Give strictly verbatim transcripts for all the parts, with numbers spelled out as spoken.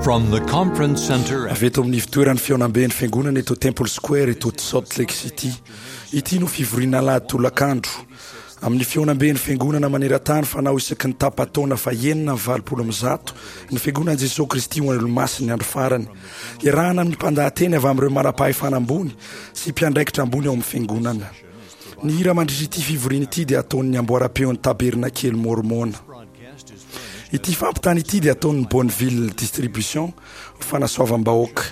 From the conference center Avy eto amin'ny fitoeran'ny fihaonamben'ny fiangonana eto Temple Square eto Salt Lake City. Ity no fivoriana alahady tolakandro amin'ny fihaonamben'ny fiangonana maneran-tany fanao isaky ny tapa-taona fahenina amby valopolo amby zato ny fiangonan'i Jesosy Kristy ho an'ny Olomasin'ny andro farany. Iarahana amin'ny mpandahateny avy amin'ireo manam-pahefana ambony sy mpiandraikitra ambony ao amin'ny fiangonana. Ny hira mandritra ity fivoriana ity dia ataon'ny amboaram-peon'ny Tabernakely Mormona. Ity fampitana ity dia ataon'ny Bonneville Distribution ho fanasoavam-bahoaka.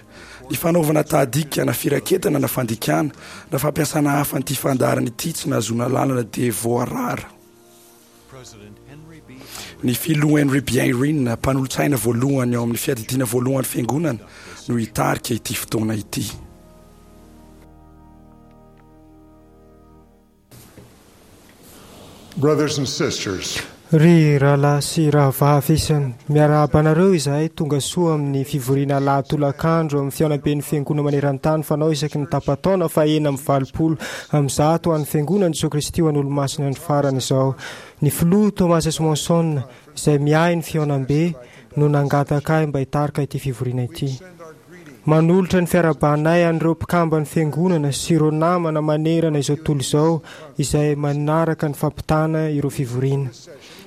Ny fanaovana tahadika na firaketana na fandikana na fampiasana hafa an'ity fandaharana ity tsy nahazoana lalana dia voarara. Ny filoha Henry B. Eyring, mpanolotsaina voalohany ao amin'ny fiadidiana voalohan'ny fiangonana, no hitarika ity fotoana ity. Brothers and sisters, Ry rahalahy sy rahavavy isany, miarahaba anareo izahay tonga soa amin'ny fivoriana alahady tolakandro amin'ny fihaonamben'ny fiangonana maneran-tany fanao isaky ny tapa-taona fahenina amby valopolo amby zato ho an'ny fiangonan'i Jesosy Kristy ho an'ny Olomasin'ny andro farany izao. Ny filoha Thomas S. Monson, izay miahy ny fihaonambe, no nangataka ahy mba hitarika ity fivoriana ity. Manolotra ny fiarahabanay an'ireo mpikamban'ny fiangonana sy ireo namana manerana izao tontolo izao izay manaraka ny fampitana ireo fivoriana.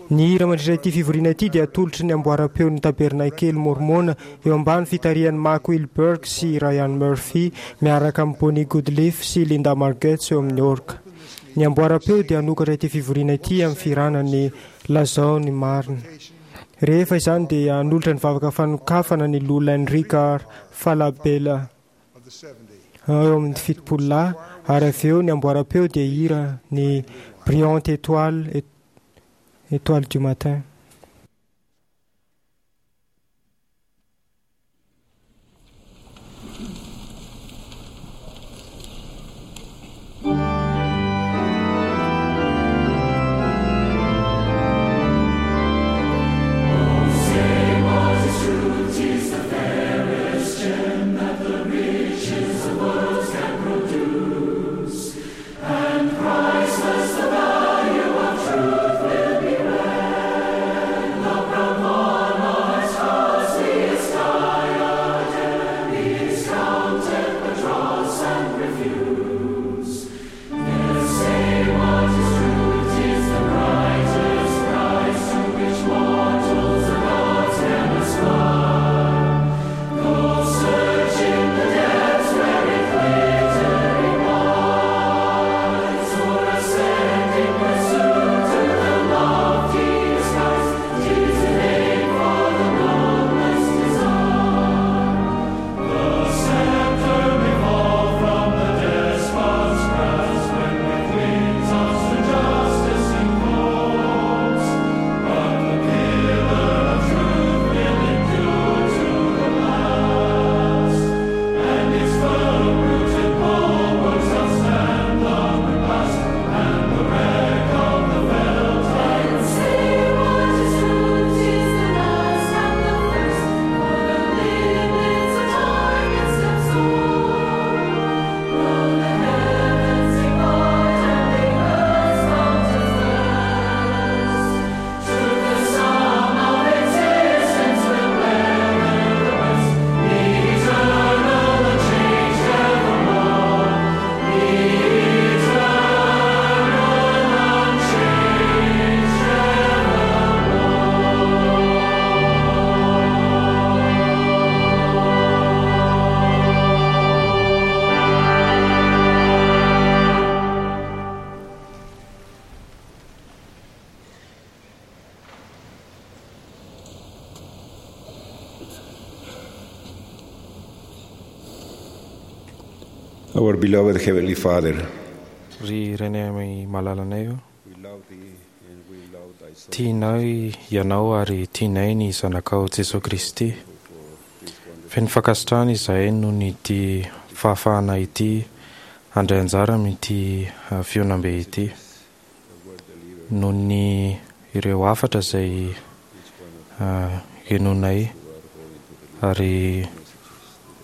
Ny hira mandritra ity fivoriana ity dia atolotry ny amboaram-peon'ny Tabernakely Mormona eo ambany fitarihan'i Mark Wilberg sy Ryan Murphy miaraka amin'i Bonnie Goodleaf sy Linda Margetts eo amin'ny orga. Ny amboaram-peo dia hanokatra ity fivoriana ity amin'ny fihirana ny Lazao ny marina. Rehefa izany dia hanolotra ny vavaka fanokafana ny Loholona Enrique Falabella eo amin'ny fitopolo lahy, ary avy eo ny amboaram-peo dia hihira ny Brillante Étoile, Étoile du matin. Our beloved Heavenly Father, Ry Rainay malalanay io, we love Thee and we love Thy Son tianay ianao ary tianay ny zanakao Jesosy Kristy. Feno fankasitrahana izahay noho ny ity fahafahana ity handray anjara amin'ity ah, fihaonambe ity. Noho ny ireo hafatra izay ah, henoinay ary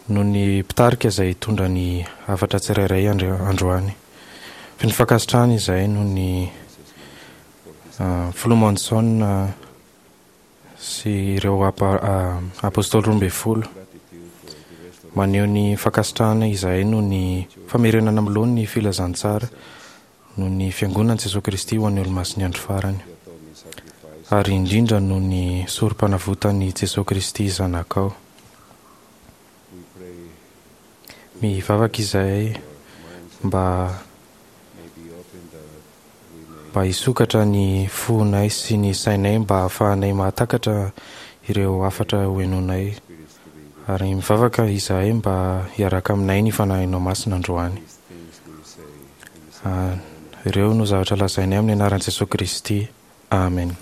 noho ny mpitarika izay hitondra ny hafatra tsirairay andro- androany. Feno fankasitrahana izahay noho ny ah, filoha Monson ah, sy ireo apôstôly roa ambin'ny folo. Maneho ny fankasitrahana izahay noho ny famerenana amin'ny laoniny ny filazantsara noho ny fiangonan'i Jesoa Kristy ho an'ny olomasin'ny andro farany, ary indrindra noho ny sorom-panavotan'i Jesoa Kristy Zanakao. Mivavaka izahay mba mba hisokatra ny fonay sy ny sainay mba hahafahanay mahatakatra ireo hafatra hohenoinay, ary mivavaka izahay mba hiaraka aminay ny Fanahinao Masina androany. Ireo no zavatra lazainay amin'ny anaran'i Jesoa Kristy. Amen.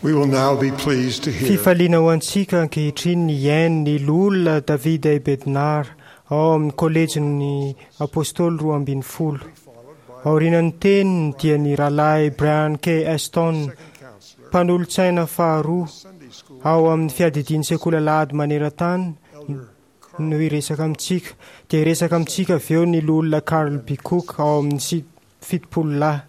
We will now be pleased to hear Fifaliana ho antsika ankehitriny ny hihaino ny loholona David A. Bednar ao amin'ny kolejin'ny apôstôly roa ambin'ny folo. Aorian'ny teniny dia ny rahalahy Brian K. Aston, mpanolotsaina faharoa ao amin'ny fiadidian'ny sekoly alahady maneran-tany no hiresaka amintsika. Dia hiresaka amintsika avy eo ny loholona Carl B. Cook ao amin'ny si- fitopolo lahy.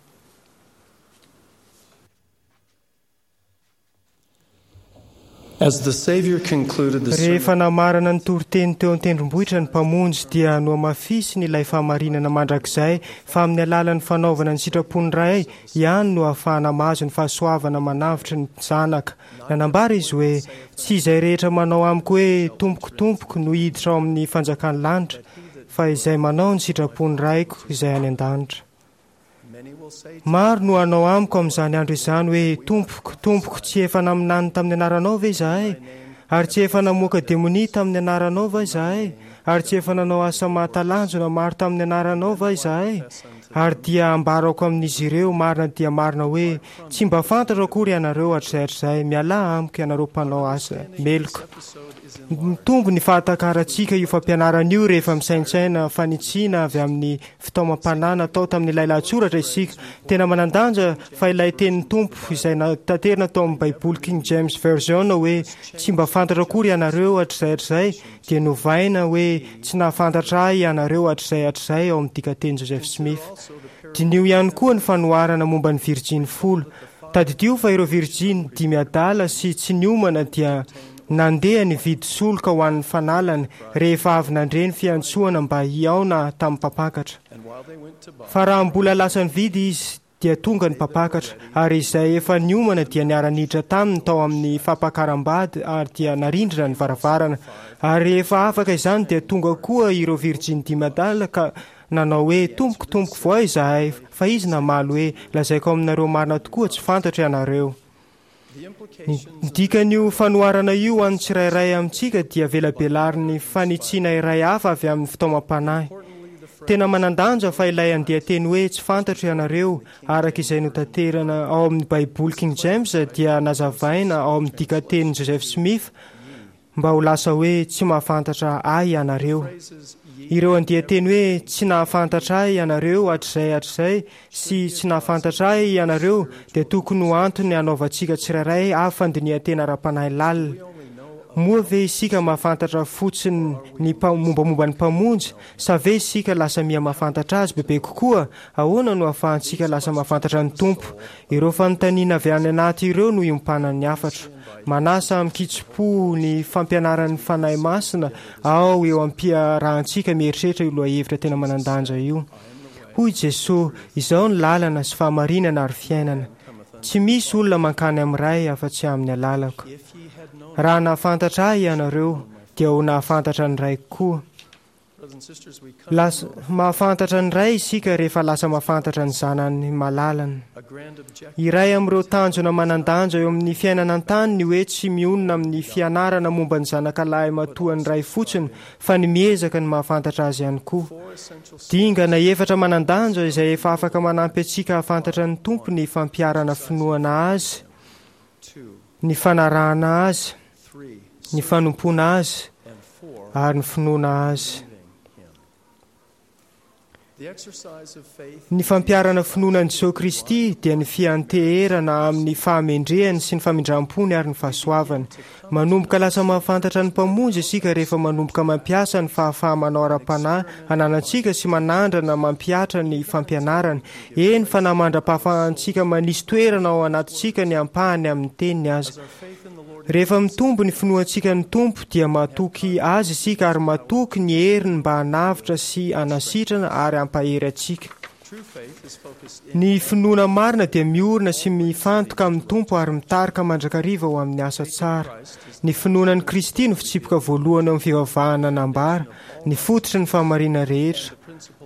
As the Savior concluded the Rehefa sermon, namarana ny toriteny teo an-tendrombohitra ny mpamonjy dia nohamafisiny ilay fahamarinana mandrakizay fa amin'ny alalan'ny fanaovana ny sitrapon'ny Ray ihany no ahafahana mahazo ny fahasoavana manavotra ny zanaka. Nanambara izy hoe tsy izay rehetra manao amiko hoe tompoko tompoko no hiditra ao amin'ny fanjakan'ny lanitra fa izay manao ny sitrapon'ny Raiko izay any an-danitra. many will say to Maro no hanao amiko amin'izany andro izany hoe tompoko tompoko tsy efa naminany tamin'ny anaranao ve izahay ary tsy efa namoaka demonia tamin'ny anaranao va izahay ary tsy efa nanao asa mahatalanjona maro tamin'ny anaranao va izahay ary dia ambarako amin'izy ireo marina dia marina hoe tsy mba fantatro akory ianareo hatrizay hatrizay mialà amiko ianareo mpanao asa meloka. episode is Mitombo ny fahatakarantsika io fampianarana io rehefa misaintsaina fanitsiana avy amin'ny fitaomam-panahy natao tamin'ilay lahatsoratra isika. Tena manan-danja fa ilay tenin'ny Tompo izay nataterina tao amin'ny Baiboly King James Version hoe tsy mba fantatra akory ianareo hatrizay hatrizay dia novaina hoe tsy nahafantatra ahy ianareo hatrizay hatrizay ao amin'ny dikanteny Joseph Smith. Diniho ihany koa ny fanoharana momba ny virjiny folo. Tadidio fa ireo virjiny dimy adala sy tsy niomana dia nandeha nividy soloka ho an'ny fanalany rehefa avy nandre ny fiantsoana mba hihaona tamin'ny mpampakatra. And while they went to buy, Fa raha mbola lasa nividy izy dia tonga ny mpampakatra ary izay efa niomana dia niara-niditra taminy tao amin'ny fampakaram-bady ary dia narindrina ny varavarana. Ary rehefa afaka izany dia tonga koa ireo virjiny dimy adala ka nanao hoe tompoko tompoko voa izahay fa izy namaly hoe lazaiko aminareo marina tokoa tsy fantatro ianareo. the Ny implications ny dikan'io fanoharana io ho an'ny tsirairay amintsika dia velabelariny fanitsiana iray hafa avy amin'ny fitaomam-panahy. Tena manan-danja fa ilay andian-teny hoe tsy fantatro ianareo araka izay notaterana ao amin'ny Baiboly King James dia nazavaina ao amin'ny dikatenin'i Joseph Smith mba ho lasa hoe tsy mahafantatra ahy ianareo. phrases ye Ireo andian-teny hoe tsy nahafantatra ahy ianareo hatrizay hatrizay sy tsy nahafantatra ahy ianareo dia tokony ho antony hanaovantsika tsirairay avy fandinihan-tena ara-panahy lalina. Moa ve isika mahafantatra fotsiny ny mpa- mombamomba ny mpamonjy sa ve isika lasa miha mahafantatra azy bebe kokoa? Ahoana no ahafahantsika lasa mahafantatra ny Tompo? Ireo fanontaniana avy any anaty ireo no iompanan'ny hafatra. Manasa amin-kitsim-po ny fampianaran'ny Fanahy Masina ao eo am-piarahantsika mieritreritra io lohahevitra tena manan-danja io. Hoy Jesoa, izao ny lalana sy fahamarinana ary fiainana. Tsy misy olona mankany amin'ny Ray afa-tsy amin'ny alalako. if ye had known Raha nahafantatra ahy ianareo dia ho nahafantatra ny Raiko koa. brothers and sisters we come Lasa mahafantatra ny Ray isika rehefa lasa mahafantatra ny zanany malalany. a grand objective Iray amin'ireo tanjona manan-danja eo amin'ny fiainana an-tany ny hoe tsy mionona amin'ny fianarana momba ny zanaka lahy matoan'ny Ray fotsiny fa ny miezaka ny mahafantatra azy ihany koa. four essential Dingana efatra manan-danja izay efa afaka manampy antsika hahafantatra ny Tompo ny fampiharana finoana azy, two ny fanarahana azy, three ny fanompoana azy and four ary ny finoana azy. believing him the exercise of faith Ny fampiharana finoana an'i Jesoa Kristy dia ny fianteherana amin'ny fahamendrehany sy ny famindram-pony ary ny fahasoavany. Manomboka lasa mahafantatra ny mpamonjy isika rehefa manomboka mampiasa ny fahafaha-manao ara-panahy ananantsika sy manandrana mampihatra ny fampianarany. Eny fa na mandra-pahafahantsika manisy toerana ao anatintsika ny ampahany amin'ny teniny aza. our faith in the Lord Rehefa mitombo ny finoantsika ny Tompo dia matoky azy isika ary matoky ny heriny mba hanavotra sy hanasitrana ary hampahery antsika. true faith is focused in Ny finoana marina dia miorina sy mifantoka amin'ny Tompo ary mitarika mandrakariva ho amin'ny asa tsara. Ny finoana an'i Kristy no fitsipika voalohany ao amin'ny fivavahana nambara, ny fototry ny fahamarinana rehetra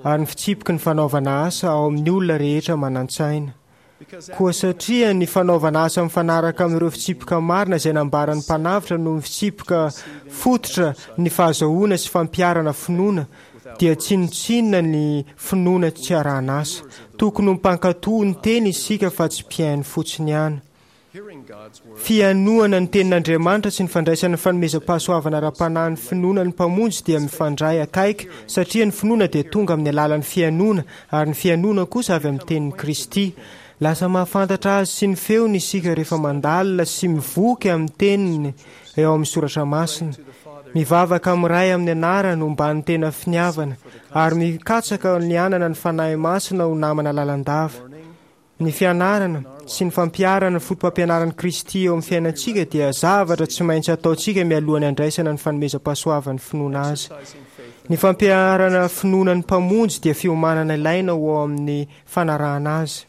ary ny fitsipiky ny fanaovana asa ao amin'ny olona rehetra manan-tsaina. because Koa satria ny fanaovana asa mifanaraka amin'ireo fitsipika marina izay nambaran'ny mpanavotra no fitsipika fototra ny fahazahoana sy fampiharana finoana dia tsinontsinona ny finoana tsy arahana asa. Tokony ho mpankatò ny teny isika fa tsy mpihaino fotsiny ihany. hearing God Fihainoana ny tenin'Andriamanitra sy ny fandraisana ny fanomezam-pahasoavana ara-panahy ny finoana ny Mpamonjy dia mifandray akaiky, satria ny finoana dia tonga amin'ny alalan'ny fihainoana, ary ny fihainoana kosa avy amin'ny tenin'i Kristy. Lasa mahafantatra azy sy ny feony isika rehefa mandalina sy mivoky amin'ny teniny eo amin'ny soratra masina. Mivavaka amin'ny Ray amin'ny anarany homban'ny tena finiavana, ary mikatsaka ny hanana ny Fanahy Masina ho namana lalandava. Ny fianarana sy ny fampiharana ny fotopampianaran'i Kristy eo amin'ny fiainantsika dia zavatra tsy maintsy ataontsika mialohan'ny handraisana ny fanomezam-pahasoavan'ny finoana azy. Ny fampiharana finoana ny Mpamonjy dia fiomanana ilaina ho ao amin'ny fanarahana azy.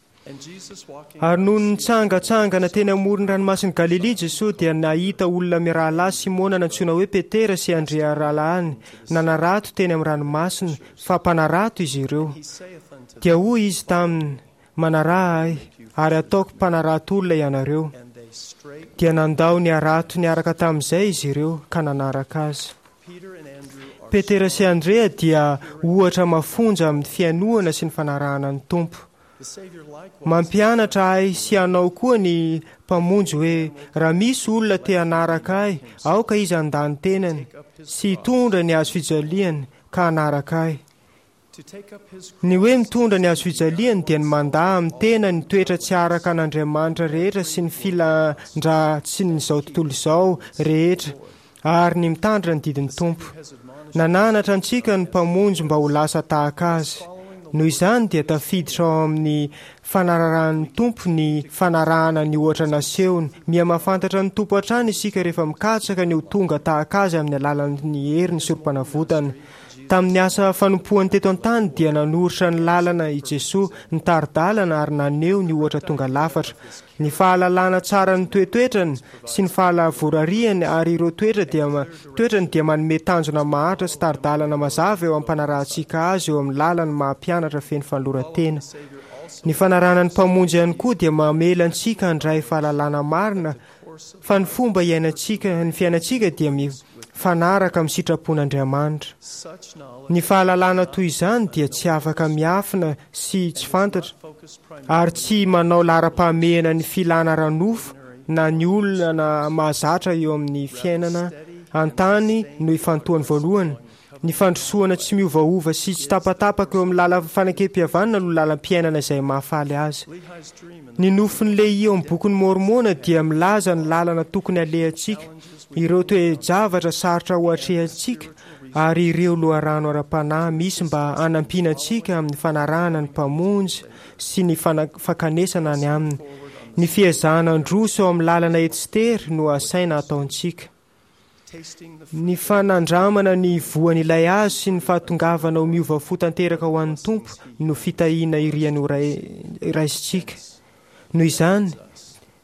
Ary nony nitsangantsangana teny amoron'ny ranomasin'i Galilia Jesoa dia nahita olona mirahalahy Simona nantsoina hoe Petera sy Andrea rahalahiny nanarato teny amin'ny ranomasina, fa mpanarato izy ireo. Dia hoy izy taminy: Manaraha ahy, ary ataoko mpanarato olona ianareo. Dia nandao ny harato niaraka tamin'izay izy ireo ka nanaraka azy. Petera sy Andrea dia ohatra mafonja amin'ny fihainoana sy ny fanarahana ny Tompo. Mampianatra ahy sy anao koa ny Mpamonjy hoe raha misy olona te hanaraka ahy, aoka izy handà ny tenany sy hitondra ny hazo fijaliany ka hanaraka ahy. Ny hoe mitondra ny hazo fijaliany dia ny mandà amin'ny tena ny toetra tsy araka an'Andriamanitra rehetra sy ny filan-dratsin'izao tontolo izao rehetra ary ny mitandrina ny didin'ny Tompo. Nananatra antsika ny Mpamonjy mba ho lasa tahaka Azy. Noho izany dia tafiditra ao amin'ny fanararahan'ny Tompo ny fanarahana ny ohatra nasehony. Miha-mahafantatra ny Tompo hatrany isika rehefa mikatsaka ny ho tonga tahaka Azy amin'ny alalan'ny herin'ny Sorompanavotana. Tamin'ny asa fanompoany teto an-tany dia nanoritra ny lalana i Jesoa, nitari-dalana ary naneho ny ohatra tonga lafatra. Ny fahalalana tsara ny toetoetrany sy ny fahalavorariany ary ireo toetra dia toetrany dia manome tanjona maharitra sy tari-dalana mazava eo am-panarahantsika azy eo amin'ny lalany maha mpianatra feno fanoloran-tena. Ny fanarahana ny Mpamonjy ihany koa dia mamela antsika handray fahalalana marina fa ny fomba iainantsika ny fiainantsika dia mifanaraka amin'ny sitrapon'Andriamanitra. Ny fahalalana toy izany dia tsy afaka miafina sy tsy fantatra ary tsy manao laharam-pahamehana ny filana ara-nofo na ny olana mahazatra eo amin'ny fiainana an-tany no ifantohany voalohany. Ny fandrosoana tsy miovaova sy tsy tapatapaka eo amin'ny lalan'ny fanekempihavanana no lalam-piainana izay mahafaly azy. Ny nofin'i Lehia eo amin'ny bokin'i Môrmôna dia milaza ny lalana tokony halehantsika, ireo toe-javatra sarotra ho atrehantsika, ary ireo loharano ara-panahy misy mba hanampiana antsika amin'ny fanarahana ny Mpamonjy sy ny fankanesana any Aminy. Ny fiezahana handroso eo amin'ny lalana ety sy tery no asaina hataontsika. Ny fanandramana ny voan'ilay hazo sy ny fahatongavana ho miova fo tanteraka ho an'ny Tompo no fitahiana iriany ho raisintsika. Noho izany,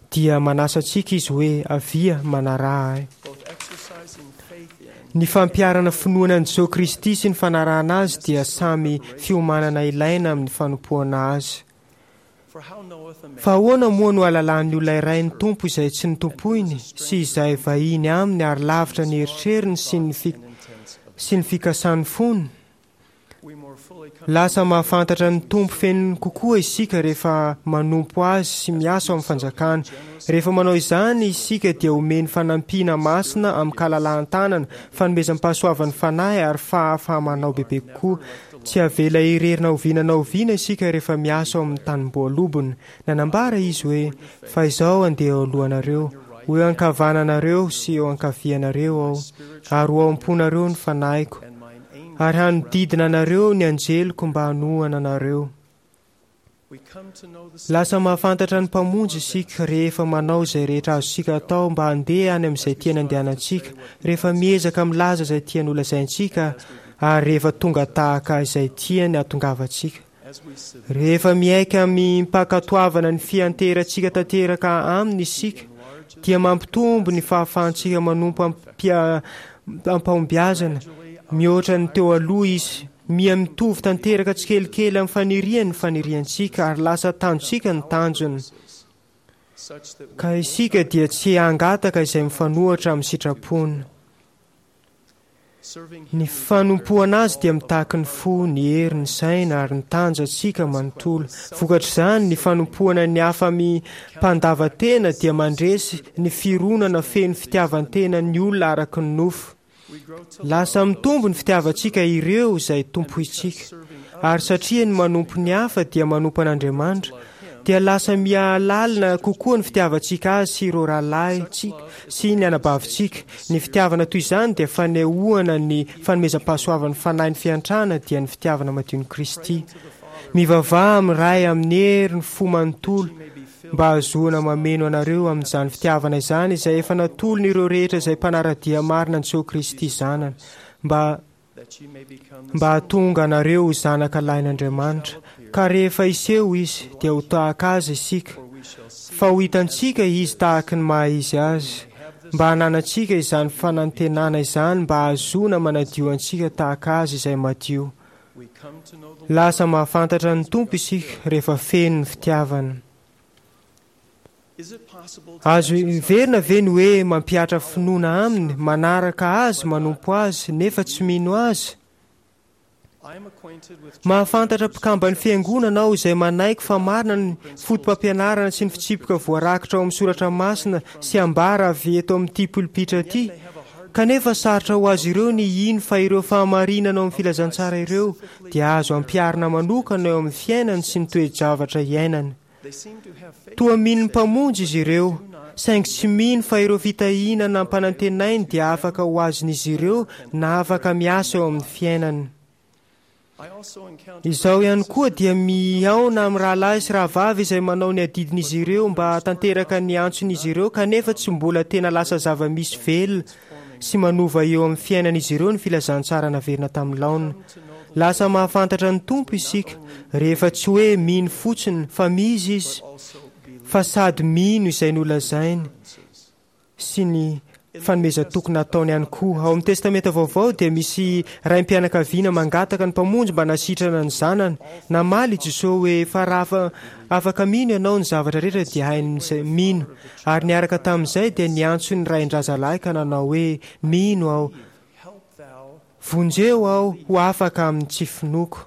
dia manasa antsika Izy hoe, Avia, manaraha Ahy. Ny fampiharana finoana an'i Jesoa Kristy sy ny fanarahana Azy dia samy fiomanana ilaina amin'ny fanompoana Azy. Fa ahoana moa no hahalalan'ny olona iray ny Tompo izay tsy notompoiny sy izay vahiny aminy ary lavitra ny eritreriny sy ny sy ny fikasan'ny fony? Lasa mahafantatra ny Tompo feno kokoa isika rehefa manompo Azy sy miasa ao amin'ny fanjakany. Rehefa manao izany isika dia omeny fanampiana masina amin-kalalahan-tanana, fanomezam-pahasoavan'ny Fanahy ary fahafaha-manao bebe kokoa. Tsy avela irery na oviana na oviana isika rehefa miasa ao amin'ny tanimboalobony. Nanambara izy hoe, Fa izaho handeha eo alohanareo, ho eo ankavananareo sy eo ankavianareo aho, ary ho ao am-ponareo ny fanahiko, ary hanodidina anareo ny anjeliko mba hanohana anareo. Lasa mahafantatra ny Mpamonjy isika rehefa manao izay rehetra azontsika atao mba handeha any amin'izay tiany handehanantsika, rehefa miezaka milaza izay tiany holazaintsika, ary rehefa tonga tahaka izay tiany hahatongavantsika. Rehefa miaiky amim-pankatoavana ny fianteherantsika tanteraka aminy isika, dia mampitombo ny fahafahantsika manompo am-pahombiazana mihoatra ny teo aloha izy. Miha mitovy tanteraka tsikelikely amin'ny faniriany ny faniriantsika ary lasa tanjontsika ny tanjony. Ka isika dia tsy hangataka izay mifanohitra amin'ny sitrapony. Ny fanompoana azy dia mitaky ny fo, ny hery, ny saina ary ny tanjatsika manontolo. Vokatr'izany, ny fanompoana ny hafa amim-pandavan-tena dia mandresy ny fironana feno fitiavan-tena ny olona araka ny nofo. Lasa mitombo ny fitiavantsika ireo izay tompointsika. Ary satria ny manompo ny hafa dia manompo an'Andriamanitra, dia lasa mihalalina kokoa ny fitiavantsika azy sy ireo rahalahintsika sy ny anabavintsika. Ny fitiavana toy izany dia fanehoana ny fanomezam-pahasoavan'ny fanahy ny fiantrana, dia ny fitiavana madion'i Kristy. Mivavaha amin'ny Ray amin'ny hery ny fo manontolo mba hahazoana mameno anareo amin'izany fitiavana izany izay efa natolony ireo rehetra izay mpanara-dia marina an'i Jesoa Kristy Zanany, mba mba hahatonga anareo ho zanaka lahin'Andriamanitra, ka rehefa hiseho izy dia ho tahaka azy isika, fa ho hitantsika izy tahaky ny maha izy azy, mba hananantsika izany fanantenana izany mba hahazoana manadio antsika tahaka azy izay madio. Lasa mahafantatra ny Tompo isika rehefa feno ny fitiavana. Azo heverina ve ny hoe mampihatra finoana aminy, manaraka azy, manompo azy, nefa tsy mino azy? Mahafantatra mpikamban'ny fiangonana aho izay manaiky fa marina ny fotopampianarana sy ny fitsipika voarakitra ao amin'ny soratra masina sy ambara avy eto amin'ity polipitra ity, kanefa sarotra ho azy ireo ny hino fa ireo fahamarinana ao amin'ny filazantsara ireo dia azo ampiharina manokana eo amin'ny fiainany sy ny toe-javatra iainany. Toa mino ny Mpamonjy izy ireo, saingy tsy mino fa ireo fitahiana nampanantenainy dia afaka ho azon'izy ireo na afaka miasa eo amin'ny fiainany. Izaho ihany koa dia mihaona amin'ny rahalahy sy rahavavy izay manao ny adidin'izy ireo mba hahatanteraka ny antson'izy ireo, kanefa tsy mbola tena lasa zava-misy velona sy manova eo amin'ny fiainan'izy ireo ny filazantsara naverina tamin'ny laoniny. Lasa mahafantatra ny Tompo isika rehefa tsy hoe mino fotsiny fa misy izy, fa sady mino izay nolazainy sy ny fanomezan-toky nataony ihany koa. Ao amin'ny Testamenta Vaovao dia misy raim-pianakaviana mangataka ny Mpamonjy mba hanasitrana ny zanany. Namaly i Jesoa hoe fa raha afaka mino ianao, ny zavatra rehetra dia hain'izay mino. Ary niaraka tamin'izay dia niantso ny rain-drazalahy ka nanao hoe, mino aho, vonjeo aho ho afaka amin'ny tsy finoako.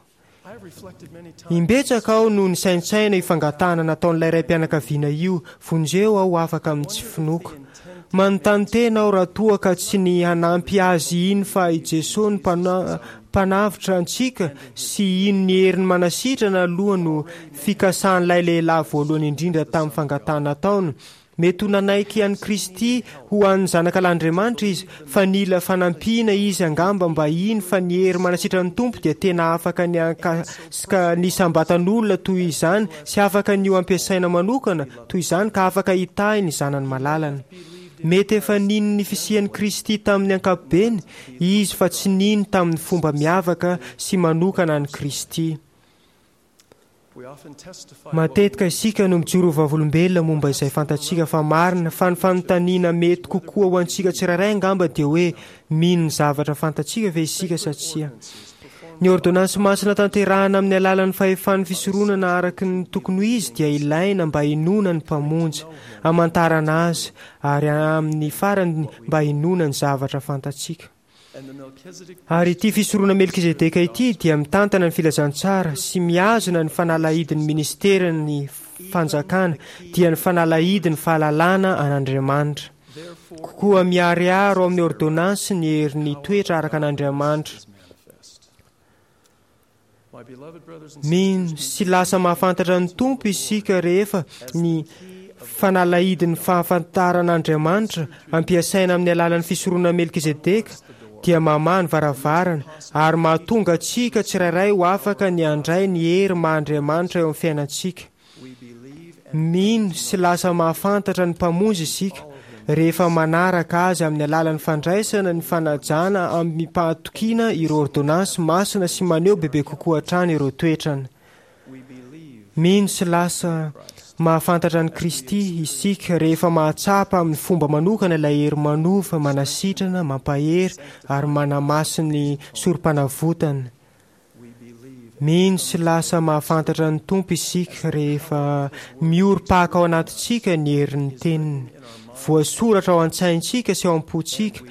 Imbetsaka aho no nisaintsaina io fangatahana nataon'ilay raim-pianakaviana io, vonjeo aho ho afaka amin'ny tsy finoako. Manontany tena aho raha toa ka tsy ny hanampy azy hino fa i Jesoa no mpanavotra antsika sy hino ny heriny manasitrana aloha no fikasan'ilay lehilahy voalohany indrindra tamin'ny fangatahana nataony. Mety ho nanaiky an'i Kristy ho an'ny zanakalahin'Andriamanitra izy, fa nila fanampiana izy angamba mba hino fa ny hery manasitran'ny Tompo dia tena afaka ny hankasika ny isam-batan'olona toy izany sy afaka ny ho ampiasaina manokana toy izany ka afaka hitahy ny zanany malalany. Mety efa nino ny fisian'i Kristy tamin'ny ankapobeny izy fa tsy nino tamin'ny fomba miavaka sy manokana an'i Kristy. Matetika isika no mijoro ho vavolombelona momba izay fantatsika fa marina, fa ny fanontaniana mety kokoa ho antsika tsirairay angamba dia hoe mino ny zavatra fantatsika ve isika sa tsia. Ny ôrdônansy masina tanterahana amin'ny alalan'ny fahefan'ny fisoronana araka ny tokony ho izy dia ilaina mba hinoana ny Mpamonjy, hamantarana Azy, ary amin'ny farany mba hinoana ny zavatra fantatsika. Ary ity fisorona Melkizedeka ity dia mitantana ny filazantsara sy mihazona ny fanalahidin'ny ministeran'ny fanjakana, dia ny fanalahidin'ny fahalalana an'Andriamanitra. Koa miharihary ao amin'ny ôrdônansy ny herin'ny toetra araka an'Andriamanitra. Mino sy lasa mahafantatra ny Tompo isika rehefa ny fanalahidin'ny fahafantaran'Andriamanitra ampiasaina amin'ny alalan'ny fisoronana Melkizedeka dia mamaha ny varavarana ary mahatonga antsika tsirairay ho afaka ny handray ny hery maha Andriamanitra eo amin'ny fiainantsika. Mino sy lasa mahafantatra ny Mpamonjy isika rehefa manaraka Azy amin'ny alalan'ny fandraisana ny fanajana amim-pahatokiana ireo ôrdônansy masina sy maneho bebe kokoa hatrany ireo toetrany. Mino sy lasa mahafantatra an'i Kristy isika rehefa mahatsapa amin'ny fomba manokana ilay hery manova, manasitrana, mampahery ary manamasin'ny sorompanavotany. Mino sy lasa mahafantatra ny Tompo isika rehefa miorim-paka ao anatintsika ny herin'ny Teniny. Voasoratra ao an-tsaintsika sy ao am-pontsika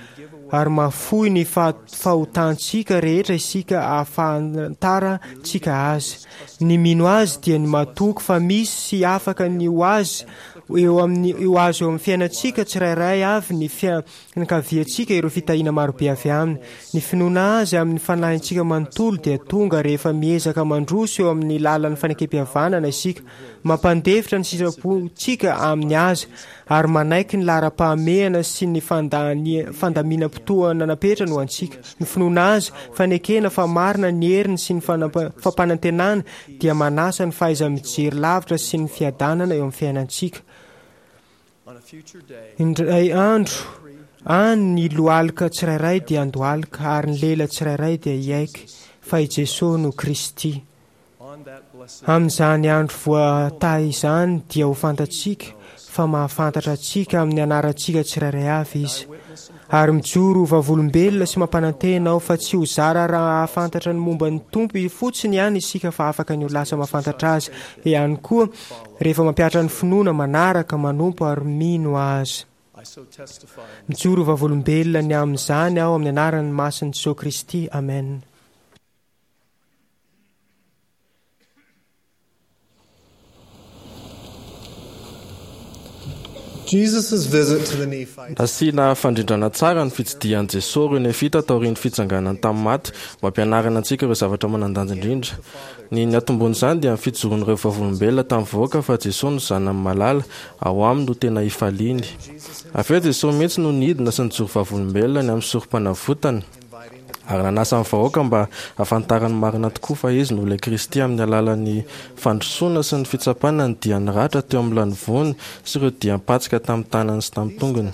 ary mahafoy ny fahotantsika rehetra isika ahafantarantsika azy. Ny mino azy dia ny matoky fa misy sy afaka ny ho azy eo amin'ny ho azy eo amin'ny fiainantsika tsirairay avy ny fianakaviantsika ireo fitahiana marobe avy aminy. Ny finoana azy amin'ny fanahintsika manontolo dia tonga rehefa miezaka mandroso eo amin'ny lalan'ny fanekem-pihavanana isika, mampandefitra ny sitrapontsika amin'ny azy ary manaiky ny laharam-pahamehana sy ny fandaminam-potoana napetrany ho antsika. Ny finoana azy, fanekena fa marina ny heriny sy ny fampanantenana dia manasa ny fahaiza-mijery lavitra sy ny fiadanana eo amin'ny fiainantsika. Indray andro any ny lohalika tsirairay dia handohalika ary ny lela tsirairay dia hiaiky fa i Jesosy no Kristy. Amin'izany andro voatahy izany dia ho fantatsika fa mahafantatra antsika amin'ny anarantsika tsirairay avy izy. Ary mijoro ho vavolombelona sy mampanantena aho fa tsy ho zara raha hahafantatra ny momba ny Tompo fotsiny ihany isika fa afaka ny ho lasa mahafantatra azy ihany koa rehefa mampihatra ny finoana, manaraka, manompo ary mino azy. Mijoro ho vavolombelona ny amin'izany aho amin'ny anaran'ny masin'i Jesosy Kristy. Amen. Nasiana fandrindrana tsara ny fitsidihan'i Jesosy ireo Nefita taorian'ny fitsanganany tamin'ny maty mba hampianarana antsika ireo zavatra manan-danja indrindra. Ny niantombohan'izany dia ny fijoroan'ireo vavolombelona tamin'ny vahoaka fa Jesosy no Zanany malala, ao aminy no tena ifaliany. Avy eo Jesosy mihitsy no nidina sy nijoro vavolombelona ny amin'ny sorom-panavotany, ary nanasa ny vahoaka mba hahafantarany marina tokoa fa Izy no ilay Kristy amin'ny alalan'ny fandrosoana sy ny fitsapana ny dian'ny ratra teo amin'ny lanivoany sy ireo diam-patsika tamin'ny tanany sy tamin'ny tongony.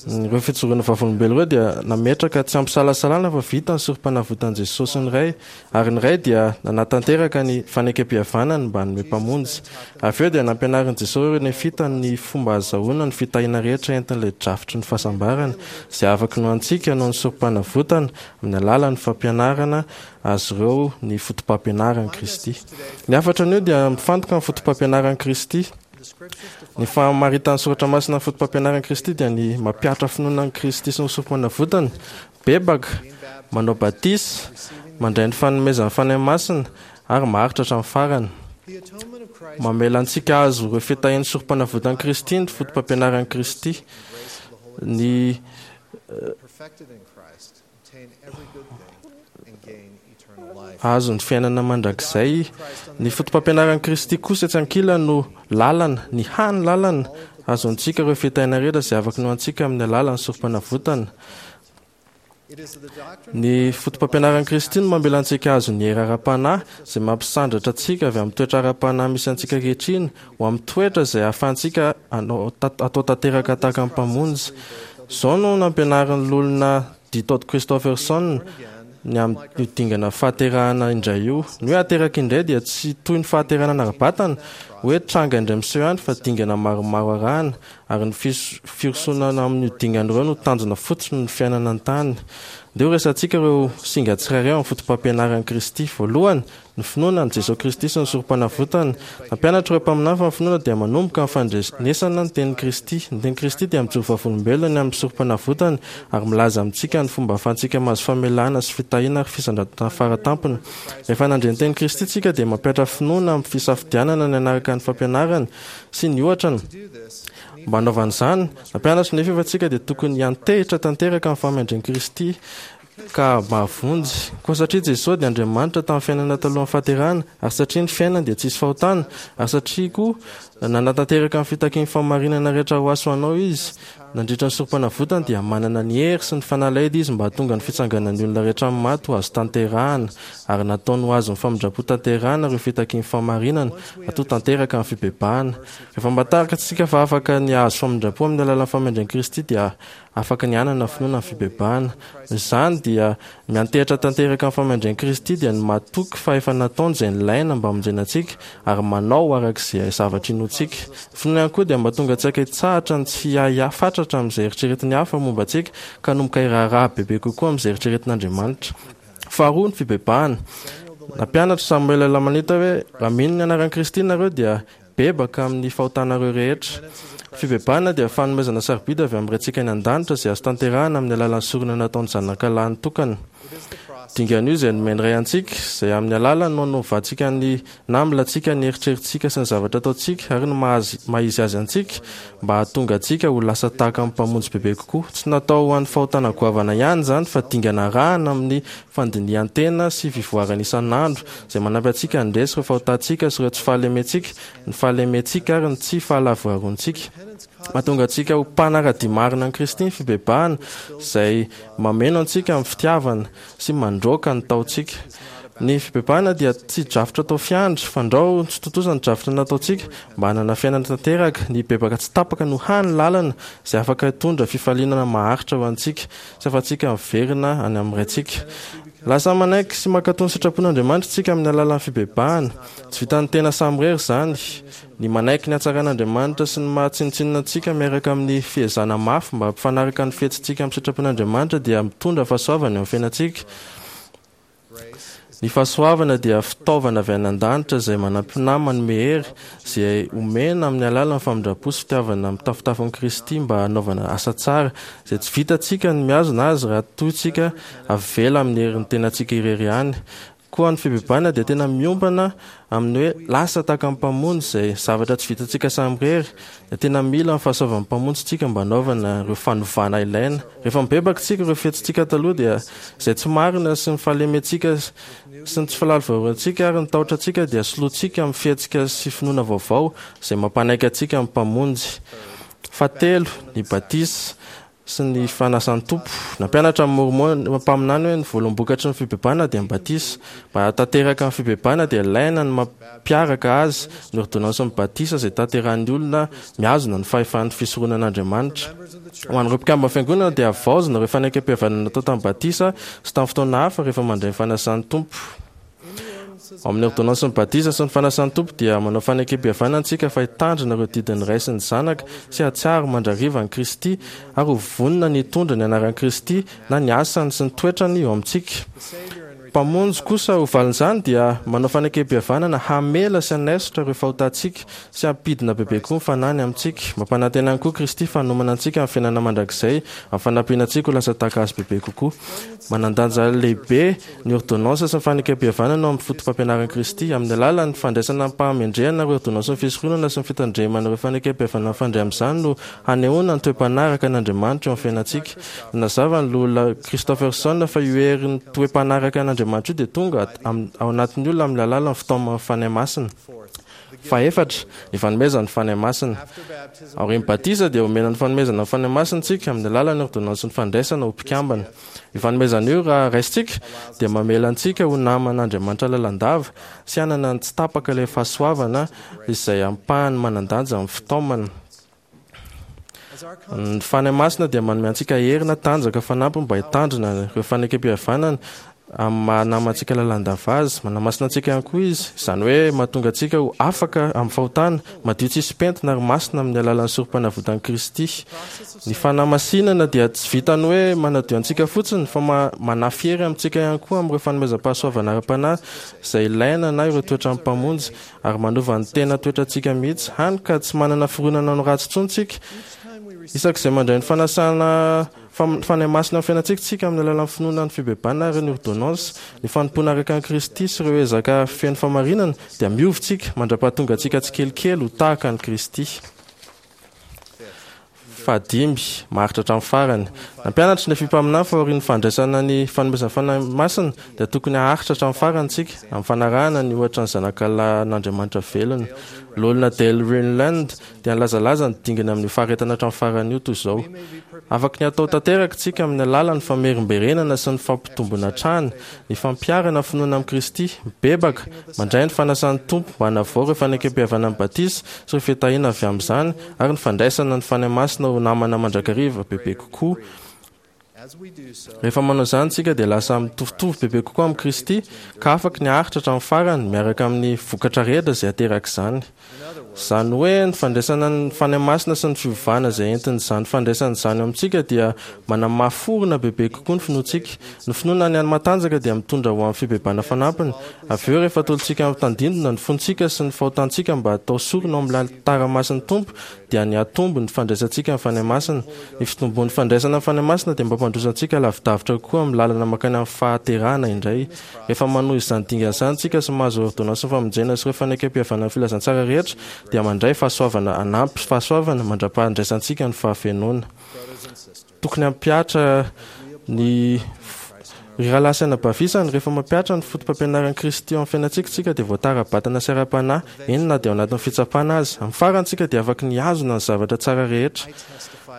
Ireo fijoroana vavolombelona ireo dia nametraka tsy ampisalasalana fa vita ny sorom-panavotan'i Jesosy ny Ray, ary ny Ray dia nanatanteraka ny fanekempihavanany mba hanome Mpamonjy. Avy eo dia nampianarin'i Jesosy ireo Nefita ny fomba ahazahoana ny fitahiana rehetra entin'ilay drafitry ny fahasambarana, izay afaka inoantsika noho ny sorom-panavotana, amin'ny alalan'ny fampianarana azy ireo ny fotopampianaran'i Kristy. Ny hafatra anio dia mifantoka amin'ny fotopampianaran'i Kristy. Ny famaritan'ny Soratra Masina ny fotopampianaran'i Kristy dia ny mampihatra finoana an'i Kristy sy ny sorom-panavotana, bebaka, manao batisa, mandray ny fanomezan'ny Fanahy Masina, ary maharitra hatramin'ny farany. Mamela antsika hahazo ireo fitahian'ny sorom-panavotan'i Kristy ny fotopampianaran'i Kristy. Ny hahazo ny fiainana mandrakizay. Ny fotopampianaran'i Kristy kosa etsy ankilany no lalana, ny hany lalana hahazoantsika ireo fitahiana rehetra izay afaka inoantsika amin'ny alalan'ny sorom-panavotana. Ny fotopampianaran'i Kristy no mamela antsika hahazo ny hery ara-panahy izay mampisandratra antsika avy amin'ny toetra ara-panahy misy antsika ankehitriny ho amin'ny toetra izay ahafahantsika atao tanteraka tahaka ny Mpamonjy. Izao no nampianarin'ny Loholona D. Todd Christofferson ny amin'io dingana fahaterahana indray io. Ny hoe ateraka indray dia tsy toy ny fahaterahana ara-batana, hoe tranga indray miseho ihany, fa dingana maromaro arahana, ary ny firosoana amin'io dingana ireo no tanjona fototry ny fiainana an-tany. Ndeha ho resahantsika ireo singa tsirairay ao amin'ny fotopampianaran'i Kristy. Voalohany, ny finoana an'i Jesoa Kristy sy ny Sorompanavotany. Nampianatra ireo mpaminany fa ny finoana dia manomboka amin'ny fandrenesana ny tenin'i Kristy. Ny tenin'i Kristy dia mijoro vavolombelona ny amin'ny Sorompanavotany ary milaza amintsika ny fomba ahafahantsika mahazo famelana sy fitahiana ary fisandratana faratampony. Rehefa nandre ny tenin'i Kristy isika dia mampihatra finoana amin'ny fisafidianana ny hanaraka ny fampianarany sy ny ohatrany. Mba hanaovana izany, nampianatra nefa efa tsika dia tokony hiantehitra tanteraka amin'ny fahamendren'i Kristy ka mahavonjy. Koa satria Jesoa dia Andriamanitra tamin'ny fiainana talohan'ny fahaterahana, ary satria ny fiainany dia tsisy fahotana, ary satria koa nanatanteraka ny fitakian'ny fahamarinana rehetra ho ahy sy ho anao Izy, nandritra ny sorompanavotany dia manana ny hery sy ny fanalahidy Izy mba hahatonga ny fitsanganan'ny olona rehetra amin'ny maty ho azo tanterahana, ary nataony ho azon'ny famindram-po tanterahana ireo fitakian'ny fahamarinana, hatoa tanteraka ny fibebahana. Rehefa mba takatsika fa afaka ny hahazo famindram-po amin'ny alalan'ny famindran'i Kristy dia afaka ny hanana finoana ny fibebahana. Noho izany dia miantehitra tanteraka amin'ny famindran'i Kristy dia ny matoky fa efa nataony izay nilaina mba hamonjena antsika ary manao araka izay zavatra inoantsika. Ny finoana ihany koa dia mba tonga antsika hitsahatra ny tsy hiahiahy fatratra amin'izay eritreretin'ny hafa momba antsika ka hanomboka hiraharaha bebe kokoa amin'izay eritreretin'Andriamanitra. Faharoa, ny fibebahana. Nampianatra Samoela Lamanita hoe, Raha mino ny anaran'i Kristy nareo dia mibebaka amin'ny fahotanareo rehetra. Fibebahana dia fanomezana sarobidy avy amin'ny Raintsika any an-danitra izay azo tanterahana amin'ny alalan'ny sorona nataon'ny Zanaka lahy tokana. Dingana io izay nomen'ny Ray antsika, izay amin'ny alalany no hanovantsika ny namilantsika, ny eritreritsika sy ny zavatra ataontsika ary ny maha izy azy antsika mba hahatonga antsika ho lasa tahaka ny Mpamonjy bebe kokoa. Tsy natao ho an'ny fahotana goavana ihany izany fa dingana arahana amin'ny fandinihan-tena sy fivoarana isan'andro izay manampy antsika handresy ireo fahotantsika sy ireo tsy fahalementsika, ny fahalementsika ary ny tsy fahalavorarontsika. Mahatonga antsika ho mpanara-dia marina an'i Kristy ny fibebahana izay mameno antsika amin'ny fitiavana sy mandroaka ny taontsika. Ny fibebahana dia tsy drafitra atao fiandry, fandrao tsy tontosa ny drafitra nataontsika mba hanana fiainana tanteraka. Ny bebaka tsy tapaka no hany lalana izay afaka hitondra fifaliana maharitra ho antsika sy ahafahantsika miverina any amin'ny Raintsika. Lasa manaiky sy mankatò ny sitrapon'Andriamanitra isika amin'ny alalan'ny fibebahana. Tsy vitan'ny tena samirery izany. Ny manaiky ny hatsaran'Andriamanitra sy ny maha tsinontsinona antsika miaraka amin'ny fiezahana mafy mba hampifanaraka ny fihetsitsika amin'ny sitrapon'Andriamanitra dia mitondra fahasoavana eo amin'ny fiainantsika. Ny fahasoavana dia fitaovana avy any an-danitra izay manampy na manome hery, izay omena amin'ny alalan'ny famindram-po sy fitiavana mitafotafo an'i Kristy mba hanaovana asa tsara, izay tsy vitantsika ny mihazona azy raha toa isika avela amin'ny herin'ny tenantsika irery ihany. Koa ny fibebahana dia tena miompana amin'ny hoe lasa tahaka ny Mpamonjy izay zavatra tsy vitantsika samirery. Dia tena mila ny fahasoavan'ny Mpamonjy isika mba hanaovana ireo fanovana ilaina. Rehefa mibebaka isika, ireo fihetsitsika taloha dia izay tsy marina sy ny fahalementsika sy ny tsy fahalavorarontsika ary ny tahotra antsika dia solointsika amin'ny fihetsika sy finoana vaovao izay mampanaiky antsika amin'ny Mpamonjy. Fahatelo, ny batisa sy ny fanasan'ny Tompo. Nampianatra ny Mormon mpaminany hoe ny voaloham-bokatry ny fibebahana dia ny batisa. Mba hahatanteraka ny fibebahana dia ilaina ny mampiaraka azy ny ôrdônansin'ny batisa izay tanterahan'ny olona mihazona ny fahefan'ny fisoronan'Andriamanitra. Ho an'ireo mpikamban'ny fiangonana dia havaozina ireo fanekempihavanana natao tamin'ny batisa sy tamin'ny fotoana hafa rehefa mandray ny fanasan'ny Tompo. Ao amin'ny ôrdônansin'ny batisa sy ny fanasan'ny Tompo dia manao fanekempihavanana antsika fa hitandrina ireo didin'ny Ray sy ny Zanaka sy hahatsiaro mandrakariva an'i Kristy ary ho vonona ny hitondra ny anaran'i Kristy na ny asany sy ny toetrany eo amintsika. Mpamonjy kosa ho valin'izany dia manao fanekempihavanana hamela sy hanaisotra ireo fahotantsika sy hampidina bebe kokoa ny fanahiny amintsika. Mampanantena ihany koa Kristy fa hanomana antsika amin'ny fiainana mandrakizay amin'ny fanampiana antsika ho lasa tahaka azy bebe kokoa. Manan-danja lehibe ny ôrdônansa sy ny fanekempihavanana ao amin'ny fotopampianaran'i Kristy. Amin'ny alalan'ny fandraisana amim-pahamendrehana ireo ôrdônansin'ny fisoronana sy ny fitandremana ireo fanekempihavanana mifandray amin'izany no hanehoana ny toe-panaraka an'Andriamanitra eo amin'ny fiainantsika. Nanazava ny Loholona Christofferson fa io herin'ny toe-panaraka an'Andriamanitra io dia tonga ao anatin'ny olona amin'ny alalan'ny fitaoman'ny Fanahy Masina. Fahefatra, ny fanomezana ny Fanahy Masina. Aorian'ny batisa dia omena ny fanomezana ny Fanahy Masina isika amin'ny alalan'ny ôrdônansin'ny fandraisana ho mpikambana. Io fanomezana io, raha raisintsika, dia mamela antsika ho naman'Andriamanitra lalandava sy hanana ny tsy tapaka ilay fahasoavana izay ampahany manan-danja amin'ny fitaomana. Ny Fanahy Masina dia manome antsika hery na tanjaka fanampiny mba hitandrina ireo fanekempihavanana amin'ny maha namantsika lalandava azy. Manamasina antsika ihany koa izy, izany hoe mahatonga antsika ho afaka amin'ny fahotana, madio tsisy pentina ary masina amin'ny alalan'ny sorompanavotan'i Kristy. Ny fanamasinana dia tsy vitan'ny hoe manadio antsika fotsiny fa manafy hery amintsika ihany koa amin'ireo fanomezam-pahasoavana ara-panahy izay ilaina na ireo toetran'ny Mpamonjy ary manova ny tena toetrantsika mihitsy, hany ka tsy manana fironana no ratsy intsony isika. Isak'izay mandray ny fanasana Fanahy Masina amin'ny fiainantsika isika amin'ny alalan'ny finoana ny fibebahana ary ny ôrdônansy, ny fanompoana araka an'i Kristy sy ireo ezaka feno fahamarinana, dia miova isika mandra-pahatonga antsika tsikelikely ho tahaka an'i Kristy. Fahadimy, maharitra hatramin'ny farany. Nampianatra ny Nefia mpaminany fa aorian'ny fandraisana ny fanomezan'ny Fanahy Masina dia tokony haharitra hatramin'ny farany isika amin'ny fanarahana ny ohatra ny Zanakalahin'Andriamanitra velona. Loholona Dale Renlund dia nilazalaza ny dingana amin'io faharetana hatramin'ny farany io toy izao: Afaky ny hatao tanteraka isika amin'ny alalan'ny famerimberenana sy ny fampitombona hatrany ny fampiharana finoana amin'i Kristy, mibebaka, mandray ny fanasan'ny Tompo mba hanavao ireo fanekempihavanan'ny batisa sy ireo fitahiana avy amin'izany ary ny fandraisana ny Fanahy Masina ho namana mandrakariva bebe kokoa. Rehefa manao izany isika dia lasa mitovitovy bebe kokoa amin'i Kristy ka afaky ny haharitra hatramin'ny farany miaraka amin'ny vokatra rehetra izay aterak'izany. Izany hoe ny fandraisana ny Fanahy Masina sy ny fiovana izay entin'izany fandraisana izany eo amintsika dia manamafy orina bebe kokoa ny finoantsika. Ny finoana ny matanjaka dia mitondra ho amin'ny fibebahana fanampiny. Avy eo, rehefa atolotsika amin'ny tandindona ny fontsika sy ny fahotantsika mba hatao sorona ao amin'ny alitara masin'ny Tompo, dia nihatombo ny fandraisantsika ny Fanahy Masina. Ny fitombon'ny fandraisana ny Fanahy Masina dia mampandroso antsika lavidavitra kokoa amin'ny lalana mankany amin'ny fahaterahana indray. Rehefa manohy izany dingana izany isika sy mahazo ôrdônansin'ny famonjena sy ireo fanekempihavanan'ny filazantsara rehetra, dia mandray fahasoavana hanampy fahasoavana mandra-pahandraisantsika ny fahafenoana. Tokony hampihatra ny Ry rahalahy sy anabavy isany, rehefa mampihatra ny fotopampianaran'i Kristy eo amin'ny fiainantsika isika dia voatara ara-batana sy ara-panahy, eny na dia ao anatin'ny fitsapana aza. Amin'ny farany isika dia afaky ny hihazona ny zavatra tsara rehetra.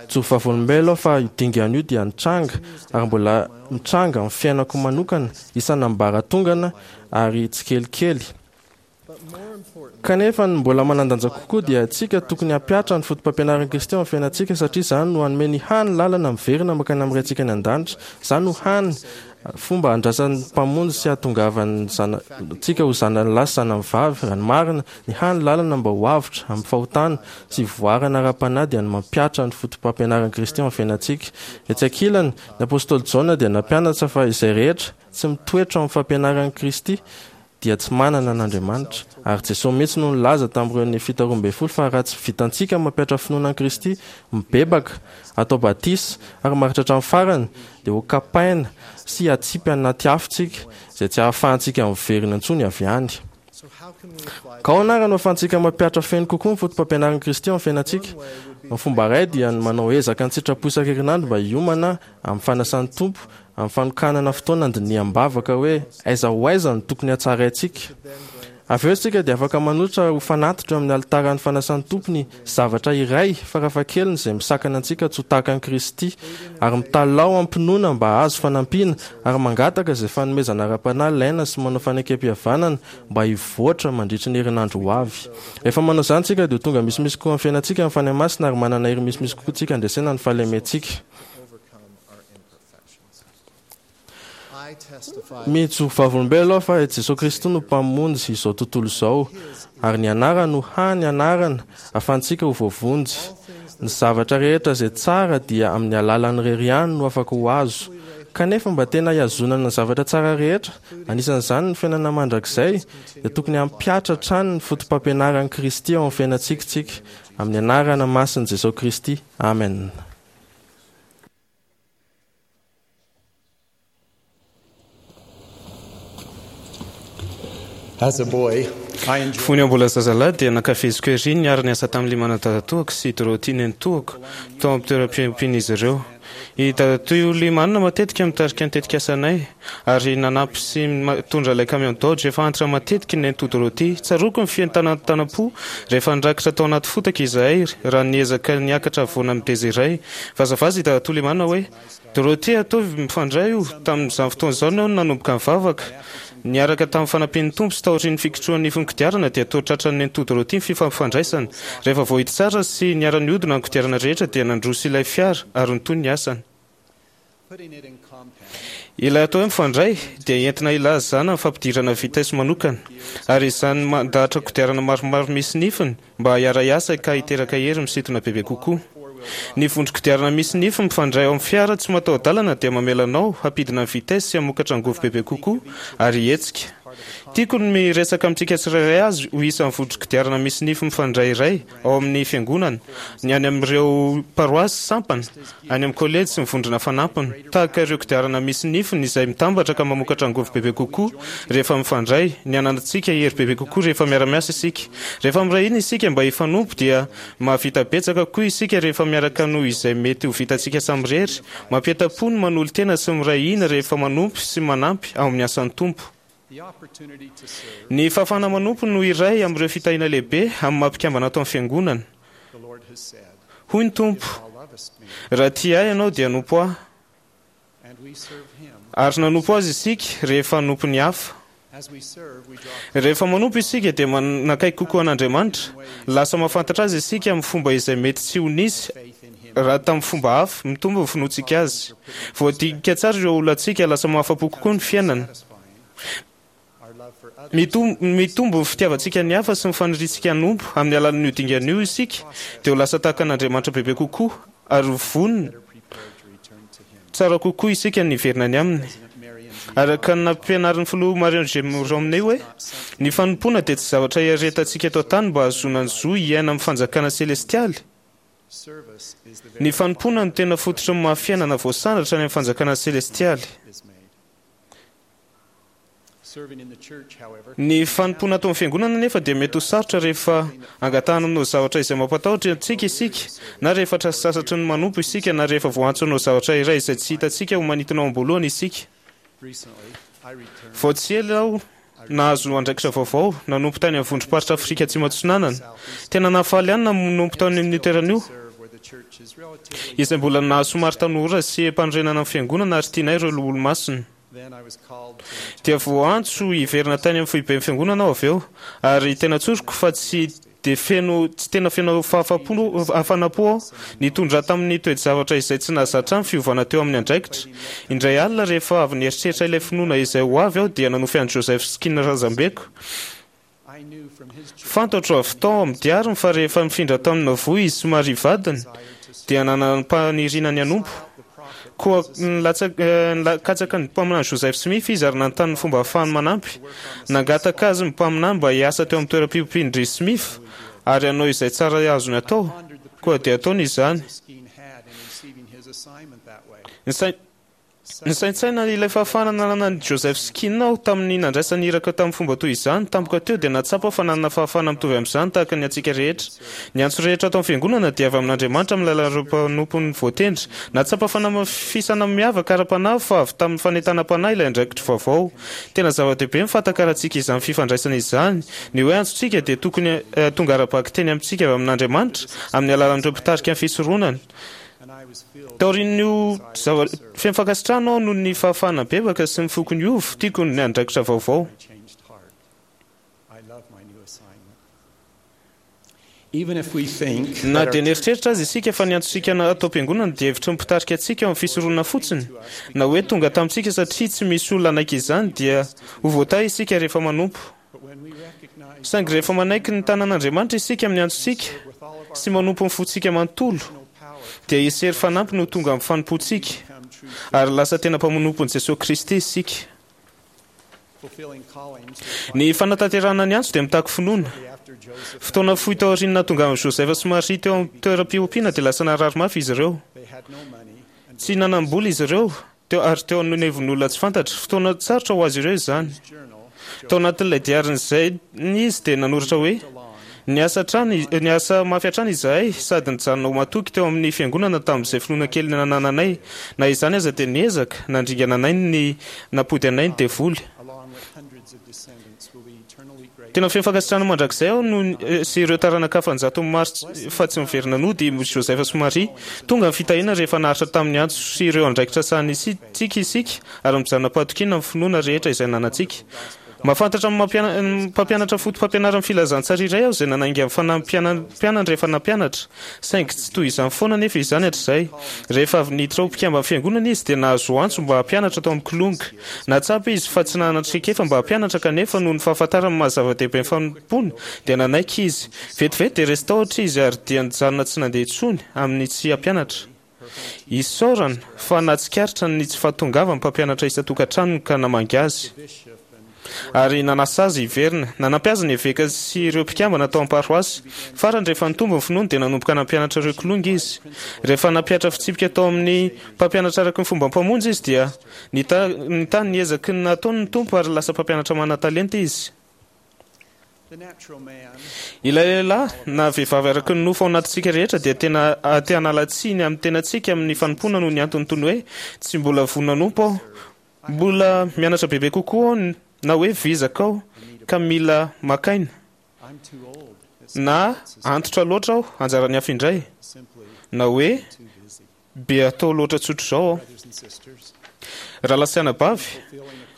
Mijoro vavolombelona aho fa io dingana io dia nitranga ary mbola mitranga amin'ny fiainako manokana isan'ambaratongana ary tsikelikely. Kanefa ny mbola manan-danja kokoa dia isika tokony hampihatra ny fotopampianaran'i Kristy ao amin'ny fiainantsika satria izany no hanome ny hany lalana miverina mankany amin'ny Raintsika any an-danitra. Izany no hany fomba handrasan'ny Mpamonjy sy hahatongavan'ny zanatsika ho zanany lahy sy zanany vavy. Raha ny marina, ny hany lalana mba ho avotra amin'ny fahotana sy hivoarana ara-panahy dia ny mampihatra ny fotopampianaran'i Kristy ao amin'ny fiainantsika. Etsy ankilany, ny apostoly Jaona dia nampianatra fa izay rehetra tsy mitoetra ao amin'ny fampianaran'i Kristy dia tsy manana an'Andriamanitra. Ary Jesoa mihitsy no nilaza tamin'ireo Nefita roa ambin'ny folo fa raha tsy vitantsika ny mampihatra finoana an'i Kristy, mibebaka, atao batisa, ary maharitra hatramin'ny farany, dia ho kapaina sy hatsipy anaty afo tsika, izay tsy hahafahantsika miverina intsony avy any. Ka ahoana ary no ahafahantsika mampihatra feno kokoa ny fotopampianaran'i Kristy ao amin'ny fiainantsika? Ny fomba iray dia ny manao ezaka an-tsitrapo isan-kerinandro mba hiomana amin'ny fanasan'ny Tompo, amin'ny fanokanana fotoana handiniham-bavaka hoe aiza ho aiza no tokony hatsaraintsika. Avy eo isika dia afaka manolotra ho fanatitra eo amin'ny alitaran'ny fanasan'ny Tompo ny zavatra iray farafahakeliny izay misakana antsika tsy ho tahaka an'i Kristy, ary mitalaho am-pinoana mba hahazo fanampiana, ary mangataka izay fanomezana ara-panahy ilaina sy manao fanekempihavanana mba hivoatra mandritry ny herinandro ho avy. Rehefa manao izany isika dia ho tonga misimisy kokoa amin'ny fiainantsika ny Fanahy Masina ary manana hery misimisy kokoa isika handresena ny fahalementsika. Mijoro vavolombelona aho fa i Jesoa Kristy no Mpamonjy izao tontolo izao, ary ny anarany no hany anarana ahafahantsika ho voavonjy. Ny zavatra rehetra izay tsara dia amin'ny alalany irery ihany no afaka ho azo. Kanefa mba tena hihazonana ny zavatra tsara rehetra, anisan'izany ny fiainana mandrakizay, dia tokony hampihatra hatrany ny fotopampianaran'i Kristy ao amin'ny fiainantsika isika. Amin'ny anarana masin'i Jesoa Kristy, amena. Fony aho mbola zazalahy dia nankafiziko ery ny niara-niasa tamin'i Limana dadatoako sy Dorothy nenitoako tao amin'ny toeram-piompian'izy ireo. I dadatoa Limana matetika mitarika ny tetikasanay ary nanampy sy mitondra ilay camion Dodge efa antitra matetika i nenitoa Dorothy. Tsaroako ny fientanantanam-po rehefa nirakitra tao anaty fotaka izahay raha niezaka niakatra havoana mideza iray. Vazavaza i dadatoa Limana hoe, Dorothée, ataovy mifandray io. Tamin'izany fotoana izany aho no nanomboka nivavaka. Niaraka tamin'ny fanampian'ny Tompo sy taorian'ny fikitrohan'ny nifin'ny kodiarana dia toa tratran'ny nenitoa Dorothée ny fifampifandraisana. Rehefa voahidy tsara sy niara-nihodina ny kodiarana rehetra dia nandroso ilay fiara ary nitohy ny asany. Ilay atao hoe mifandray dia entina hilazana ny fampidirana vitesse manokana ary izany mandahatra kodiarana maromaro misy nifiny mba hiara-hiasa ka hiteraka hery misintona bebe kokoa. Ny vondron-kodiarana misy nify mifandray ao amin'ny fiara tsy mataho-dalana dia mamela anao hampidina ny vitesse sy hamokatra angovo bebe kokoa ary hihetsika. Tiako ny miresaka amintsika tsirairay azy ho isan'ny vondron-kodiarana misy nify mifandray iray ao amin'ny Fiangonana, ny any amin'ireo paroasy, sampana, any amin'ny kolejy sy ny vondrona fanampiny. Tahaka ireo kodiarana misy nifiny izay mitambatra ka mamokatra angovo bebe kokoa rehefa mifandray, ny hananantsika hery bebe kokoa rehefa miara-miasa isika. Rehefa miray hina isika mba hifanompo dia mahavita betsaka kokoa isika rehefa miaraka noho izay mety ho vitantsika samirery. Mampientam-po ny manolo-tena sy miray hina rehefa manompo sy manampy ao amin'ny asan'ny Tompo. Ny fahafahana manompo no iray amin'ireo fitahiana lehibe amin'ny maha mpikambana ato amin'ny Fiangonana. Hoy ny Tompo, Raha tia Ahy ianao dia hanompo Ahy. Ary nanompo Azy isika rehefa hanompo ny hafa. Rehefa manompo isika dia manakaiky kokoa an'Andriamanitra. Lasa mahafantatra Azy isika amin'ny fomba izay mety tsy ho nisy raha tamin'ny fomba hafa. Mitombo ny finoantsika Azy. Voadinika tsara ireo olantsika, lasa mahafa-po kokoa ny fiainana. Mitombo ny fitiavantsika ny hafa sy ny faniriantsika hanompo. Amin'ny alalan'io dingana io isika dia ho lasa tahaka an'Andriamanitra bebe kokoa ary ho vonona tsara kokoa isika ny hiverina any aminy. Araka ny nampianarin'ny filoha Marion G. Romney hoe, ny fanompoana dia tsy zavatra iaretantsika eto an-tany mba hahazoana ny zo hiaina amin'ny fanjakana selestialy. Ny fanompoana no tena fototry ny maha fiainana voasandratra any amin'ny fanjakana selestialy. Ny fanompoana ato amin'ny fiangonana anefa dia mety ho sarotra rehefa angatahana hanao zavatra izay mampatahotra antsika isika, na rehefa sasatry ny manompo isika, na rehefa voaantso hanao zavatra iray izay tsy hitantsika ho manintona ao am-boalohany isika. Vao tsy ela aho nahazo andraikitra vaovao, nanompo tany amin'ny vondrom-paritra Afrika Atsimo Atsinanana. Tena nahafaly ahy ny nanompo tany amin'io toerana io, izay mbola nahasomary tanora sy mpanorenana ny fiangonana ary tianay ireo loholon-masina. Dia voaantso hiverina tany amin'ny foiben'ny fiangonana aho avy eo, ary tena tsoriko fa tsy dia feno tsy tena feno fahafapo hafanam-po aho. Nitondra tamin'ny toe-javatra izay tsy nahazatra ahy ny fiovana teo amin'ny andraikitra. Indray alina rehefa avy nieritreritra ilay finoana izay ho avy aho dia nanofy an'i Joseph Skinner razambeko. Fantatro avy tao amin'ny diariny fa rehefa nifindra tao amin'ny Nauvoo izy sy Maria vadiny dia nanam-paniriana ny hanompo. Koa nikatsaka ny mpaminany Joseph Smith izy ary nanontany ny fomba ahafahany manampy. Nangataka azy ny mpaminany mba hiasa teo amin'ny toeram-piompian-dry Smith ary hanao izay tsara azony atao. Koa dia ataony izany. Nisaintsaina ilay fahafahana nananan'i Joseph Skinner aho tamin'ny nandraisany iraka tamin'ny fomba toy izany. Tampoka teo dia nahatsapa aho fa nanana fahafahana mitovy amin'izany tahaka ny antsika rehetra. Ny antso rehetra ato amin'ny Fiangonana dia avy amin'Andriamanitra amin'ny alalan'ireo mpanompony voatendry. Nahatsapa fanamafisana miavaka ara-panahy aho fa avy tamin'ny fanentanam-panahy ilay andraikitro vaovao. Tena zava-dehibe ny fahatakarantsika izany fifandraisana izany. Ny hoe antsontsika dia tokony tonga ara-bakiteny amintsika avy amin'Andriamanitra amin'ny alalan'ireo mpitarika ny fisoronana. Taorian'io zava feno fankasitrahana aho noho ny fahafahana bebaka sy ny foko niova, tiako ny andraikitra vaovao. Na dia nieritreritra aza isika fa ny antsontsika ato am-piangonana dia hevitry ny mpitarika antsika ao amin'ny fisoronana fotsiny, na hoe tonga tamintsika satria tsy misy olona hanaiky izany, dia ho voatahy isika rehefa manompo. Saingy rehefa manaiky ny tanan'Andriamanitra isika amin'ny antsontsika sy manompo ny fontsika manontolo, dia hisy hery fanampiny ho tonga amin'ny fanompoantsika, ary lasa tena mpanompon'i Jesoa Kristy isika. Ny fanatanterahana ny antso dia mitaky finoana. Fotoana fohy taorian'ny nahatongavan'i Joseph sy Maria teo amin'ny toeram-piompiana dia lasa narary mafy izy ireo. Tsy nanam-bola izy ireo, Teo ary teo anivon'olona tsy fantatra. Fotoana sarotra ho azy ireo izany. Tao anatin'ilay diarin'izay izy dia nanoratra hoe, Niasa hatrany, niasa mafy hatrany izahay sady nijanona ho matoky teo amin'ny fiangonana tamin'izay finoana kely nanananay. Na izany aza dia niezaka nandringana anay ny nampody anay ny devoly. Tena feno fankasitrahana mandrakizay aho noho sy ireo taranaka hafa an-jatony maro fa tsy niverina nody i Joseph sy Maria. Tonga ny fitahiana rehefa naharitra tamin'ny antso sy ireo andraikitra sahanintsika isika ary mijanona am-pahatokiana amin'ny finoana rehetra izay ananantsika. Mahafantatra ny mpampianatra fotopampianaran'ny filazantsara iray aho izay nanainga ny fanahy mpianany rehefa nampianatra. Saingy tsy toy izany foana anefa izany hatrizay. Rehefa avy niditra ho mpikamban'ny Fiangonana izy dia nahazo antso mba hampianatra tao amin'ny Kilonga. Nahatsapa izy fa tsy nanana traikefa mba hampianatra kanefa noho ny fahafantarany ny maha zava-dehibe ny fanompoana dia nanaiky izy. Vetivety dia resy tahotra izy ary dia nijanona tsy nandeha intsony amin'ny tsy hampianatra. Isaorana fa nahatsikaritra ny tsy fahatongavan'ny mpampianatra isan-tokantranony ka namangy azy ary nanasa azy hiverina. Nanampy azy ny eveka sy ireo mpikambana tao am-paroasy. Farany, rehefa nitombo ny finoany dia nanomboka nampianatra ireo kilonga izy. Rehefa nampihatra fitsipika tao amin'ny mpampianatra araka ny fombam-pamonjy izy dia nitahy ny ezaky ny nataony ny Tompo ary lasa mpampianatra manan-talenta izy. Ilay lehilahy na vehivavy araka ny nofo ao anatintsika rehetra dia tena te hanala tsiny amin'ny tenantsika amin'ny fanompoana noho ny antony toy ny hoe tsy mbola vonona hanompo aho, mbola mianatra bebe kokoa aho na hoe vizaka aho ka mila maka aina na antitra loatra aho anjaran'ny hafa indray na hoe Be atao loatra tsotr'izao aho. Rahalahy sy anabavy,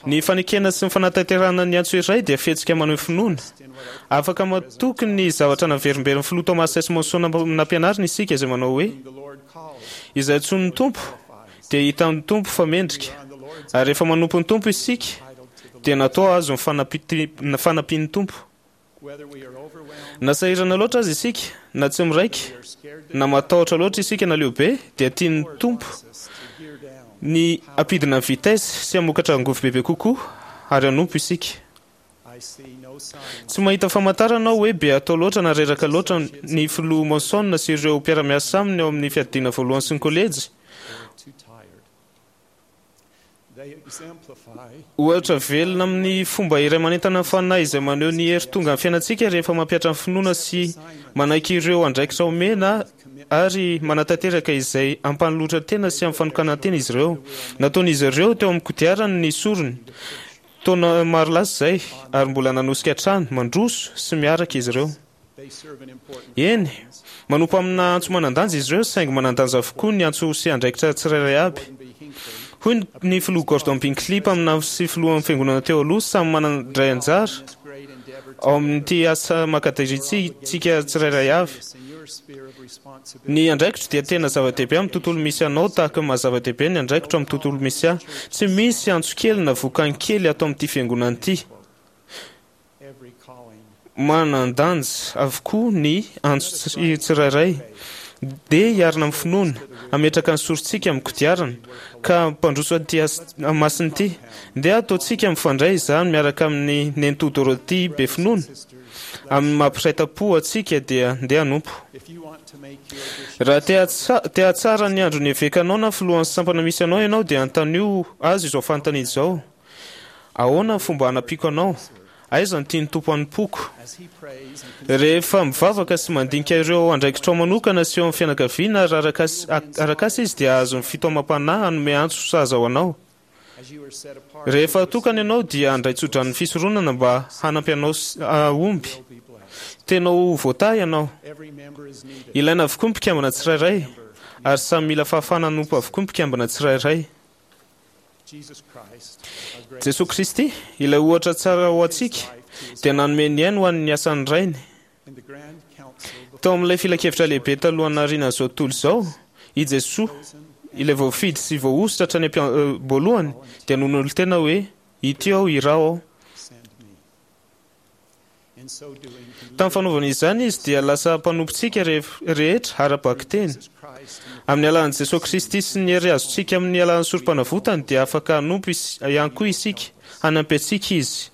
ny fanekena sy ny fanatanterahana ny antso iray dia fihetsika maneho finoana. Afaka matoky ny zavatra naverimberin'ny Filoha Thomas S. Monson nampianariny isika izay manao hoe, Izay antsoin'ny Tompo dia hitan'ny Tompo fa mendrika. Ary rehefa manompo ny Tompo isika dia natao azo ny fanampian'ny Tompo. Na sahirana loatra aza isika, na tsy miraika, na matahotra loatra isika na leo be, dia tian'ny Tompo ny hampidina ny vitesse sy hamokatra angovo bebe kokoa ary hanompo isika. Tsy mahita famantarana aho hoe be atao loatra na reraka loatra ny filoha Monson sy ireo mpiara-miasa aminy ao amin'ny fiadiana voalohany sy ny kolejy. Ohatra velona amin'ny fomba iray manentana ny fanahy izay maneho ny hery tonga amin'ny fiainantsika rehefa mampihatra ny finoana sy manaiky ireo andraikitra omena ary manatanteraka izay ampanolotra tena sy amin'ny fanokanan-tena izy ireo. Nataon'izy ireo teo amin'ny kodiarany ny sorony taona maro lasa izay ary mbola nanosika hatrany, mandroso sy miaraka izy ireo. Eny, manompo amina antso manan-danja izy ireo, saingy manan-danja avokoa ny antso sy andraikitra tsirairay aby. Hoy ny filoha Gordon Binkley mpaminany sy filohan'ny fiangonana teo aloha, samy manandray anjara ao amin'ity asa makadirintsika tsirairay avy. Ny andraikitro dia tena zava-dehibe amin'ny tontolo misy anao tahaka ny maha-zava-dehibe ny andraikitro amin'ny tontolo misy ahy. Tsy misy antso kely na vokany kely ato amin'ity fiangonana ity. Manan-danja avokoa ny antso tsirairay. Dia hiarina amin'ny finoana, hametraka ny sorontsika amin'ny kodiarana, ka mpandroso an'ity masina ity. Dia ataontsika mifandray izany miaraka amin'ny nenitoa Dorothy be finoana. Amin'ny maha-mpiray-tampo antsika dia ndeha hanompo. Raha te hahatsara ny andron'ny evekanao na filohan'ny sampana misy anao ianao, dia anontanio azy izao fanontaniana izao: ahoana ny fomba hanampiako anao? Aiza no tian'ny Tompo hanompoako? Rehefa mivavaka sy mandinika ireo andraikitrao manokana sy eo amin'ny fianakaviana ary arak'asa izy, dia hahazo ny fitaomam-panahy hanome antso sahaza ho anao. Rehefa atokana ianao, dia handray tsodranon'ny fisoronana mba hanampy anao hahomby. Tena ho voatahy ianao. Ilaina avokoa ny mpikambana tsirairay, ary samy mila fahafahana hanompo avokoa ny mpikambana tsirairay. Jesoa Kristy, ilay ohatra tsara ho antsika, dia nanome ny ainy ho an'ny asan'ny Rainy. Tao amin'ilay filankevitra lehibe talohan'ny nahariana an'izao tontolo izao, i Jesoa, ilay voafidy sy voahosotra hatrany am-boalohany, dia nanolo-tena hoe: ity aho, iraho aho. Tamin'ny fanaovana izany izy dia lasa mpanompontsika rehetra ara-bakiteny. Amin'ny alalan'i Jesoa Kristy sy ny hery azontsika amin'ny alalan'ny sorom-panavotany dia afaka hanompo ihany koa isika, hanampy antsika izy.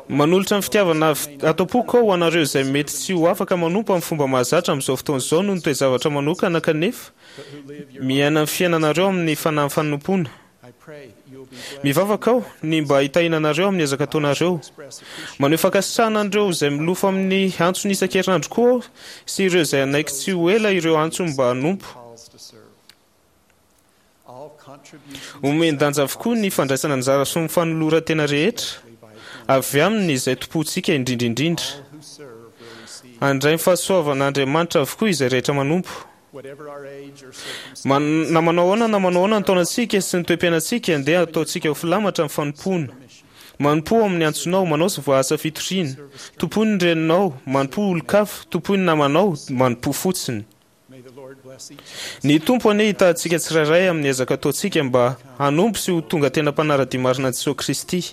Manolotra ny fitiavana ato am-poko aho ho anareo izay mety tsy ho afaka manompo amin'ny fomba mahazatra amin'izao fotoana izao noho ny toe-javatra manokana, kanefa miaina ny fiainanareo amin'ny fanahy fanompoana. Mivavaka aho ny mba hitahiana anareo amin'ny ezaka ataonareo. Maneho fankasitrahana an'ireo izay milofo amin'ny antsony isan-kerinandro koa aho sy ireo izay hanaiky tsy ho ela ireo antsony mba hanompo. Omen-danja avokoa ny fandraisana anjara sy ny fanoloran-tena rehetra avy aminy izay tompontsika indrindra indrindra. Handray ny fahasoavan'Andriamanitra avokoa izay rehetra manompo. Na manao ahoana na manao ahoana ny taonantsika sy ny toe-piainantsika, ndeha ataontsika ho filamatra ny fanompoana. Manompoa ao amin'ny antsonao, manao sy voaasa fitoriana. Tompoy ny reninao, manompoa olon-kafa, tompoy ny namanao, manompoa fotsiny. Ny Tompo anie hitahantsika tsirairay amin'ny ezaka ataontsika mba hanompo sy ho tonga tena mpanara-dia marina an'i Jesoa Kristy.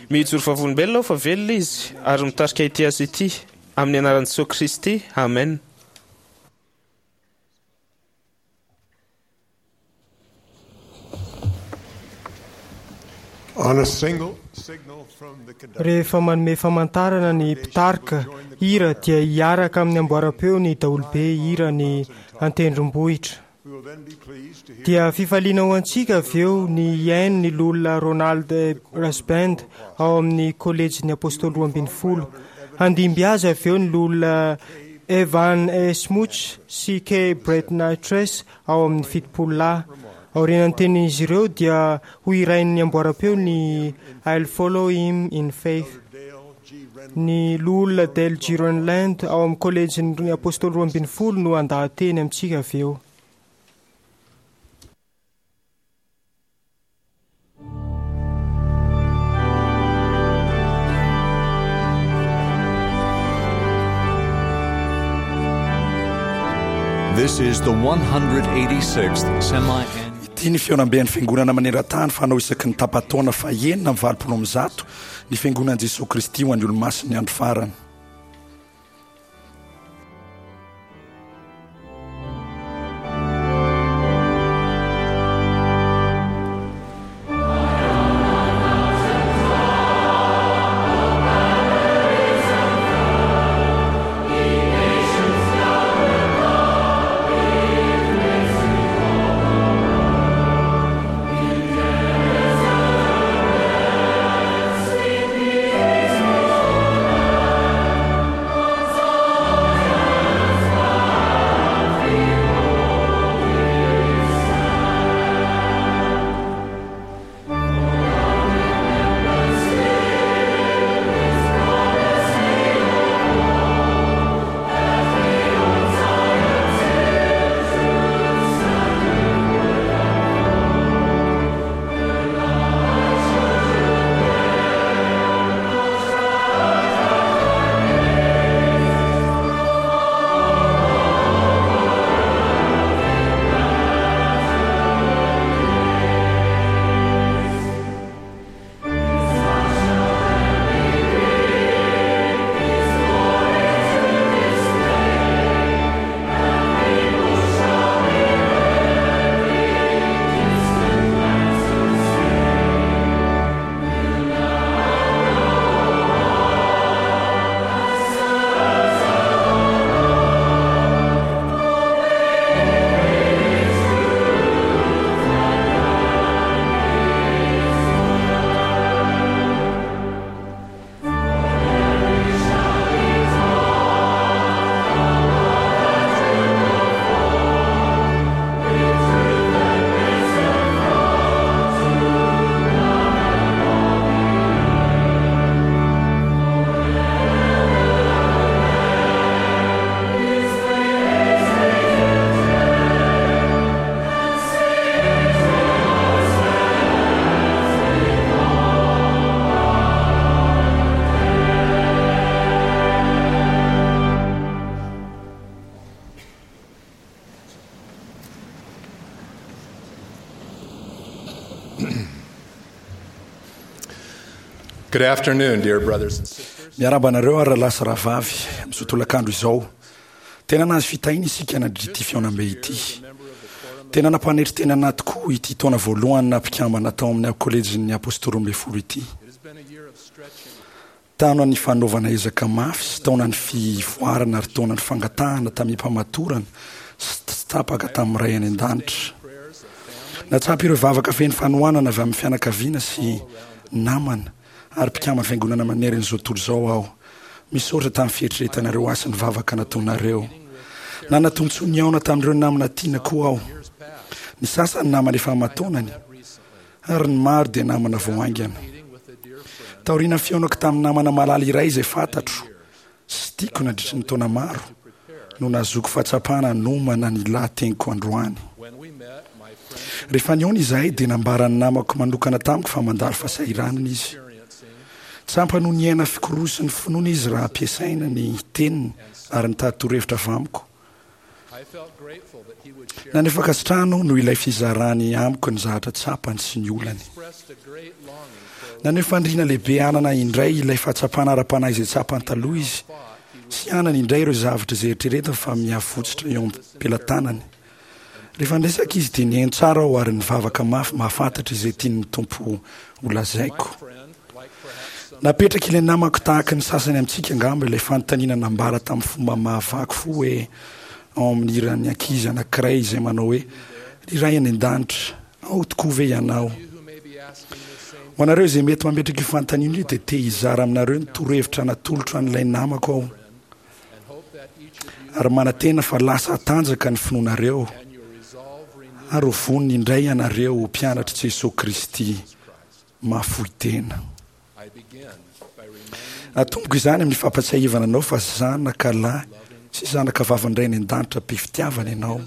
Mijoro vavolombelona aho fa velona Izy ary mitarika ity asa ity. Amin'ny anaran'i Jesoa Kristy, amen. Rehefa manome famantarana ny mpitarika hira dia hiaraka amin'ny amboaram-peo ny daholobe hira ny an-tendrombohitra. Dia fifaliana ho antsika avy eo ny hihaino ny loholona Ronald Rasband ao amin'ny kolejin'ny Apôstôly roa ambin'ny folo. Handimby azy avy eo ny loholona Evan Smuts sy Kay Bretnitres ao amin'ny fitopolo lahy. Aorian'ny tenin'izy ireo dia ho hirain'ny amboaram-peo ny I'll Follow Him in Faith. Ny loholona Dale G. Renlund ao amin'ny kolejin'ny Apôstôly roa ambin'ny folo no handaha-teny amintsika avy eo. This is the one hundred eighty-sixth semi-annual. Ity ny fihaonamben'ny Fiangonana maneran-tany fanao isaky ny tapa-taona fahenina amby valopolo amby zato ny Fiangonan'i Jesoa Kristy ho an'ny Olomasin'ny Andro Farany. Good afternoon, dear brothers and sisters. Miarahaba anareo ary rahalahy sy rahavavy amin'izao tolakandro izao. Tena nahazo fitahiana isika nandritra ity fihaonambe ity. Tena nampanetry tena anahy tokoa ity taona voalohany naha mpikambana tao amin'ny Kolejin'ny Apostoly Roa Ambin'ny Folo ity. Taona ny fanaovana ezaka mafy sy taona ny fivoarana ary taona ny fangatahana tamim-pamatorana sy tsy tapaka tamin'ny Ray any An-danitra. Nahatsapa ireo vavaka feno fanohanana avy amin'ny fianakaviana sy namana ary mpikamban'ny Fiangonana manerana izao tontolo izao aho. Misaotra tamin'ny fieritreretanareo ahy sy ny vavaka nataonareo. Nana-tombontsoa nihaona tamin'ireo namana tiana koa aho. Ny sasany namana efa aman-taonany ary ny maro dia namana vao haingana. Taorian'ny fihaonako tamin'ny namana malala iray izay fantatro sy tiako nandritry ny taona maro no nahazoako fahatsapana hanomana ny lahateniko androany. Rehefa nihaona izahay dia nambaran'ny namako manokana tamiko fa mandalo fahasahiranana izy. Tsapany ho niaina fikorosin'ny finoana izy raha ampiasaina ny teniny ary nitady torohevitra avy amiko. Naneho fankasitrahana aho noho ilay fizarany amiko ny zavatra tsapany sy ny olany. Naneho faniriana lehibe hanana indray ilay fahatsapana ara-panahy izay tsapany taloha izy sy hanana indray ireo zavatra izay eritreretiny fa mihavotsotra eo am-pelatanany. Rehefa niresaka izy dia nihaino tsara aho ary nivavaka mafy mahafantatra izay tian'ny Tompo holazaiko. Napetraka ilay namako tahaka ny sasany amintsika angamba ilay fanontaniana nambara tamin'ny fomba mahavaky fo hoe ao amin'ny hiran'ny ankizy anankiray izay manao hoe, Ry Ray any An-danitra, ao tokoa ve Ianao? Ho anareo izay mety mametraka io fanontaniana io dia te hizara aminareo ny torohevitra natolotro an'ilay namako aho ary manantena fa lasa hatanjaka ny finoanareo ary ho vonona indray ianareo ho mpianatr'i Jesoa Kristy mahafoy tena. Atomboko izany amin'ny fampatsiahivana anao fa zanaka lahy sy zanaka vavin'ny Ray any An-danitra be fitiavana ianao,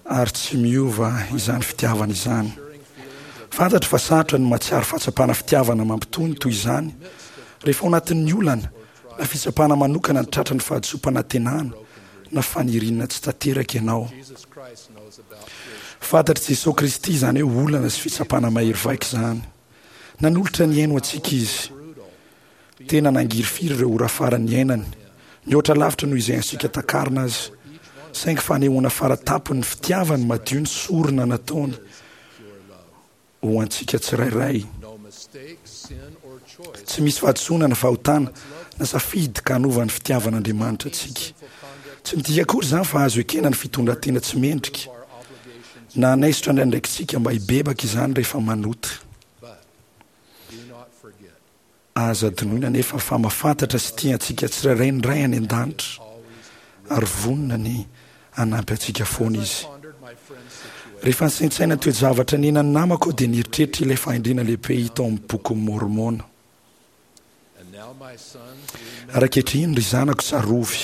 ary tsy miova izany fitiavana izany. Fantatro fa sarotra ny mahatsiaro fahatsapana fitiavana mampitony toy izany rehefa ao anatin'ny olana na fitsapana manokana ny tratran'ny fahadisoam-panantenana na faniriana tsy tanteraka ianao. Fantatr'i Jesoa Kristy izany hoe olana sy fitsapana mahery vaika izany. Nanolotra ny ainy ho antsika Izy. Tena nangirifiry ireo ora farany niainany, mihoatra lavitra noho izay antsika takarina aza. Saingy fanehoana fara-tampony ny fitiavany madio ny sorona nataony ho antsika tsirairay. Tsy misy fahadisoana na fahotana na safidy ka hanova ny fitiavan'Andriamanitra antsika. Tsy midika akory izany fa azo ekena ny fitondran-tena tsy mendrika, na hanaisotra ny andraikitsika mba hibebaka izany rehefa manota. Aza adinoina anefa fa mahafantatra sy tia antsika tsirairay ny Ray any An-danitra, ary vonona ny hanampy antsika foana Izy. Rehefa nisaintsaina ny toe-javatra niainan'ny namako aho dia nieritreritra ilay fahendrena lehibe hita ao amin'ny Bokin'i Môrmôna. Ary ankehitriny, ry zanako, tsarovy,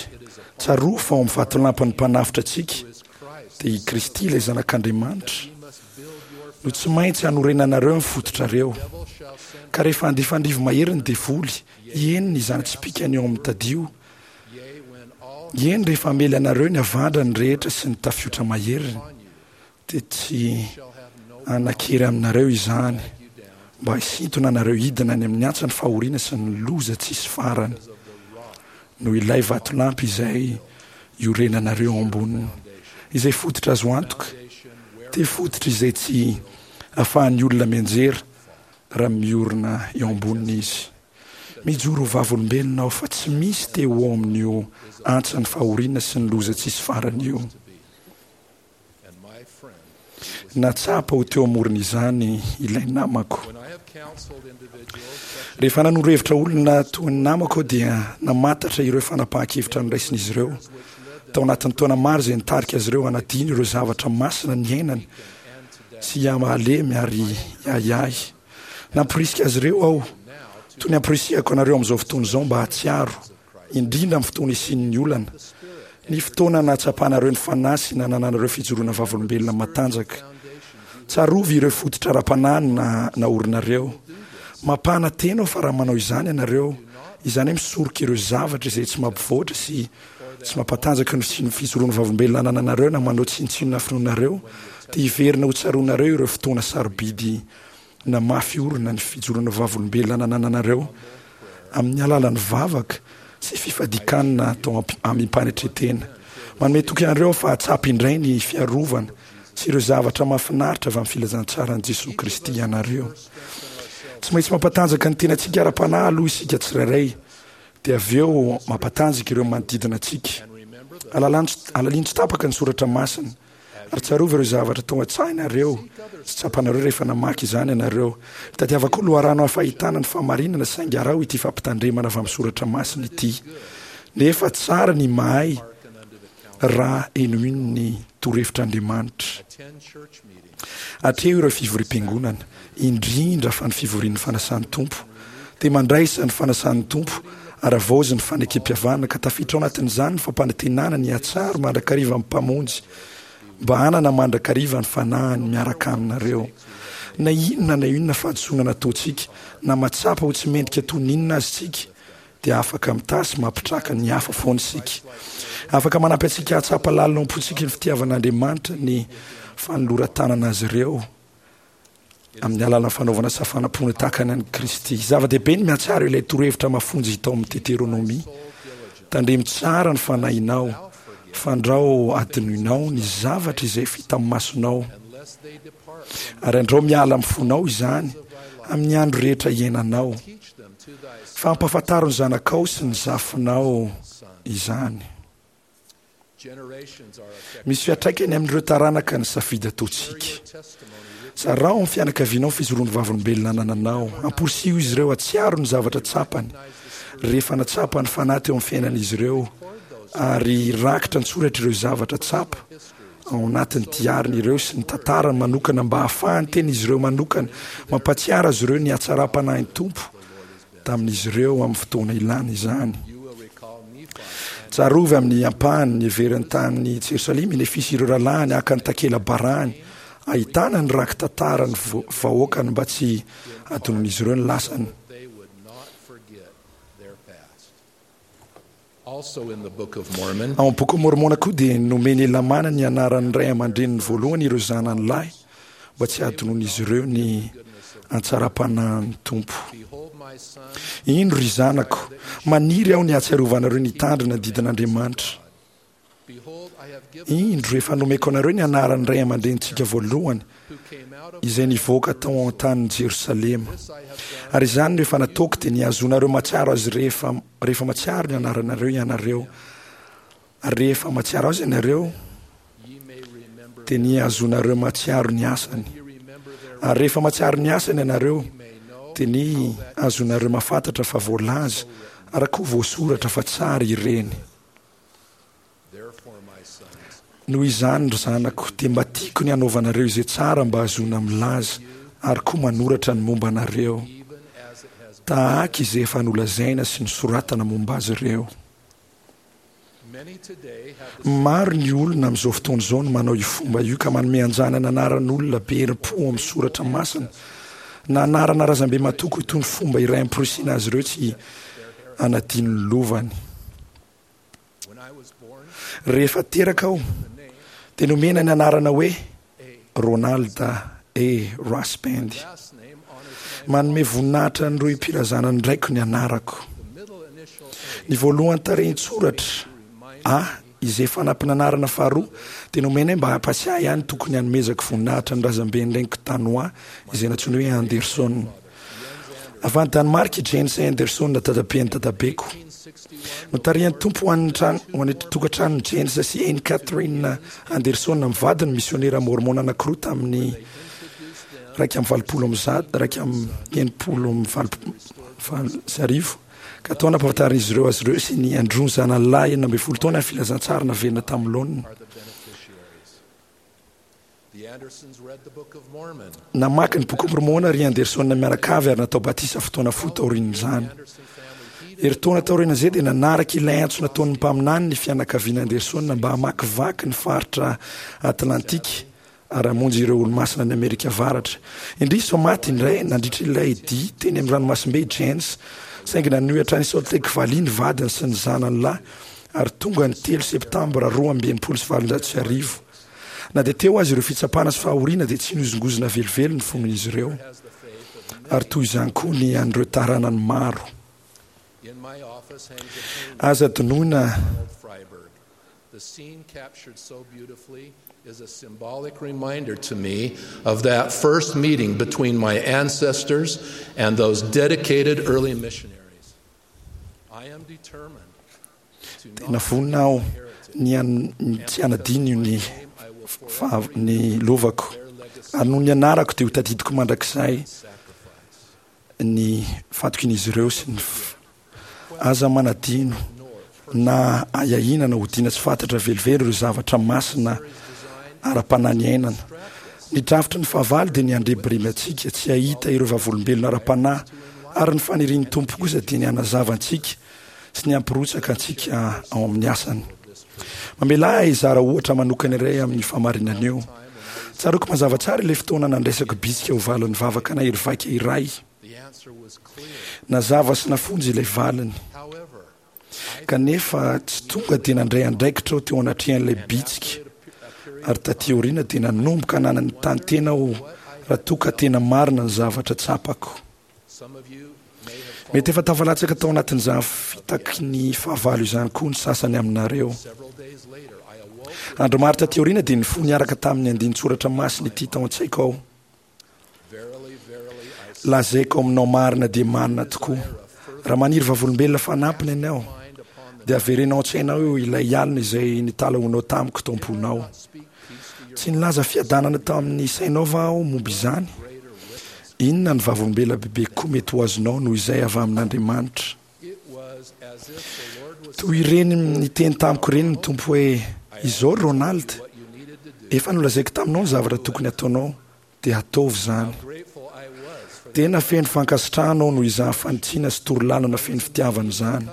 tsarovy fa ao amin'ny vatolampin'ny Mpanavotra antsika, dia i Kristy ilay Zanak'Andriamanitra, no tsy maintsy hanorenanareo ny fototrareo. Ka rehefa handefa ny rivo-mahery ny devoly, eny, ny zana-tsipìkany eo amin'ny tadio, eny, rehefa hamely anareo ny havandrany rehetra sy ny tafiotra maheriny, dia tsy hanan-kery aminareo izany mba hisintona anareo hidina any amin'ny antsan'ny fahoriana sy ny loza tsisy farany, noho ilay vatolampy izay iorenanareo ao amboniny, izay fototra azo antoka, dia fototra izay tsy ahafahan'ny olona mianjera raha miorina eo amboniny izy. Mijoro ho vavolombelona aho fa tsy misy te ho ao amin'io antsan'ny fahoriana sy ny loza tsisy farany io. Nahatsapa ho teo amoron'izany ilay namako. Rehefa nanoro hevitra olona toy ny namako aho dia namantatra ireo fanapahan-kevitra noraisin'izy ireo tao anatin'ny taona maro izay nitarika azy ireo hanadino ireo zavatra masina niainany sy hihamalemy ary hiahiahy. Namporisika azy ireo aho, toy ny amporisihako anareo amin'izao fotoana izao mba hahatsiaro, indrindra amin'ny fotoana isian'ny olana, ny fotoana nahatsapanareo ny Fanahy sy nanananareo fijoroana vavolombelona matanjaka. Tsarovy ireo fototra ara-panahy naorinareo. Mampanantena aho fa raha manao izany ianareo, izany hoe misoroka ireo zavatra izay tsy mampivoatra sy tsy mampatanjaka ny fijoroana vavolombelona anananareo na manao tsinontsinona ny finoanareo, dia hiverina ho tsaroanareo ireo fotoana sarobidy Namafy orina ny fijoroana vavolombelona nanananareo amin'ny alalan'ny vavaka sy fifadian-kanina atao amim-panetren-tena. Manome toky anareo aho fa hahatsapa indray ny fiarovana sy ireo zavatra mahafinaritra avy amin'ny filazantsaran'i Jesoa Kristy ianareo. Tsy maintsy mampatanjaka ny tenantsika ara-panahy aloha isika tsirairay, dia avy eo mampatanjaka ireo manodidina antsika. Alalino tsy tapaka ny soratra masina. Ary tsarovy ireo zavatra tao an-tsainareo sy tsapanareo rehefa namaky izany ianareo. Mitadiava koa loharano hafa ahitana ny fahamarinana, saingy araho ity fampitandremana avy amin'ny soratra masina ity, Nefa tsara ny mahay raha henoiny ny torohevitr'Andriamanitra. Atreho ireo fivoriam-piangonana, indrindra fa ny fivorian'ny fanasan'ny Tompo. Dia mandraisa ny fanasan'ny Tompo ary havaozy ny fanekempihavanana, ka tafiditra ao anatin'izany ny fampanantenana ny hahatsaro mandrakariva ny Mpamonjy, mba hanana mandrakariva ny Fanahiny miaraka aminareo. Na inona na inona fahadisoana nataontsika, na mahatsapa ho tsy mendrika toy ny inona aza isika, dia afaka mitaha sy mampitraka ny hafa foana isika. Afaka manampy antsika hahatsapa lalina ao am-pontsika ny fitiavan'Andriamanitra ny fanoloran-tanana azy ireo amin'ny alalan'ny fanaovana safanam-pona tahaka ny an'i Kristy. Zava-dehibe ny mihatsara ilay torohevitra mafonja hita ao amin'ny Deteronomia. Tandremo tsara ny fanahinao, fandrao adinoinao ny zavatra izay efa hitan'ny masonao, ary andrao miala amin'ny fonao izany amin'ny andro rehetra iainanao. Fa ampahafantaro ny zanakao sy ny zafinao izany. Misy fiantraikany amin'ireo taranaka ny safidy ataontsika. Zarao amin'ny fianakavianao ny fijoroan'ny vavolombelona anananao. Amporisiho izy ireo hahatsiaro ny zavatra tsapany rehefa natsapa ny Fanahy teo amin'ny fiainan'izy ireo, ary hirakitra an-tsoratra ireo zavatra tsapa ao anatin'ny diariny ireo sy ny tantarany manokana mba hahafahan'ny tenin'izy ireo manokana mampahatsiaro azy ireo ny hatsaram-panahin'ny Tompo tamin'izy ireo amin'ny fotoana ilana izany. Tsarovy amin'ny ampahany ny heveriny tany Jerosalema i Nefia sy ireo rahalahiny haka ny takela-barahiny ahitana ny raki-tantaran'ny vahoakany mba tsy hadinon'izy ireo ny lasany. Ao amin'ny Boky Môrmôna koa dia nomen'i Helamàna ny anaran'ny ray aman-dreniny voalohany ireo zanany lahy mba tsy hahadinoan'izy ireo ny hatsaram-panahin'ny Tompo. Indro, ry zanako, maniry aho ny hahatsiarovanareo ny hitandrina ny didin'Andriamanitra. Indro, efa nomeko anareo ny anaran'ny ray aman-drenintsika voalohany, izay nivoaka tao an-tanin'i Jerosalema. Ary izany no efa nataoko, dia ny hahazoanareo mahatsiaro azy rehefa rehefa mahatsiaro ny anaranareo ianareo. Ary rehefa mahatsiaro azy ianareo, dia ny hahazoanareo mahatsiaro ny asany. Ary rehefa mahatsiaro ny asany ianareo, dia ny hahazoanareo mahafantatra fa voalaza ary koa voasoratra fa tsara ireny. Noho izany, ry zanako, dia mba tiako ny hanaovanareo izay tsara mba hahazoana milaza ary koa manoratra ny momba anareo, tahaka izay efa nolazaina sy nosoratana momba azy ireo. Maro ny olona amin'izao fotoana izao no manao io fomba io ka manome anjanany anaran'olona be herim-po ao amin'ny soratra masina na anarana razambe matoky ho toy ny fomba iray amporisihina azy ireo tsy hanadino ny lovany. Rehefa teraka aho dia nomena ny anarana hoe Ronald A. Rasband. Manome voninahitra ny rohim-pirazanan'ny raiko ny anarako. Ny voalohan'ny tarehin-tsoratra A izay fanampin'anarana faharoa dia nomenay mba hampatsiahy ahy ny tokony hanomezako voninahitra ny razamben'ny reniko Danoà izay nantsoina hoe Anderson. Avy any Danemark i Jens Anderson dadaben'ny dadabeko. Notarihan'ny Tompo ho an'ny trano ho any tokantranon'i Jens sy Anne Catherine Anderson mivady ny misionera môrmôna anankiroa tamin'ny iraika amby valopolo amby zato iraika amby enimpolo amby valopolo sy arivo ka tao nampahafantarin'izy ireo azy ireo sy ny Andrew zanany lahy enina ambin'ny folo taona ny filazantsara naverina tamin'ny laoniny. Namaky ny Boky Môrmôna ry Anderson mianakavy ary natao batisa fotoana fohy taorian'izany. Herintaona taorian'izay dia nanaraka ilay antso nataon'ny mpaminany ny fianakaviana Anderson mba hamakivaky ny faritra Atlantika ary hamonjy ireo olomasina any Amerika Avaratra. Indrisy fa maty indray nandritra ilay dia teny amin'ny ranomasimbe i Jens, saingy nanohy hatrany Salt Lake Valley ny vadiny sy ny zanany lahy ary tonga ny telo septambra roa amby enimpolo sy valonjato sy arivo. Na dia teo aza ireo fitsapana sy fahoriana dia tsy nihozongozona velively ny fon'izy ireo, ary toy izany koa ny an'ireo taranany maro. Aza adinoina The scene captured so beautifully is a symbolic reminder to me of that first meeting between my ancestors and those dedicated early missionaries. I am determined Tena vonona aho ny tsy hanadino ny ny lovako, ary noho ny anarako dia ho tadidiko mandrakizay ny fatokian'izy ireo sy ny Aza manadino na ahiahiana na odiana tsy fantatra velively ireo zavatra masina ara-panahy niainana. Ny drafitry ny fahavalo dia ny handrebireby antsika tsy hahita ireo vavolombelona ara-panahy, ary ny fanirian'ny Tompo kosa dia ny hanazava antsika sy ny hampirotsaka antsika ao amin'ny asany. Mamelà ahy hizara ohatra manokana iray amin'io fahamarinana io. Tsaroako mazava tsara ilay fotoana nandraisako bitsika ho valin'ny vavaka nahery vaika iray. Nazava sy nafonja ilay valiny. Kanefa tsy tonga dia nandray andraikitra aho teo anatrehan'ilay bitsika, ary taty aoriana dia nanomboka nananontany tena aho raha toa ka tena marina ny zavatra tsapako. Mety efa tafalatsaka tao anatin'izany fitaky ny fahavalo izany koa ny sasany aminareo. Andro maro taty aoriana dia nifoha niaraka tamin'ny andinin-tsoratra masina ity tao an-tsaiko aho. Lazaiko aminao marina dia marina tokoa, raha maniry vavolombelona fanampiny ianao, dia avereno ao an-tsainao eo ilay alina izay nitalahoanao tamiko tao am-ponao. Tsy nilaza fiadanana tamin'ny sainao va aho momba izany? Inona ny vavolombelona bebe kokoa mety ho azonao noho izay avy amin'Andriamanitra? Toy ireny niteny tamiko ireny ny Tompo hoe, Izao ry Ronald, efa nolazaiko taminao ny zavatra tokony hataonao, dia ataovy izany. Tena feno fankasitrahana aho noho izany fanitsiana sy torolalana feno fitiavana izany.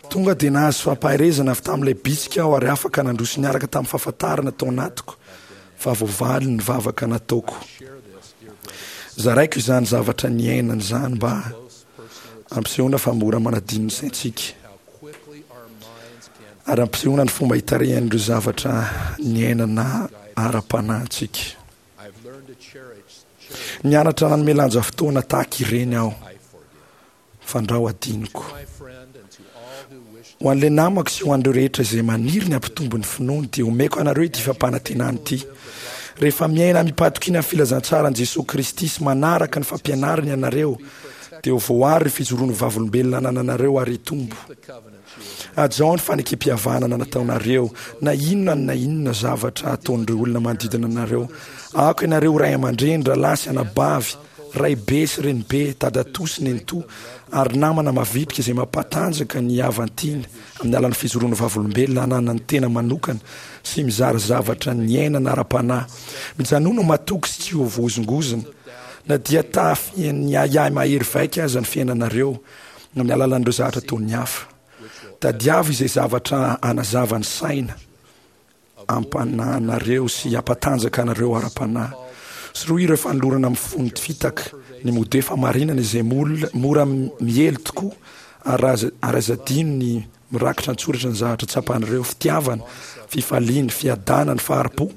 Tonga dia nahazo fampaherezana avy tamin'ilay bitsika aho ary afaka nandroso niaraka tamin'ny fahafantarana tao anatiko fa voavaly ny vavaka nataoko. Zaraiko izany zavatra niainana izany mba hampisehoana fa mora manadino ny saintsika. ary ampisehoana ny fomba hitarihan'ireo zavatra niainana ara-panahy antsika. Nianatra nanome lanja fotoana tahaka ireny aho, fandrao adinoko. Ho an'ilay namako sy ho an'ireo rehetra izay maniry ny hampitombo ny finoany, dia omeko anareo ity fampanantenana ity. Rehefa miaina amim-pahatokiana ny filazantsaran'i Jesoa Kristy sy manaraka ny fampianarany ianareo, dia ho voaaro ny fijoroan'ny vavolombelona anananareo ary hitombo. Hajao ny fanekem-pihavanana nataonareo, na inona na inona zavatra ataon'ireo olona manodidina anareo. Aoka ianareo ho ray aman-dreny, rahalahy sy anabavy, raibe sy renibe, dadatoa sy nenitoa, ary namana mavitrika izay mampatanjaka ny havan-tiana amin'ny alalan'ny fijoroan'ny vavolombelona ananan'ny tena manokana sy mizara zavatra niainana ara-panahy. Mijanona ho matoky sy tsy ho voahozongozona, na dia tafian'ny ahiahy mahery vaika aza ny fiainanareo amin'ny alalan'ireo zavatra ataon'ny hafa. Tadiavo izay zavatra hanazava ny saina ampanahinareo sy hampatanjaka anareo ara-panahy. Sorohy ireo fanolorana mifono fitaka, ny mode fahamarinana izay mora miely tokoa, ary aza adino ny mirakitra an-tsoratra ny zavatra tsapanareo, fitiavana, fifaliana, fiadanana, fahari-po,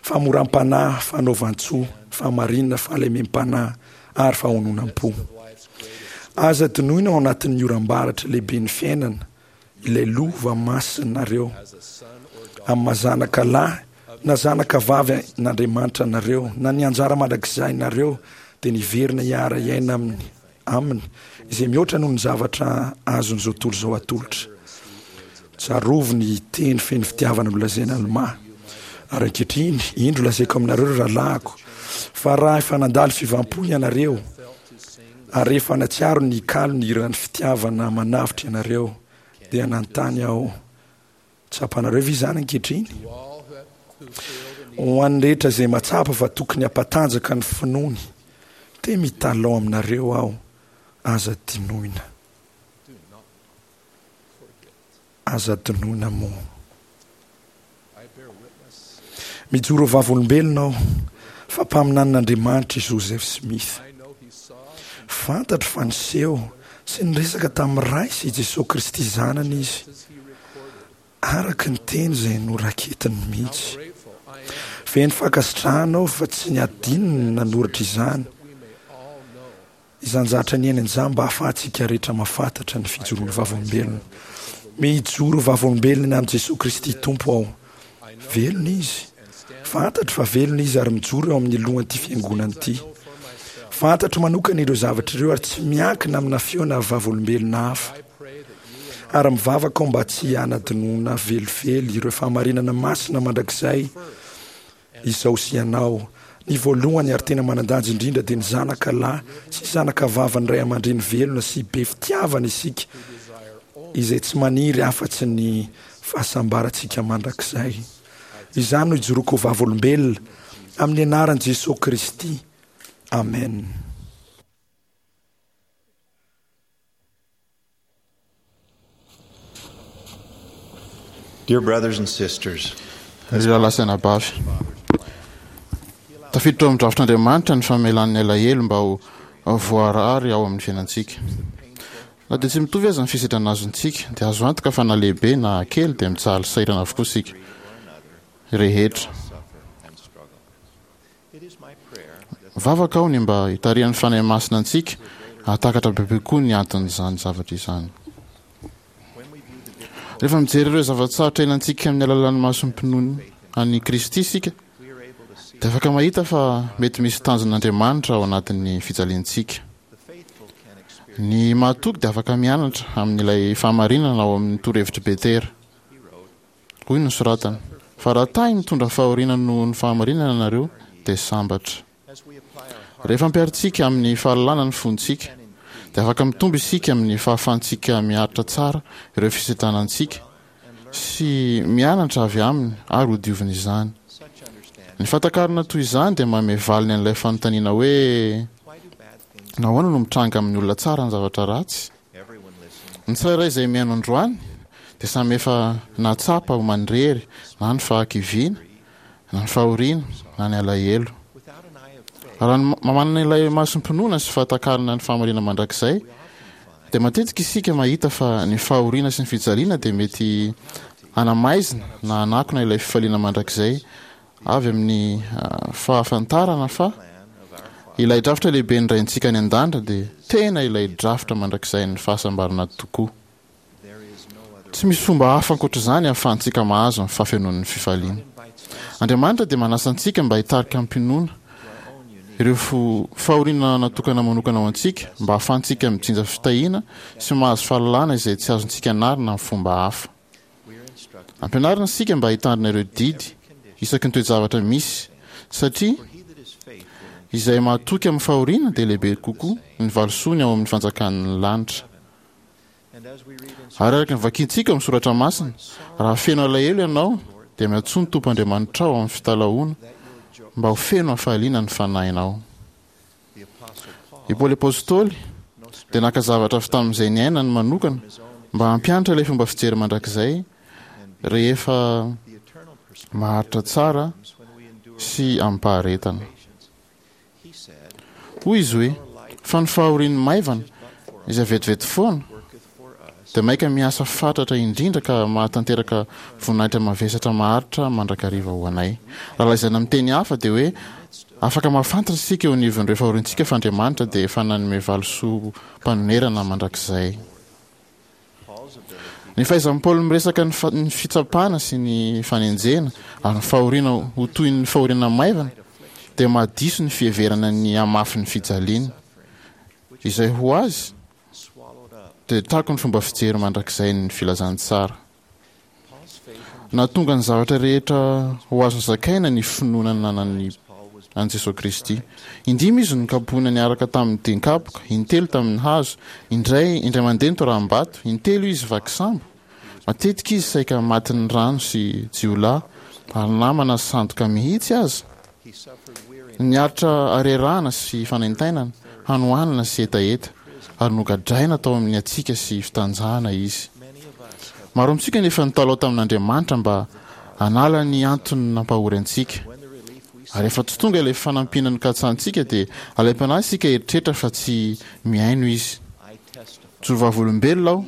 fahamoram-panahy, fanaovan-tsoa, fahamarinana, fahalemem-panahy ary fahononam-po. Aza adinoina ao anatin'ny oram-baratra lehiben'ny fiainana ilay lova masinareo amin'ny maha zanaka lahy na zanaka vavy n'Andriamanitra anareo, na ny anjara mandrakizainareo dia niverina hiara-hiaina aminy aminy izay mihoatra noho ny zavatra azon'izao tontolo izao atolotra. Tsarovy ny teny feno fitiavana nolazaina Almà. Ary ankehitriny, indro lazaiko aminareo ry rahalahiko, fa raha efa nandalo fiovam-po ianareo, ary rehefa natsiaro ny kalo ny hiran'ny fitiavana manavotra ianareo, dia nanontany aho, Tsapanareo ve izany ankehitriny? Ho an'ny rehetra izay mahatsapa fa tokony hampatanjaka ny finoany, dia mitalao aminareo aho, aza adinoina. Aza adinoina moa. Mijoro ho vavolombelona aho fa mpaminanin'Andriamanitra i Joseph Smith. Fantatro fa niseho sy niresaka tamin'ny Ray sy i Jesoa Kristy Zanany izy, araka ny teny izay noraketiny mihitsy. Feno fankasitrahana aho fa tsy niadinony ny nanoratra izany. Izany zavatra niainany izany mba hahafahantsika rehetra mahafantatra ny fijoroan'ny vavolombelona. Mijoro vavolombelona ny amin'i Jesoa Kristy Tompo aho. Velona Izy. Fantatro fa velona Izy ary mijoro eo amin'ny lohan'ity fiangonana ity. Fantatro manokana ireo zavatra ireo ary tsy miankina amina feo na vavolombelona hafa. Ary mivavaka aho mba tsy hanadinoana velively ireo fahamarinana masina mandrakizay Izao sy ianao. Ny voalohany ary tena manan-danja indrindra dia ny zanaka lahy sy zanaka vavin'ny ray aman-dreny velona sy be fitiavana isika, izay tsy maniry afa-tsy ny fahasambarantsika mandrakizay. Izany no ijoroako ho vavolombelona, amin'ny anaran'i Jesoa Kristy, amena. Dear brothers and sisters, Ry rahalahy sy anabavy, tafiditra ao amin'ny drafitr'Andriamanitra ny famelan'ny alahelo mba ho voarary ao amin'ny fiainantsika. Na dia tsy mitovy aza ny fisedrana azontsika, dia azo antoka fa na lehibe na kely dia mijaly sahirana avokoa isika rehetra. Mivavaka aho ny mba hitarihan'ny Fanahy Masina antsika hahatakatra bebe kokoa ny anton'izany zavatra izany. Rehefa mijery ireo zava-tsarotra iainantsika amin'ny alalan'ny masom-pinoana an'i Kristy isika, dia afaka mahita fa mety misy tanjon'Andriamanitra ao anatin'ny fijaliantsika. Ny mahatoky dia afaka mianatra amin'ilay fahamarinana ao amin'ny torohevitr'i Petera. Hoy ny nosoratany, Fa raha tahy mitondra fahoriana noho ny fahamarinana ianareo, dia sambatra. Rehefa ampiharintsika amin'ny fahalalana ny fontsika, dia afaka mitombo isika amin'ny fahafahantsika miaritra tsara ireo fisedrana antsika sy mianatra avy aminy ary hodiovina izany. Ny fahatakarana toy izany dia manome valiny an'ilay fanontaniana hoe, Nahoana no mitranga amin'ny olona tsara ny zavatra ratsy? Ny tsirairay izay mihaino androany dia samy efa nahatsapa ho manirery na ny fahakiviana, na ny fahoriana, na ny alahelo. Raha ny manana ilay masom-pinoana sy fahatakarana ny fahamarinana mandrakizay, dia matetika isika mahita fa ny fahoriana sy ny fijaliana dia mety hanamaizina na hanakona ilay fifaliana mandrakizay avy amin'ny fahafantarana fa ilay drafitra lehibe ny Raintsika any an-danitra dia tena ilay drafitra mandrakizain'ny fahasambarana tokoa. Tsy misy fomba hafa ankoatra izany ahafahantsika mahazo ny fahafenoan'ny fifaliana. Andriamanitra dia manasa antsika mba hitarika am-pinoana ireo fahoriana natokana manokana ho antsika mba ahafahantsika mijinja fitahiana sy mahazo fahalalana izay tsy azontsika anarina amin'ny fomba hafa. Ampianarina isika mba hitandrina ireo didy isaky ny toe-javatra misy, satria izay mahatoky amin'ny fahoriana dia lehibe kokoa ny valisoany ao amin'ny fanjakan'ny lanitra. Ary araka ny vakintsika ao amin'ny soratra masina, raha feno alahelo ianao dia miantsoa ny Tompo Andriamanitrao amin'ny fitalahoana mba ho feno hafaliana ny fanahinao. I Paoly Apostoly dia naka zavatra avy tamin'izay niainany manokana mba hampianatra ilay fomba fijery mandrakizay rehefa maharitra tsara sy amim-paharetana. Hoy izy hoe, fa ny fahorian'ny maivana izay vetivety foana dia maika miasa fatratra indrindra ka mahatanteraka voninahitra mavesatra maharitra mandrakariva ho anay. Raha lazaina amin'ny teny hafa dia hoe afaka mahafantatra isika eo anivon'ireo fahoriantsika fa Andriamanitra dia efa nanome valisoam-panonerana mandrakizay. Ny fahaizan'i Paoly miresaka ny fitsapana sy ny fanenjehana ary ny fahoriana ho toy ny fahoriana maivana dia mahadiso ny fiheverana ny hamafin'ny fijaliana, izay ho azy dia takon'ny fomba fijery mandrakizain'ny filazantsara. Nahatonga ny zavatra rehetra ho azo zakaina ny finoana nanan'ny an'i Jesoa Kristy. Indimy izy no nokapohina niaraka tamin'ny dian-kapoka, intelo tamin'ny hazo, indray indray mandeha nitoraham-bato, intelo izy vaky sambo. Matetika izy saika matin'ny rano sy jiolahy ary namana sandoka mihitsy aza. Niaritra harerahana sy fanaintainana, hanoanana sy hetaheta, ary nogadraina tao amin'ny hatsiaka sy fitanjahana izy. Maro amintsika no efa nitalaho tamin'Andriamanitra mba hanala ny antony nampahory antsika. Ary rehefa tsy tonga ilay fanampiana nokatsahantsika dia alaim-panahy isika hieritreritra fa tsy mihaino Izy. Mijoro vavolombelona aho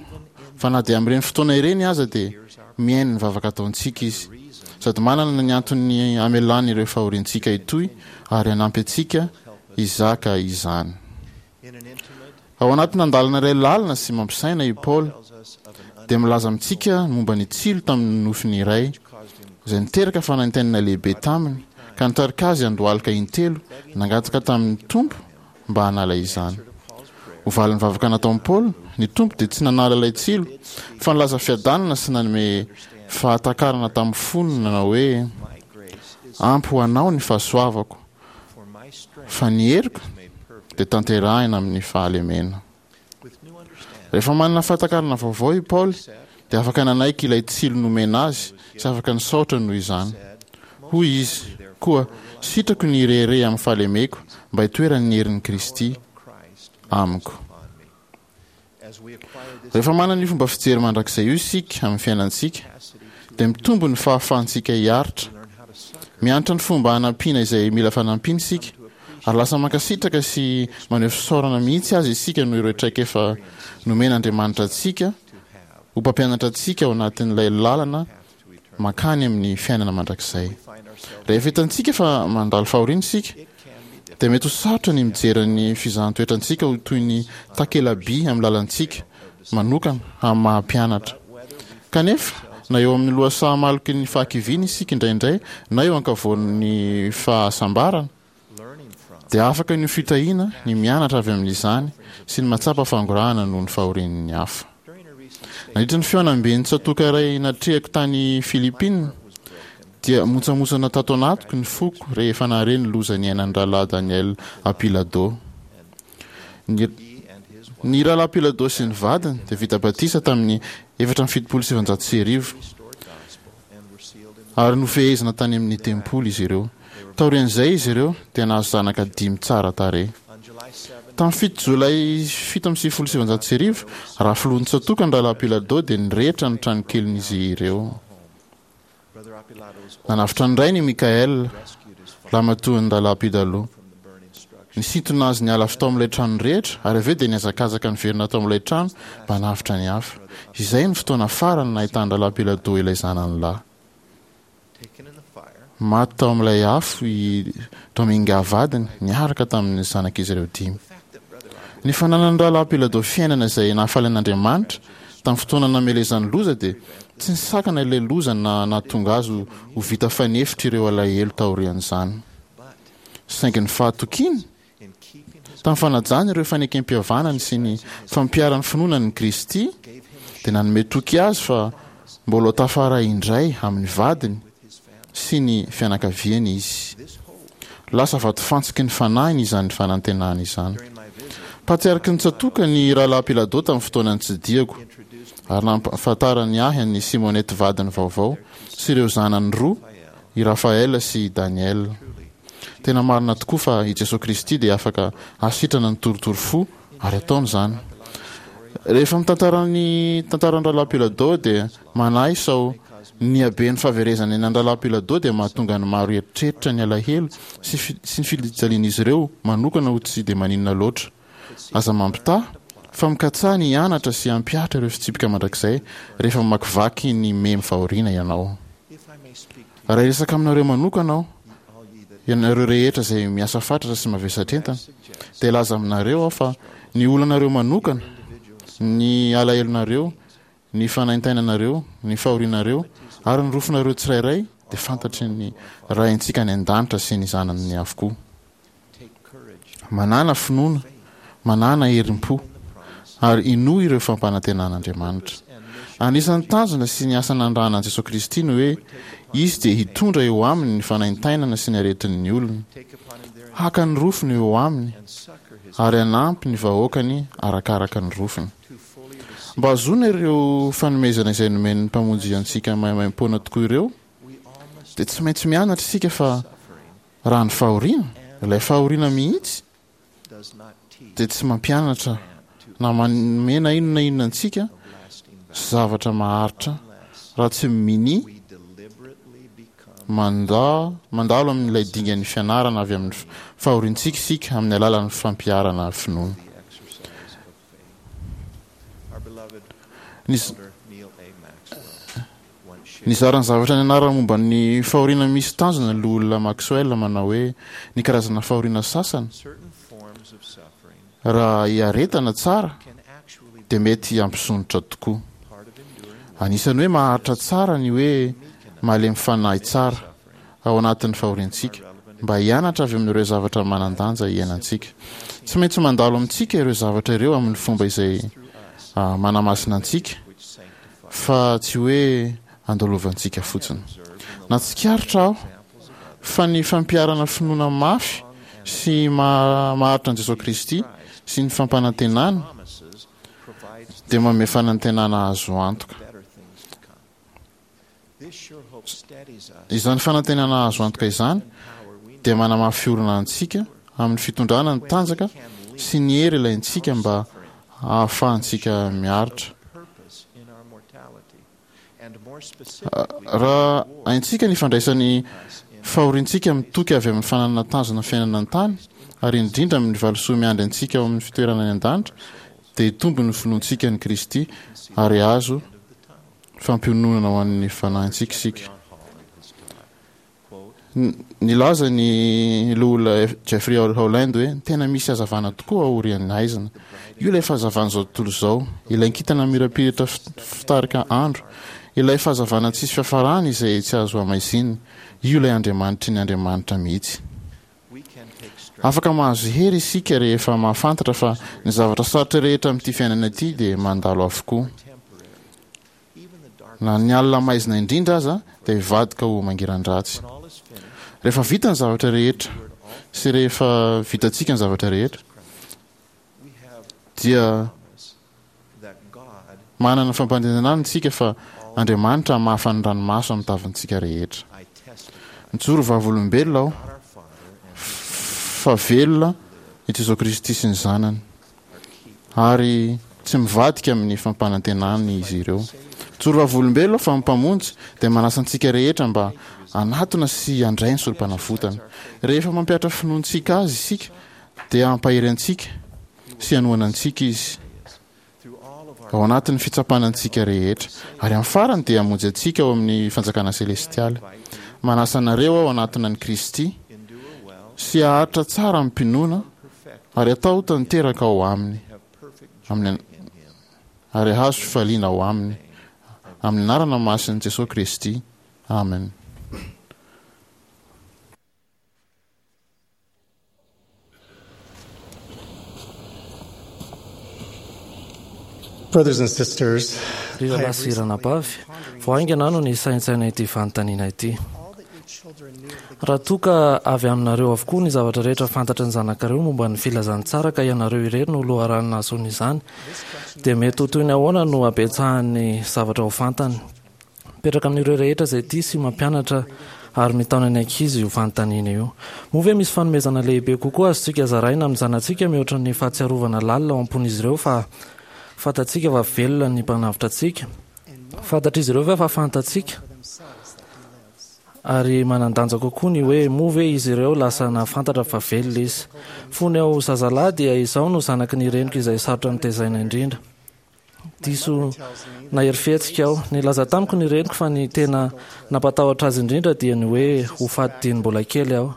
fa na dia amin'ireny fotoana ireny aza dia mihaino ny vavaka ataontsika Izy. Sady manana ny antony hamelany ireo fahoriantsika hitohy ary hanampy antsika hizaka izany. Ao anatina andalana iray lalina sy mampisaina i Paoly dia milaza amintsika momba ny tsilo tamin'ny nofiny iray izay niteraka fanaintainana lehibe taminy ka nitarika azy handohalika intelo nangataka tamin'ny Tompo mba hanala izany. Ho valin'ny vavaka nataon'i Paoly, ny Tompo dia tsy nanala ilay tsilo fa nilaza fiadanana sy nanome fahatakarana tamin'ny fony nanao hoe, Ampy ho anao ny fahasoavako, fa ny heriko dia tanterahina amin'ny fahalemena. Rehefa manana fahatakarana vaovao i Paoly, dia afaka nanaiky ilay tsilo nomena azy sy afaka nisaotra noho izany. Hoy izy, Koa sitrako ny hirehareha amin'ny fahalemeko mba hitoeran'ny herin'i Kristy amiko. Rehefa manana io fomba fijery mandrakizay io isika amin'ny fiainantsika, dia mitombo ny fahafahantsika hiaritra. Mianatra ny fomba hanampiana izay mila fanampiana isika, ary lasa mankasitraka sy maneho fisaorana mihitsy aza isika noho ireo traikefa nomen'Andriamanitra antsika ho mpampianatra antsika ao anatin'ilay lalana mankany amin'ny fiainana mandrakizay. Rehefa hitantsika fa mandalo fahoriana isika, dia mety ho sarotra ny mijery ny fizahan-toetrantsika ho toy ny takela-by amin'ny lalantsika manokana amin'ny maha-mpianatra. Kanefa, na eo amin'ny lohasaha maloky ny fahakiviana isika indraindray na eo ankavoan'ny fahasambarana, dia afaka ny ho fitahiana ny mianatra avy amin'izany sy ny mahatsapa fangorahana noho ny fahorian'ny hafa. Nandritra ny fihaonamben'ny tsatòka iray natrehako tany Philippines, dia montsamontsana tato anatiko ny foko rehefa nahare ny loza niainan'ny Rahalahy Daniel Apilado. Ny, ny Rahalahy Apilado sy ny vadiny dia vita batisa tamin'ny efatra amby fitopolo sy sivinjato sy arivo. Ary nofehezina tany amin'ny tempoly izy ireo. Taorian'izay izy ireo dia nahazo zanaka dimy tsara tarehy. Tamin'ny fito Jolay fito amby sivifolo sy sivinjato sy arivo, raha filoha nitsatoka ny Rahalahy Pilado dia nirehitra ny tranokelin'izy ireo. Nanavotra ny rainy i Michael, lahimatoan'ny Rahalahy Pidalo. Nisintona azy niala avy tao amin'ilay trano nirehitra, ary avy eo dia nihazakazaka niverina tao amin'ilay trano mba hanavotra ny hafa. Izay no fotoana farany nahitan'ny Rahalahy Bilodeau ilay zanany lahy. Maty tao amin'ilay afo i Dominga vadiny, niaraka tamin'ny zanak'izy ireo dimy. Ny fananan'ny Rahalahy Bilodeau fiainana izay nahafaly an'Andriamanitra tamin'ny fotoana namelezany loza dia tsy nisakana ilay loza na nahatonga azy ho vita fanefitra ireo alahelo taorian'izany. Saingy ny fahatokiany tamin'ny fanajany ireo fanekem-pihavanany sy ny fampiharany finoana an'i Kristy dia nanome toky azy fa mbola ho tafaray indray amin'ny vadiny sy ny fianakaviany izy. Lasa vatofantsiky ny fanahiny izany fanantenana izany. Patriarky ny tsatòka ny Rahalahy Pilado tamin'ny fotoana nitsidihako, ary nampahafantarany ahy an'i Simonette vadiny vaovao sy ireo zanany roa, i Raphaël sy i Daniel. Tena marina tokoa fa i Jesoa Kristy dia afaka hahasitrana ny torotoro fo ary ataony izany. Rehefa mitantara ny tantaran'ny Rahalahy Pilado dia manahy sao ny haben'ny fahaverezana aina an-dRahalahy Pilado dia mahatonga ny maro hieritreritra ny alahelo sy sy ny fijalian'izy ireo manokana ho tsy dia maninona loatra. Aza mampitaha fa mikatsaha ny hianatra sy hampihatra ireo fitsipika mandrakizay rehefa mamakivaky ny memy fahoriana ianao. Raha hiresaka aminareo manokana aho, ianareo rehetra izay miasa fatratra sy mavesatra entana, dia hilaza aminareo aho fa ny olanareo manokana, ny alahelonareo, ny fanaintainanareo, ny fahorianareo, ary ny rofinareo tsirairay dia fantatry ny Raintsika any An-danitra sy ny Zanany avokoa. Manàna finoana, manàna herim-po, ary inoa ireo fampanantenan'Andriamanitra. Anisan'ny tanjona sy ny asa nanirahana an'i Jesoa Kristy ny hoe Izy dia hitondra eo Aminy ny fanaintainana sy ny aretin'ny olony, haka ny rofiny eo Aminy, ary hanampy ny vahoakany arakaraka ny rofiny. Mba hahazoana ireo fanomezana izay nomen'ny Mpamonjy antsika maimaimpoana tokoa ireo, dia tsy maintsy mianatra isika fa Raha ny fahoriana, ilay fahoriana mihitsy dia tsy mampianatra na manome na inona na inona antsika zavatra maharitra raha tsy minia mandà mandalo amin'ilay dingan'ny fianarana avy amin'ny fahoriantsika isika amin'ny alalan'ny fampiharana finoana. Ny Nizara ny zavatra nianarany momba ny fahoriana misy tanjona ny Loholona Maxwell manao hoe ny karazana fahoriana sasany raha iaretana tsara dia mety hampisondrotra tokoa. Anisan'ny hoe maharitra tsara ny hoe malemy fanahy tsara ao anatin'ny fahoriantsika mba hianatra avy amin'ireo zavatra manan-danja iainantsika. Tsy maintsy mandalo amintsika ireo zavatra ireo amin'ny fomba izay manamasina antsika fa tsy hoe andalovantsika fotsiny. Nahatsikaritra aho fa ny fampiharana finoana mafy sy maharitra an'i Jesoa Kristy sy ny fampanantenany dia manome fanantenana azo antoka. Izany fanantenana azo antoka izany dia manamafy orina antsika amin'ny fitondrana ny tanjaka sy ny hery ilaintsika mba hahafahantsika miaritra. Raha haintsika ny ifandraisan'ny fahoriantsika amin'ny toky avy amin'ny fananana tanjona fiainana an-tany, ary indrindra amin'ny valisoa miandry antsika ao amin'ny fitoerana any an-danitra, dia hitombo ny finoantsika an'i Kristy ary hahazo fampiononana ho an'ny fanahintsika isika. Nilaza ny Loholona Jeffrey Holland hoe, Tena misy hazavana tokoa aorian'ny haizina. Io ilay fahazavan'izao tontolo izao, ilay kintana mirapiratra fitarika andro, ilay fahazavana tsisy fiafarany izay tsy azo hamaizinina. Io ilay Andriamanitry ny andriamanitra mihitsy. Afaka mahazo hery isika rehefa mahafantatra fa ny zavatra sarotra rehetra amin'ity fiainana ity dia mandalo avokoa. Na ny alina maizina indrindra aza dia hivadika ho mangiran-dratsy. Rehefa vita ny zavatra rehetra sy rehefa vitantsika ny zavatra rehetra dia manana fampanantenana isika fa Andriamanitra hamafa ny ranomaso amin'ny tavantsika rehetra. Mijoro vavolombelona aho fa velona i Jesoa Kristy sy ny Zanany. ary tsy mivadika amin'ny fampanantenany izy ireo. Mijoro vavolombelona fa ny Mpamonjy dia manasa antsika rehetra mba hanatona sy handray ny Sorompanavotana. Rehefa mampihatra finoantsika Azy isika Dia hampahery antsika sy hanohana antsika Izy ao anatin'ny fitsapana antsika rehetra, ary amin'ny farany dia hamonjy antsika ao amin'ny fanjakana selestialy. Manasa anareo aho hanatona an'i Kristy sy haharitra tsara amim-pinoana ary hatao tanteraka ao Aminy, amin'ny ary hahazo fifaliana ao Aminy, amin'ny anarana masin'i Jesoa Kristy. Amen. Brothers and sisters, Ry rahalahy sy ranabavy, vao haingana aho no nisaintsaina ity fanontaniana ity. Raha toa ka avy aminareo avokoa ny zavatra rehetra fantatry ny zanakareo momba ny filazantsara ka ianareo irery no loharano nahazoany izany, dia mety ho toy ny ahoana no habetsahan'ny zavatra ho fantany? Mipetraka amin'ireo rehetra izay tia sy mampianatra ary mitaona ny ankizy io fanontaniana io. Moa ve misy fanomezana lehibe kokoa azontsika zaraina amin'ny zanatsika mihoatra ny fahatsiarovana lalina ao am-pon'izy ireo fa fantatsika fa velona ny Mpanavotra antsika? Fantatr'izy ireo ve fa fantatsika? Ary manan-danja kokoa ny hoe moa ve izy ireo lasa nahafantatra fa velona Izy? Fony aho zazalahy dia izaho no zanaky ny reniko izay sarotra notezaina indrindra. Diso nahery fihetsika aho. Nilaza tamiko ny reniko fa ny tena nampatahotra azy indrindra dia ny hoe ho faty dieny mbola kely aho.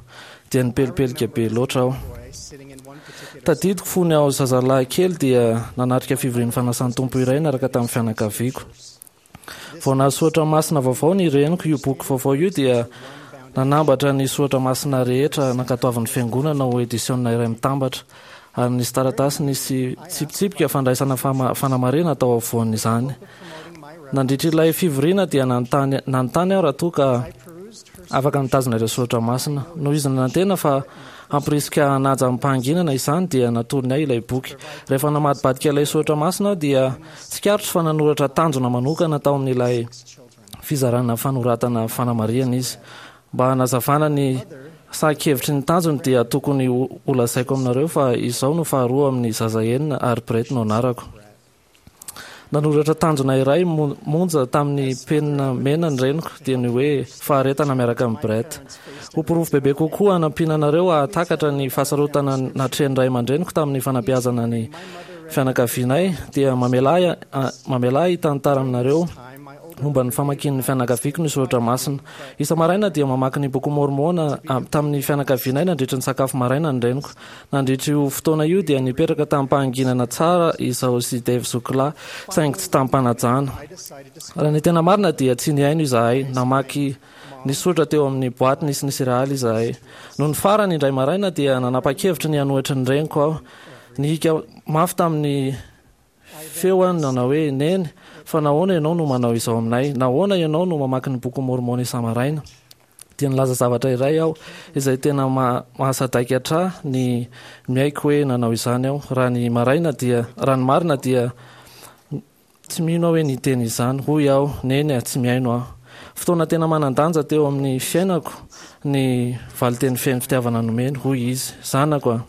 Dia nipelipelika be loatra aho. Tadidiko fony aho zazalahy kely dia nanatrika fivorian'ny fanasan'ny Tompo iray niaraka tamin'ny fianakaviako. Vao nahazo soratra masina vaovao ny reniko. Io boky vaovao io dia nanambatra ny soratra masina rehetra nankatoavin'ny fiangonana ho edisiona iray mitambatra, ary nisy taratasy nisy tsipitsipika fandraisana fanamarihana tao afovoan'izany. Nandritra ilay fivoriana dia nanontany nanontany aho raha toa ka afaka nitazona ireo soratra masina. Noho izy nanantena fa hamporisika hanaja amim-pahanginana izany dia natolony ahy ilay boky. Rehefa namadibadika ilay soratra masina aho dia tsikaritro fa nanoratra tanjona manokana tao amin'ilay fizarana fanoratana fanamarihana izy. Mba hanazavana ny sahan-kevitry ny tanjony dia tokony holazaiko aminareo fa izao no faharoa amin'ny zaza enina ary Brett no anarako. Nanoratra tanjona iray monja tamin'ny penina mena ny reniko, dia ny hoe faharetana miaraka amin'i Brett. Ho porofo bebe kokoa hanampiana anareo hahatakatra ny fahasarotana natrehin'ny ray aman-dreniko tamin'ny fanabeazana ny fianakavianay, dia mamelà ahy mamelà ahy hitantara aminareo momba ny famakian'ny fianakaviako ny soratra masina. Isa-maraina dia mamaky ny Bokin'i Môrmôna tamin'ny fianakavianay nandritra ny sakafo maraina ny reniko. Nandritra io fotoana io dia nipetraka tamim-pahanginana tsara izaho sy Dave zokilahy, saingy tsy tamim-panajana. Raha ny tena marina dia tsy nihaino izahay, namaky ny soratra teo amin'ny boaty nisy ny serealy izahay. Nony farany, indray maraina dia nanapa-kevitra ny hanohitra ny reniko aho. Nihika mafy tamin'ny feo aho nanao hoe, Neny, fa nahoana ianao no manao izao aminay? Nahoana ianao no mamaky ny Bokin'i Môrmôna isa-maraina? Dia nilaza zavatra iray aho izay tena mahasadaikatra ahy ny miaiky hoe nanao izany aho. Raha ny maraina dia, raha ny marina dia tsy mino aho hoe niteny izany. Hoy aho, Neny a, tsy mihaino aho. Fotoana tena manan-danja teo amin'ny fiainako ny valinteny feno fitiavana nomeny, hoy izy. Zanako a!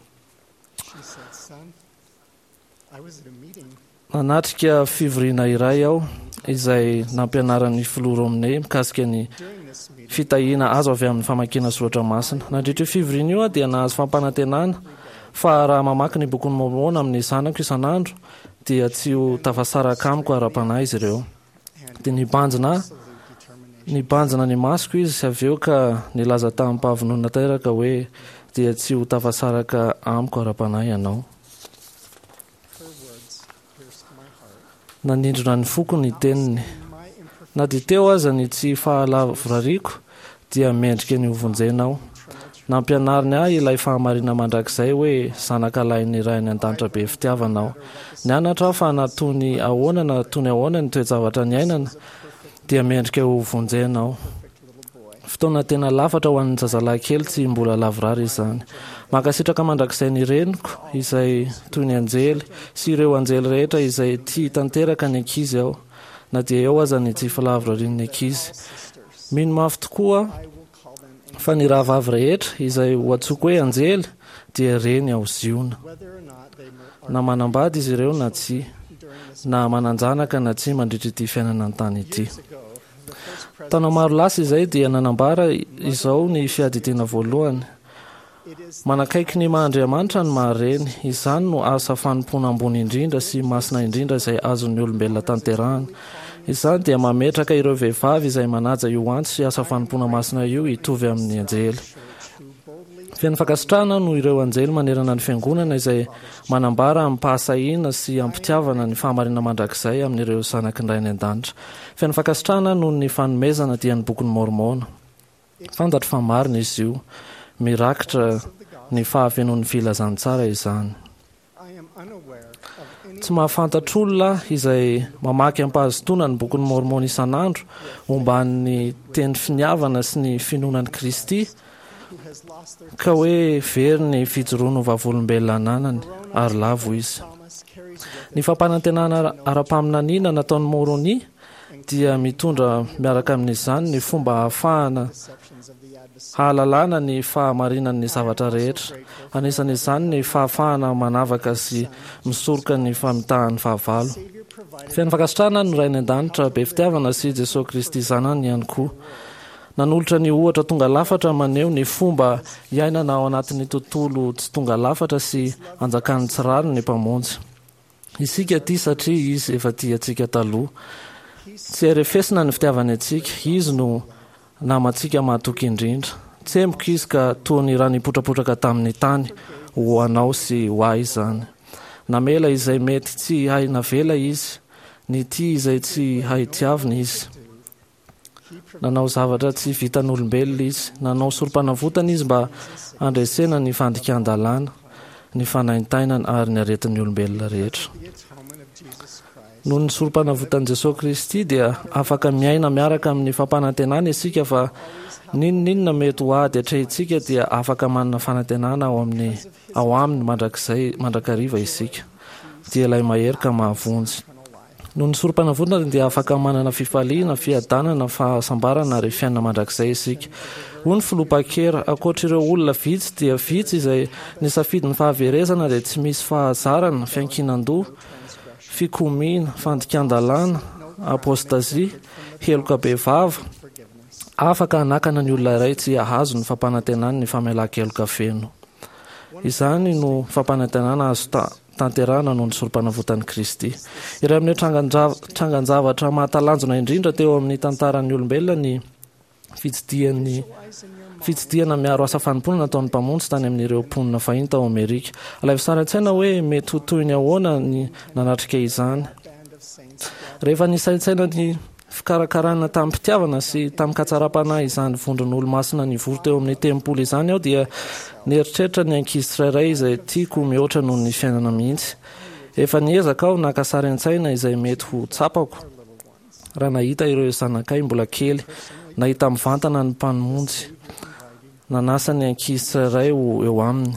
Nanatrika fivoriana iray aho izay nampianaran'ny Filoha Romney mikasika ny fitahiana azo avy amin'ny famakiana soratra masina. Nandritra io fivoriana io aho dia nahazo fampanantenana fa raha mamaky ny Bokin'i Môrmôna amin'ny zanako isan'andro dia tsy ho tafasaraka amiko ara-panahy izy ireo. Dia nibanjina nibanjina ny masoko izy avy eo ka nilaza tamim-pahavononana tanteraka hoe, Dia tsy ho tafasaraka amiko ara-panahy ianao. Nanindrona ny foko ny teniny. Na dia teo aza ny tsy fahalavorariako, dia mendrika ny hovonjena aho. Nampianariny ahy ilay fahamarina mandrakizay hoe zanaka lahin'ny Ray any An-danitra be fitiavana aho. Nianatra aho fa na toy ny ahoana na toy ny ahoana ny toe-javatra niainana, dia mendrika hovonjena aho. Fotoana tena lafatra ho an'ny zazalahy kely tsy mbola lavorary izany. Mankasitraka mandrakizay ny reniko, izay toy ny anjely, sy ireo anjely rehetra izay tia tanteraka ny ankizy aho, na dia eo aza ny tsy fahalavorarian'ny ankizy. Mino mafy tokoa aho fa ny rahavavy rehetra, izay ho antsoiko hoe anjely, dia reny ao Ziona. Na manambady izy ireo na tsia, na manan-janaka na tsia mandritra ity fiainana an-tany ity. Taona maro lasa izay dia nanambara izao ny Fiadidiana Voalohany, Manakaiky ny maha-Andriamanitra ny maha-reny. Izany no asa fanompoana ambony indrindra sy masina indrindra izay azon'ny olombelona tanterahana. Izany dia mametraka ireo vehivavy izay manaja io antso sy asa fanompoana masina io hitovy amin'ny anjely. Feno fankasitrahana aho noho ireo anjely manerana ny Fiangonana izay manambara amim-pahasahiana sy am-pitiavana ny fahamarinana mandrakizay amin'ireo zanaky ny Ray any An-danitra. Feno fankasitrahana aho noho ny fanomezana dia ny Bokin'i Môrmôna. Fantatro fa marina izy io. Mirakitra ny fahafenoan'ny filazantsara izany. Tsy mahafantatr'olona aho izay mamaky am-pahazotoana ny Bokin'i Môrmôna isan'andro omban'ny teny finiavana sy ny finoana an'i Kristy ka hoe very ny fijoroany ho vavolombelona ananany ary lavo izy. Ny fampanantenana ara-paminaniana nataon'i Môrônia dia mitondra miaraka amin'izany ny fomba ahafahana hahalalana ny fahamarinan'ny zavatra rehetra, anisan'izany ny fahafahana manavaka sy misoroka ny famitahan'ny fahavalo. Feno fankasitrahana ny Ray any An-danitra be fitiavana sy Jesoa Kristy Zanany ihany koa. Nanolotra ny ohatra tonga lafatra maneho ny fomba iainana ao anatin'ny tontolo tsy tonga lafatra sy anjakan'ny tsy rariny ny Mpamonjy. Isika tia satria Izy efa tia antsika taloha. Tsy hay refesina ny fitiavany antsika. Izy no namantsika mahatoky indrindra. Tsemboka Izy ka toa ny rano nipotrapotraka tamin'ny tany, ho anao sy ho ahy izany. Namela izay mety tsy hay navela Izy, nitia izay tsy hay tiavina Izy. Nanao zavatra tsy vitan'olombelona izy. Nanao sorom-panavotana izy mba handresena ny fandikan-dalàna, ny fanaintainana ary ny aretin'ny olombelona rehetra. Noho ny sorom-panavotan'i Jesoa Kristy dia afaka miaina miaraka amin'ny fampanantenana isika fa n'inon'inona mety ho ady atrehintsika dia afaka manana fanantenana ao amin'ny ao aminy mandrakizay mandrakariva isika. Dia ilay mahery ka mahavonjy. Noho ny Sorompanavotana dia afaka manana fifaliana, fiadanana, fahasambarana ary fiainana mandrakizay isika. Hoy ny Filoha Packer, Ankoatr'ireo olona vitsy dia vitsy izay nisafidy ny fahaverezana dia tsy misy fahazarana, fiankinan-doha, fikomiana, fandikan-dalàna, apôstazia, heloka bevava, afaka hanakana ny olona iray tsy hahazo ny fampanantenany ny famelan-keloka feno. Izany no fampanantenana azo tanterahana noho ny Sorompanavotan'i Kristy. Iray amin'ireo trangan-javatra mahatalanjona indrindra teo amin'ny tantaran'ny olombelona ny fitsidihan'ny fitsidihana miaro asa fanompoana nataon'ny Mpamonjy tany amin'ireo mponina fahiny tao Amerika. Alaivo sary an-tsaina hoe mety ho toy ny ahoana ny nanatrika izany. Rehefa nisaintsaina ny fikarakarana tamim-pitiavana sy tamin-katsaram-panahy izany vondron'Olomasina nivory teo amin'ny tempoly izany aho dia nieritreritra ny ankizy tsirairay izay tiako mihoatra noho ny fiainana mihitsy. Efa niezaka aho naka sary an-tsaina izay mety ho tsapako raha nahita ireo zanakay mbola kely, nahita mivantana ny Mpamonjy nanasa ny ankizy tsirairay ho eo aminy,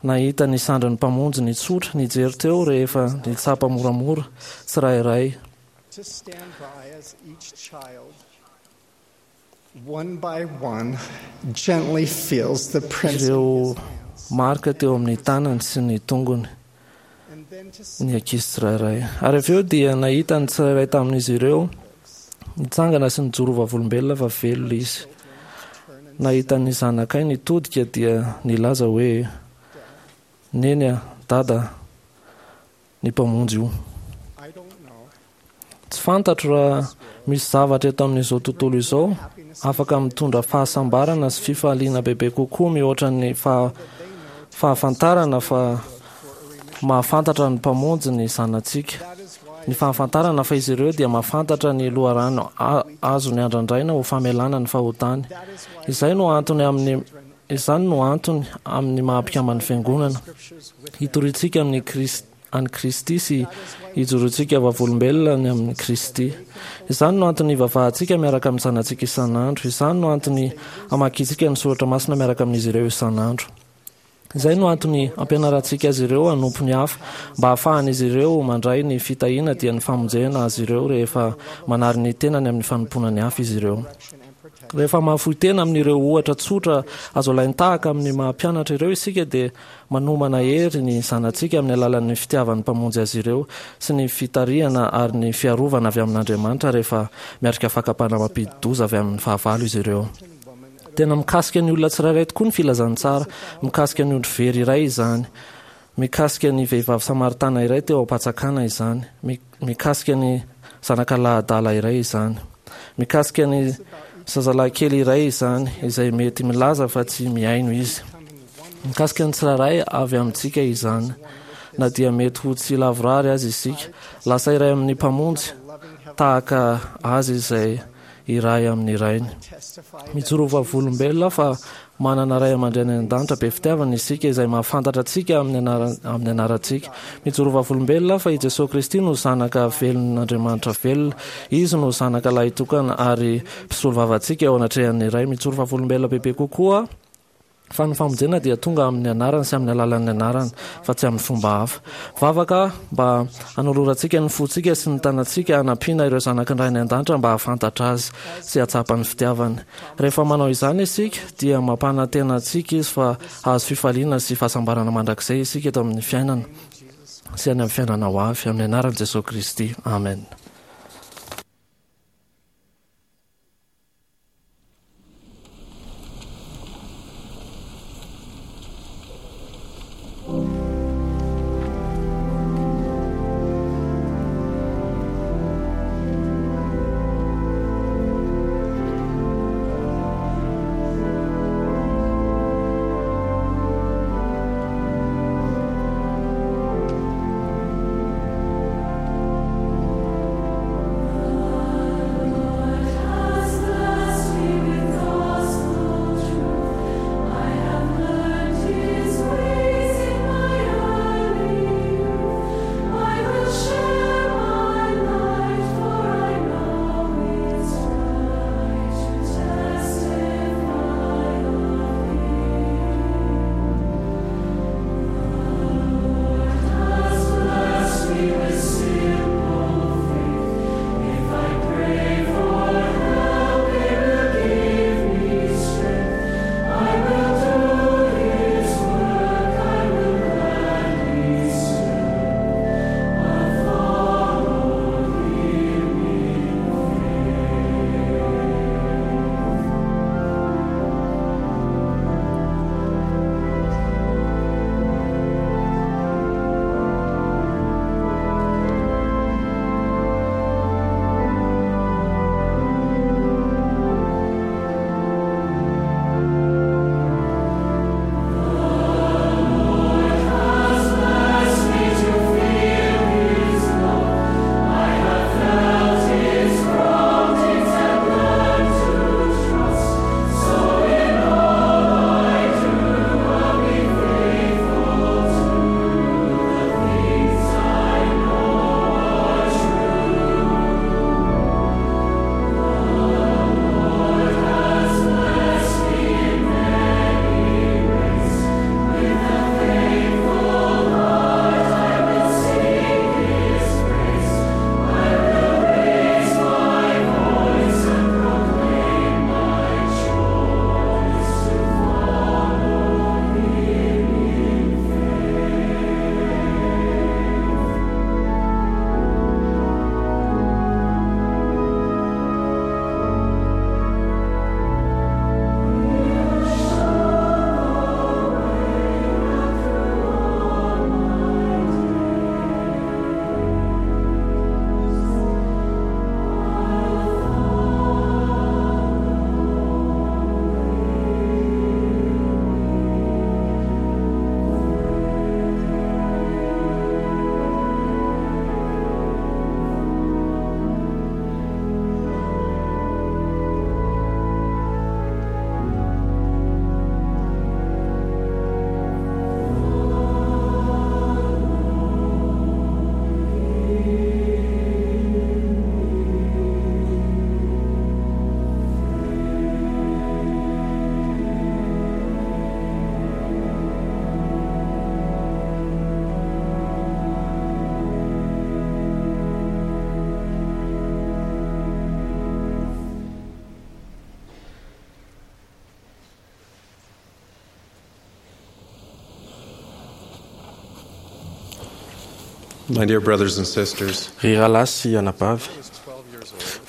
nahita ny sandrin'ny Mpamonjy nitsotra nijery teo rehefa nitsapa moramora tsirairay. To stand by as each child, one by one, gently feels the prints of Ireo his hands. marika teo amin'ny tanany sy ny tongony And then to ny ankizy tsirairay. Ary avy eo dia nahita ny tsirairay tamin'izy ireo nitsangana sy nijoro ho vavolombelona fa velona izy. Nahita ny zanakay nitodika dia nilaza hoe, Neny a, Dada a, ny Mpamonjy io. Tsy fantatro raha misy zavatra eto amin'izao tontolo izao afaka mitondra fahasambarana sy fifaliana bebe kokoa mihoatra ny fahafantarana fa mahafantatra ny Mpamonjy ny zanatsika. Ny fahafantarana fa izy ireo dia mahafantatra ny loharano azony andrandraina ho famelana ny fahotany. Izay no antony amin'ny Izany no antony amin'ny maha-mpikamban'ny Fiangonana, hitoriantsika amin'ny an'i Kristy sy hijoroantsika vavolombelona ny amin'i Kristy. Izany no antony hivavahantsika miaraka amin'ny zanatsika isan'andro. Izany no antony hamakiantsika ny soratra masina miaraka amin'izy ireo isan'andro. Izay no antony ampianarantsika azy ireo hanompo ny hafa, mba hahafahan'izy ireo mandray ny fitahiana dia ny famonjena azy ireo rehefa manary ny tenany amin'ny fanompoana ny hafa izy ireo. Rehefa mahafoy tena amin'ireo ohatra tsotra azo alain-tahaka amin'ny maha-mpianatra ireo isika dia manomana hery ny zanatsika amin'ny alalan'ny fitiavan'ny Mpamonjy azy ireo sy ny fitarihana ary ny fiarovana avy amin'Andriamanitra rehefa miatrika fakam-panahy mampidi-doza avy amin'ny fahavalo izy ireo. Tena mikasika ny olona tsirairay tokoa ny filazantsara. Mikasika ny ondry very iray izany. Mikasika ny vehivavy samaritana iray teo am-patsakana izany. Mikasika ny zanaka lahy adala iray izany. Mikasika ny zazalahy kely iray izany, izay mety milaza fa tsy mihaino izy. Mikasika ny tsirairay avy amintsika izany, na dia mety ho tsy lavorary aza isika. Lasa iray amin'ny Mpamonjy, tahaka Azy izay iray amin'ny Rainy. Mijoro ho vavolombelona fa manana Ray aman-dreny any an-danitra be fitiavana isika izay mahafantatra antsika amin'ny amin'ny anarantsika. Mijoro ho vavolombelona fa i Jesoa Kristy no Zanaka velon'Andriamanitra velona. Izy no Zanaka lahitokana ary mpisolovava antsika eo anatrehan'ny Ray. Mijoro vavolombelona bebe kokoa Fa ny famonjena dia tonga amin'ny anarany sy amin'ny alalan'ny anarany, fa tsy amin'ny fomba hafa. Vavaka mba hanolorantsika ny fontsika sy ny tanantsika hanampiana ireo zanaky ny Ray any An-danitra mba hahafantatra Azy sy hahatsapa ny fitiavany. Rehefa manao izany isika, dia mampanantena antsika Izy fa hahazo fifaliana sy fahasambarana mandrakizay isika eto amin'ny fiainana sy any amin'ny fiainana ho avy. Amin'ny anaran'i Jesoa Kristy, amena. My dear brothers and sisters, Ry rahalahy sy anabavy,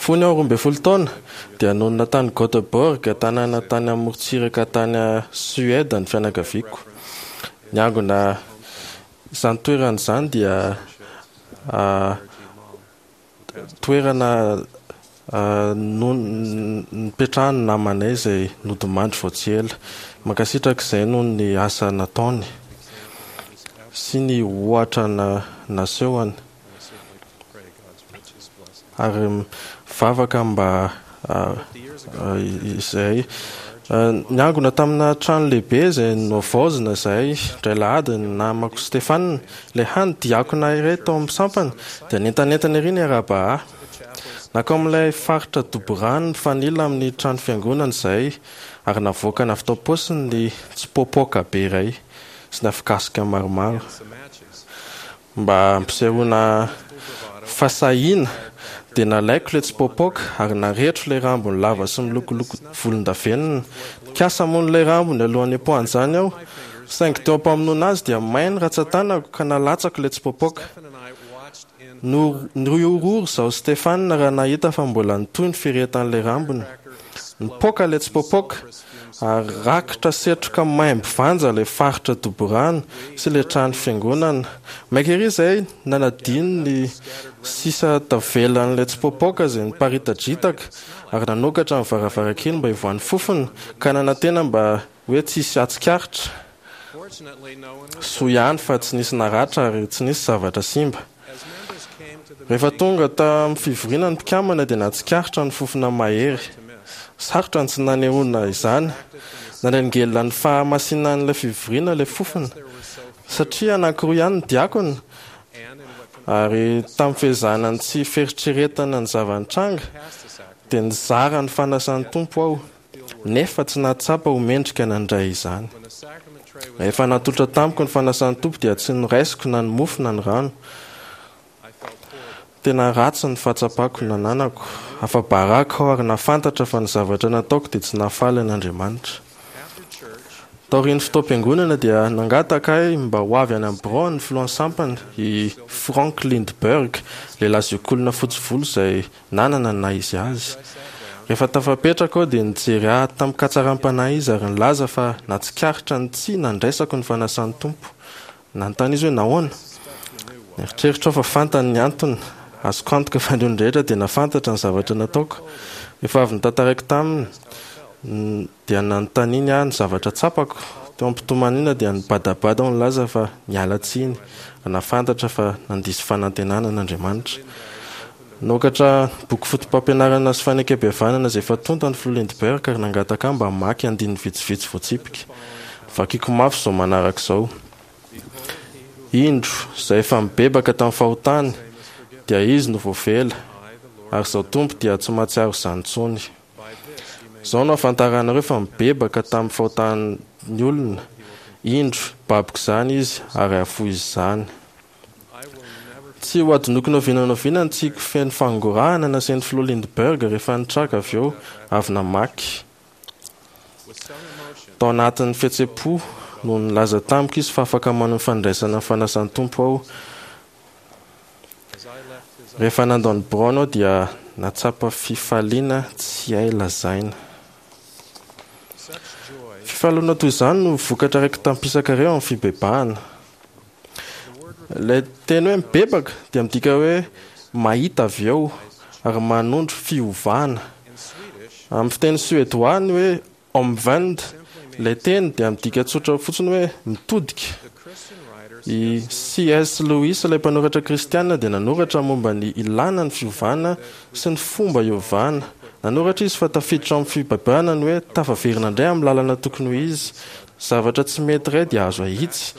Fony aho roa ambin'ny folo taona, dia nonina tany Göteborg, tanàna tany amorontsiraka tany Suède ny fianakaviako. Niangona izany toerana izany dia toerana nipetrahan'ny namanay izay nodimandry vao tsy ela. Mankasitraka izay noho ny asa nataony sy ny ohatra nasehony. Ary mivavaka mba izay. Niangona tamina trano lehibe izay nohavaozina izahay indray alahady ny namako Stefan, ilay hany diakona iray tao amin'ny sampana, dia nientanentana ery niarahaba ahy. Nankao amin'ilay faritra dobo rano mifanila amin'ny trano fiangonana izahay ary navoakany avy tao am-paosiny ny tsipoapoaka be iray sy ny afokasika maromaro. Mba hampisehoana fahasahiana dia nalaiko ilay tsipoapoaka ary narehetro ilay rambony lava sy milokoloko volondavenona. Nikasa hamono ilay rambony alohan'ny hipoahan'izany aho, saingy teo am-pamonoana azy dia may ny ratsan-tanako ka nalatsako ilay tsipoapoaka. Nihorohoro izaho sy Stefan raha nahita fa mbola nitohy ny firehetan'ilay rambony. Nipoaka ilay tsipoapoaka ary rakotra setroka maimbo vanja ilay faritra dobo rano sy ilay trano fiangonana. Maika ery izahay nanadino ny sisa tavelan'ilay tsipoapoaka izay niparitadritaka ary nanokatra ny varavarankely mba hivoahan'ny fofona ka nanantena mba hoe tsy hisy hahatsikaritra. Soa ihany fa tsy nisy naratra ary tsy nisy zavatra simba. Rehefa tonga tamin'ny fivoriana ny mpikambana dia nahatsikaritra ny fofona mahery. Sarotra ny tsy nanehoana izany. Nanelingelina ny fahamasinan'ilay fivoriana ilay fofona. Satria anankiroa ihany ny diakona, ary tamin'ny fiezahana ny tsy fieritreretana ny zava-nitranga, dia nizara ny fanasan'ny Tompo aho, nefa tsy nahatsapa ho mendrika nandray izany. Rehefa natolotra tamiko ny fanasan'ny Tompo dia tsy noraisiko na ny mofo na ny rano. Tena ratsy ny fahatsapako nananako. Afa-baraka aho ary nahafantatra fa ny zavatra nataoko dia tsy nahafaly an'Andriamanitra. Taorian'ny fotoam-piangonana dia nangataka ahy mba ho avy any amin'ny biraony ny filohan'ny sampana, i Frank Lindberg, lehilahy zokiolona fotsy volo izay nanana ny naha izy azy. Rehefa tafapetraka aho dia nijery ahy tamin-katsaram-panahy izy ary nilaza fa nahatsikaritra ny tsy nandraisako ny fanasan'ny Tompo. Nanontany izy hoe nahoana. Nieritreritra aho fa fantany ny antony. Azoko antoka fa ny olon-drehetra dia nahafantatra ny zavatra nataoko. Rehefa avy notantaraiko taminy, dia nanontaniany ahy ny zavatra tsapako. Teo am-pitomaniana dia nibadabada aho nilaza fa niala tsiny, ary nahafantatra fa nandiso fanantenana an'Andriamanitra. Nanokatra boky fotopampianarana sy fanekempihavanana izay efa tonta ny Filoha Lindbergh ary nangataka ahy mba hamaky andininy vitsivitsy voatsipika. Novakiko mafy izao manaraka izao, Indro, izay efa mibebaka tamin'ny fahotany, dia izy no voavela, ary Izaho Tompo dia tsy mahatsiaro izany intsony. Izao no ahafantaranareo fa mibebaka tamin'ny fahotany ny olona, indro, baboko izany izy ary hahafoy izany. Tsy ho adinoiko na oviana na oviana ny tsiky feno fangorahana nasain'ny Filoha Lindbergh rehefa nitraka avy eo avy namaky. Tao anatin'ny fihetseham-po no nilaza tamiko izy fa afaka manohy ny fandraisana ny fanasan'ny Tompo aho. Rehefa nandao ny biraony aho dia nahatsapa fifaliana tsy hay lazaina. Fifaliana toy izany no vokatra raiki-tampisaka ireo amin'ny fibebahana. Ilay teny hoe mibebaka dia midika hoe mahita avy eo ary manondro fiovana. Amin'ny fiteny suédois ny hoe omvänd, ilay teny dia midika tsotra fotsiny hoe mitodika. I C S. Lewis, ilay mpanoratra kristiana, dia nanoratra momba ny ilàna ny fiovana sy ny fomba iovana. Nanoratra izy fa tafiditra ao amin'ny fibebahana ny hoe tafaverina indray amin'ny lalana tokony ho izy. Zavatra tsy mety iray dia azo ahitsy,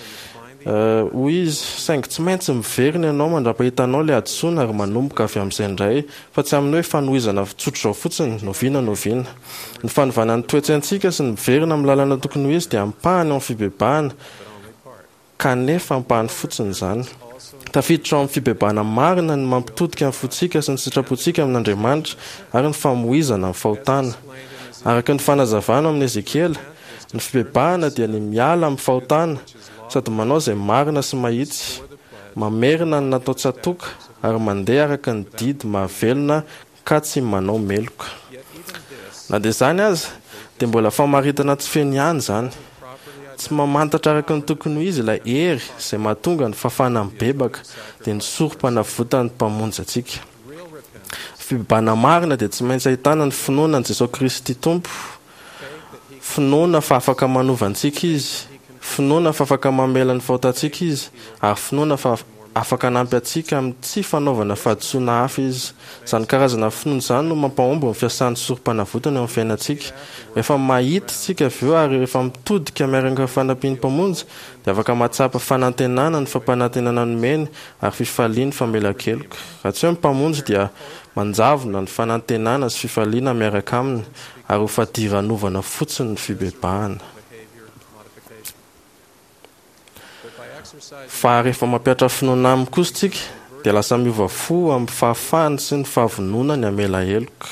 hoy izy, saingy tsy maintsy miverina ianao mandra-pahitanao ilay hadisoana ary manomboka avy amin'izay indray, fa tsy amin'ny hoe fanohizana tsotr'izao fotsiny, n'oviana n'oviana. Ny fanovana ny toe-tsaintsika sy ny miverina amin'ny lalana tokony ho izy dia ampahany ao amin'ny fibebahana, kanefa ampahany fotsiny izany. Tafiditra ao amin'ny fibebahana marina ny mampitodika ny fontsika sy ny sitrapontsika amin'Andriamanitra ary ny famoizana ny fahotana. Araka ny fanazavana ao amin'ny Ezekiela, ny fibebahana dia ny miala amin'ny fahotana sady manao izay marina sy mahitsy, mamerina ny natao tsatoka ary mandeha araka ny didy mahavelona ka tsy manao meloka. Na dia izany aza, dia mbola famaritana tsy feno ihany izany. Tsy mamantatra araka ny tokony ho izy ilay hery izay mahatonga ny fahafahana mibebaka, dia ny sorom-panavotan'ny Mpamonjy antsika. Fibebahana marina dia tsy maintsy ahitana ny finoana an'i Jesoa Kristy Tompo, finoana fa afaka manova antsika Izy, finoana fa afaka mamela ny fahotantsika Izy, ary finoana fa afaka hanampy antsika amin'ny tsy fanaovana fahadisoana hafa Izy. Izany karazana finoana izany no mampahomby ny fiasan'ny Sorompanavotana eo amin'ny fiainantsika. Rehefa mahita isika avy eo ary rehefa mitodika miaraka amin'ny fanampian'ny Mpamonjy, dia afaka mahatsapa fanantenana ny fampanantenana nomeny ary fifalian'ny famelan-keloka. Raha tsy hoe ny Mpamonjy dia manjavona ny fanantenana sy fifaliana miaraka Aminy ary ho fadiranovana fotsiny ny fibebahana. Fa rehefa mampihatra finoana Aminy kosa isika dia lasa miova fo amin'ny fahafahany sy ny fahavononany hamela heloka.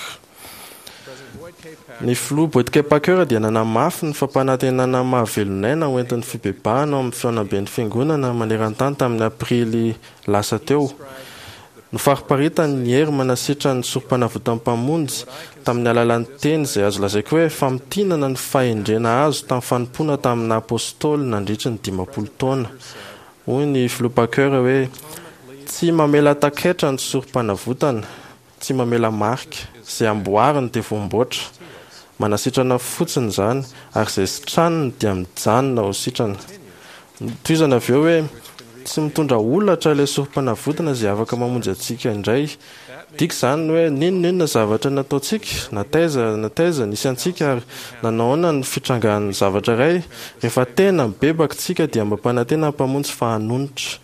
Ny Filoha Boyd K. Packer dia nanamafy ny fampanantenana mahavelon'aina ho entin'ny fibebahana ao amin'ny fihaonamben'ny Fiangonana maneran-tany tamin'ny Aprily lasa teo. Nofariparitany ny hery manasitran'ny Sorompanavotan'ny Mpamonjy tamin'ny alalan'ny teny izay azo lazaiko hoe famintinana ny fahendrena azo tamin'ny fanompoana tamin'ny Apôstôly nandritry ny dimampolo taona. Hoy ny Filoha Packer hoe, Tsy mamela takaitra ny Sorompanavotana. Tsy mamela marika. Izay amboariny dia voamboatra. Manasitrana fotsiny izany, ary izay sitraniny dia mijanona ho sitrana. Notohizana avy eo hoe, Tsy mitondra holatra ilay sorom-panavotana izay afaka mamonjy antsika indray. Midika izany hoe n'inon'inona zavatra nataontsika, na taiza na taiza nisy antsika ary nanao ahoana ny fitrangan'ny zavatra iray, rehefa tena mibebaka isika dia mampanantena ny Mpamonjy fa hanonitra.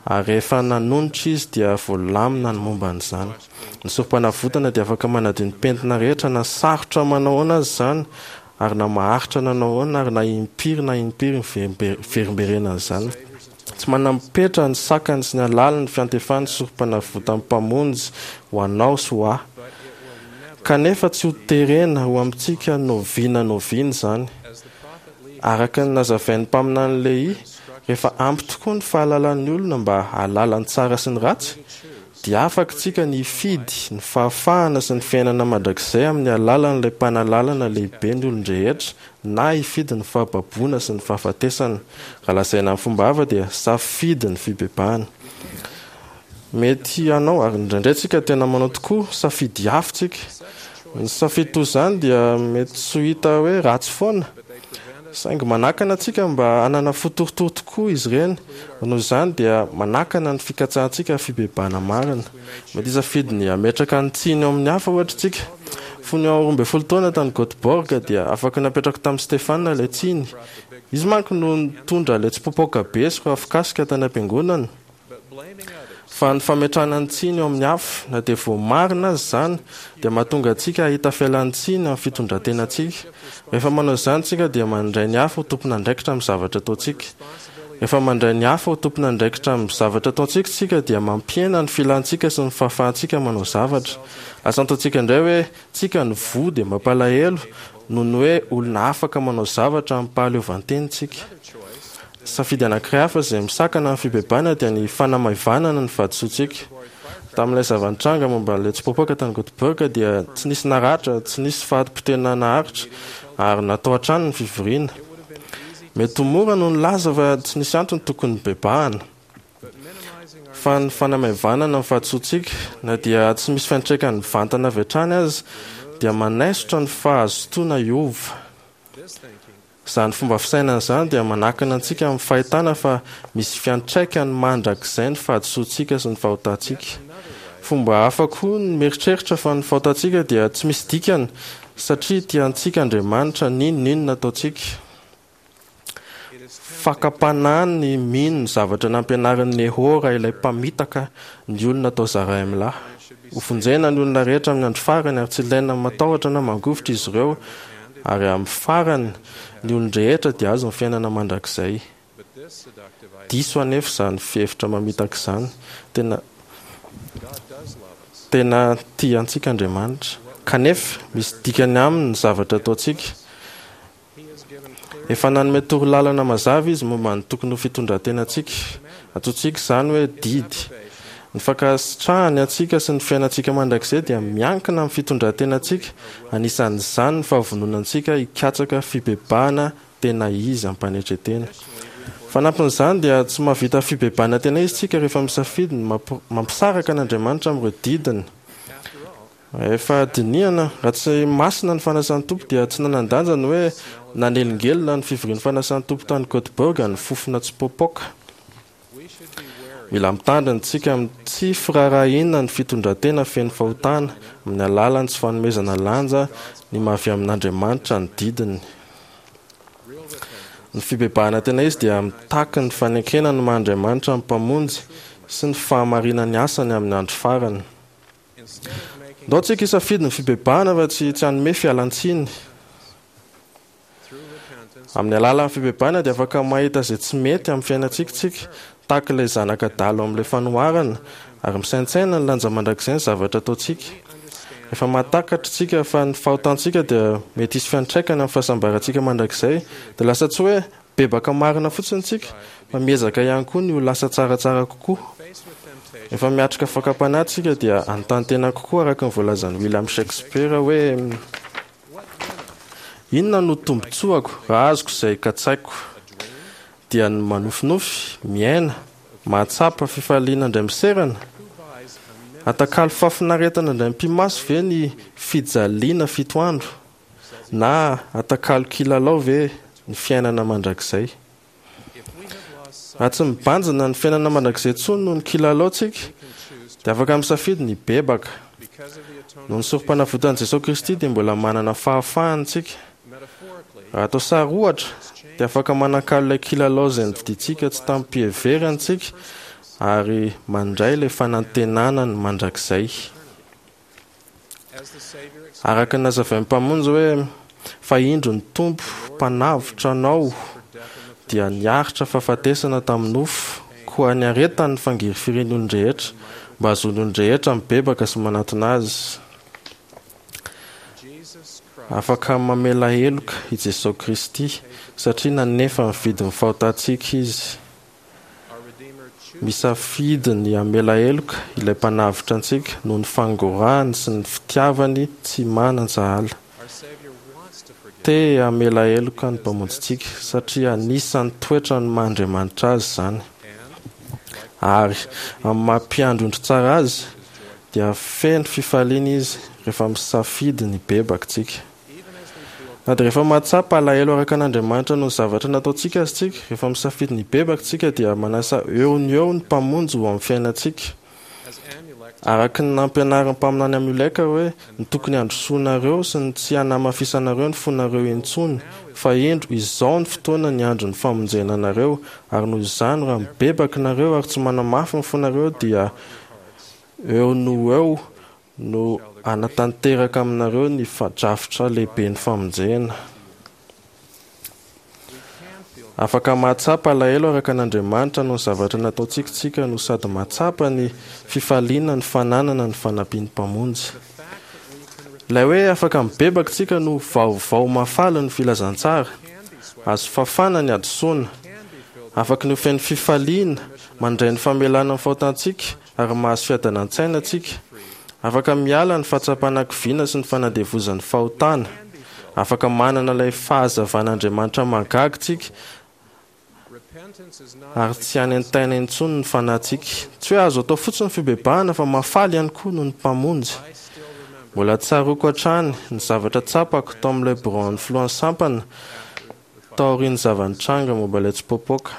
Ary rehefa nanonitra izy dia voalamina ny momba an'izany. Ny sorom-panavotana dia afaka manadio ny pentina rehetra na sarotra manao ahoana aza izany ary na maharitra nanao ahoana ary na impiry na impiry miverimberenan'izany. Tsy manam-petra ny sakany sy ny halalin'ny fiantefan'ny sorom-panavotan'ny Mpamonjy ho anao sy ho ahy. Kanefa tsy ho terena ho amintsika n'oviana n'oviana izany. Araka ny nazavain'ny mpaminany Lehia, rehefa ampy tokoa ny fahalalan'ny olona mba hahalala ny tsara sy ny ratsy, dia afaka isika ny hifidy ny fahafahana sy ny fiainana mandrakizay amin'ny alalan'ilay Mpanalalana lehibe ny olon-drehetra na hifidy ny fahababoana sy ny fahafatesana. Raha lazaina amin'ny fomba hafa dia safidy ny fibebahana. Mety hanao, ary indraindray tsika tena manao tokoa, safidy hafa tsika. Ny safidy toy izany dia mety tsy ho hita hoe ratsy foana, saingy manakana antsika mba hanana fo torotoro tokoa izy ireny. Noho izany dia manakana ny fikatsahantsika fibebahana marina. Mety hisafidy ny hametraka ny tsiny eo amin'ny hafa, ohatra, isika. Fony aho roa ambin'ny folo taona tany Göteborg dia afaka napetrako tamin'i Stefan ilay tsiny. Izy manko no nitondra ilay tsipoapoaka be sy rafikasika tany am-piangonana. Fa ny fametrahana ny tsiny eo amin'ny hafa, na dia voamarina aza izany, dia mahatonga antsika hahita fialan-tsiny amin'ny fitondran-tenantsika. Rehefa manao izany isika dia mandray ny hafa ho tompon'andraikitra amin'ny zavatra ataontsika. Rehefa mandray ny hafa ho tompon'andraikitra amin'ny zavatra ataontsika isika dia mampihena ny filantsika sy ny fahafahantsika manao zavatra. Lasa ataontsika indray hoe tsika no voa dia mampalahelo noho ny hoe olona afaka manao zavatra amim-pahaleovantena isika. Safidy anankiray hafa izay misakana ny fibebahana dia ny fanamaivanana ny fahadisoantsika. Tamin'ilay zava-nitranga momba an'ilay tsipoapoaka tany Göteborg dia tsy nisy naratra, tsy nisy fahatipotehana naharitra, ary natao hatrany ny fivoriana. Mety ho mora no nilaza fa tsy nisy antony tokony hibebahana. Fa ny fanamaivanana ny fahadisoantsika, na dia tsy misy fiantraikany mivantana avy hatrany aza, dia manaisotra ny fahazotoana hiova. Izany fomba fisainana izany dia manakana antsika amin'ny fahitana fa misy fiantraikany mandrakizay ny fahadisoantsika sy ny fahotantsika. Fomba hafa koa ny mieritreritra fa ny fahotantsika dia tsy misy dikany satria tia antsika Andriamanitra n'inon'inona ataontsika. Fakam-panahy ny mino ny zavatra nampianarin'i Nehôra ilay mpamitaka ny olona tao Zarahemlà. Hovonjena ny olona rehetra amin'ny andro farany ary tsy ilaina matahotra na mangovitra izy ireo ary amin'ny farany ny olon-drehetra dia hahazo ny fiainana mandrakizay. Diso anefa izany fihevitra mamitaka izany. Tena tena tia antsika Andriamanitra. Kanefa, misy dikany aminy ny zavatra ataontsika. Efa nanome toro lalana mazava izy momba ny tokony ho fitondran-tenantsika. Antsointsika izany hoe didy. Ny fankasitrahany antsika sy ny fiainantsika mandrakizay dia miankina amin'ny fitondran-tenantsika, anisan'izany ny fahavononantsika hikatsaka fibebahana tena izy am-panetren-tena. Fanampin'izany dia tsy mahavita fibebahana tena izy isika rehefa misafidy ny mampisaraka an'Andriamanitra amin'ireo didiny. Rehefa dinihana, raha tsy masina ny fanasan'ny Tompo dia tsy nanan-danja ny hoe nanelingelina ny fivorian'ny fanasan'ny Tompo tany Göteborg ny fofona tsipoapoaka. Mila mitandrina isika amin'ny tsy firaharahiana ny fitondran-tena feno fahotana amin'ny alalan'ny tsy fanomezana lanja ny maha avy amin'Andriamanitra ny didiny. Ny fibebahana tena izy dia mitaky ny fanekena ny maha Andriamanitra ny Mpamonjy sy ny fahamarinan'ny asany amin'ny andro farany. Ndao tsika hisafidy ny fibebahana fa tsy tsy hanome fialan-tsiny. Amin'ny alalan'ny fibebahana dia afaka mahita izay tsy mety amin'ny fiainantsika isika, tahaka ilay zanaka adala ao amin'ilay fanoharana, ary misaintsaina ny lanja mandrakizay ny zavatra ataontsika. Rehefa mahatakatra isika fa ny fahotantsika dia mety hisy fiantraikany amin'ny fahasambarantsika mandrakizay, dia lasa tsy hoe Bebaka marina fotsiny isika, fa miezaka ihany koa ny ho lasa tsaratsara kokoa. Rehefa miatrika fakam-panahy isika dia hanontany tena kokoa araka ny voalazan'i William Shakespeare hoe, Inona no tombontsoako raha azoko izay katsaiko? Dia ny manofinofy, miaina, mahatsapa fifaliana indray miserana? Atakalo fahafinaretana indray mipi-maso ve ny fijaliana fito andro? Na atakalo kilalao ve ny fiainana mandrakizay? Raha tsy mibanjina ny fiainana mandrakizay intsony noho ny kilalao tsika, dia afaka misafidy ny hibebaka. Noho ny sorompanavotan'i Jesoa Kristy dia mbola manana fahafahana isika. Raha atao sary ohatra, dia afaka manakalo ilay kilalao izay novidiantsika tsy tamim-piheverana isika ary mandray ilay fanantenana ny mandrakizay. Araka ny nazavain'ny Mpamonjy hoe, Fa indro ny Tompo Mpanavotra anao dia niaritra fahafatesana tamin'ny nofo, koa niaretany ny fangirifirian'ny olon-drehetra, mba hahazoan'ny olon-drehetra mibebaka sy manatona Azy. Afaka mamela heloka i Jesoa Kristy, satria nanefa ny vidin'ny fahotantsika Izy. Misafidy ny hamela heloka ilay Mpanavotra antsika noho ny fangorahany sy ny fitiavany tsy manan-tsahala. Te hamela heloka ny Mpamonjintsika satria anisan'ny toetrany maha Andriamanitra azy izany. Ary amin'ny maha Mpiandry ondry tsara azy, dia feno fifaliana izy rehefa misafidy ny hibebaka isika. Na dia rehefa mahatsapa alahelo araka an'Andriamanitra noho ny zavatra nataontsika aza isika, rehefa misafidy ny hibebaka isika dia manasa eo no eo ny Mpamonjy ho amin'ny fiainantsika. Araka ny nampianarin'ny mpaminany Amioleka hoe, Ny tokony handrosoanareo sy ny tsy hanamafisanareo ny fonareo intsony, fa indro, izao ny fotoana ny andron'ny famonjena anareo, ary noho izany raha mibebaka nareo ary tsy manamafy ny fonareo dia eo no ho eo no hanatanteraka aminareo ny drafitra lehiben'ny famonjena. Afaka mahatsapa alahelo araka an'Andriamanitra noho ny zavatra nataontsika isika no sady mahatsapa ny fifaliana ny fananana ny fanampian'ny Mpamonjy. Ilay hoe afaka mibebaka isika no vaovao mahafaly ny filazantsara. Azo fafana ny hadisoana. Afaky ny ho feno fifaliana mandray ny famelana ny fahotantsika ary mahazo fiadanan-tsaina tsika. Afaka miala ny fahatsapana kiviana sy ny fanandevozan'ny fahotana. Afaka manana ilay fahazavan'Andriamanitra mahagaga tsika ary tsy hanentaina intsony ny fanahintsika. Tsy hoe azo atao fotsiny ny fibebahana fa mahafaly ihany koa noho ny Mpamonjy. Mbola tsaroako hatrany ny zavatra tsapako tao amin'ilay biraon'ny filohan'ny sampana Taorian'ny zava-nitranga momba ilay tsipoapoaka,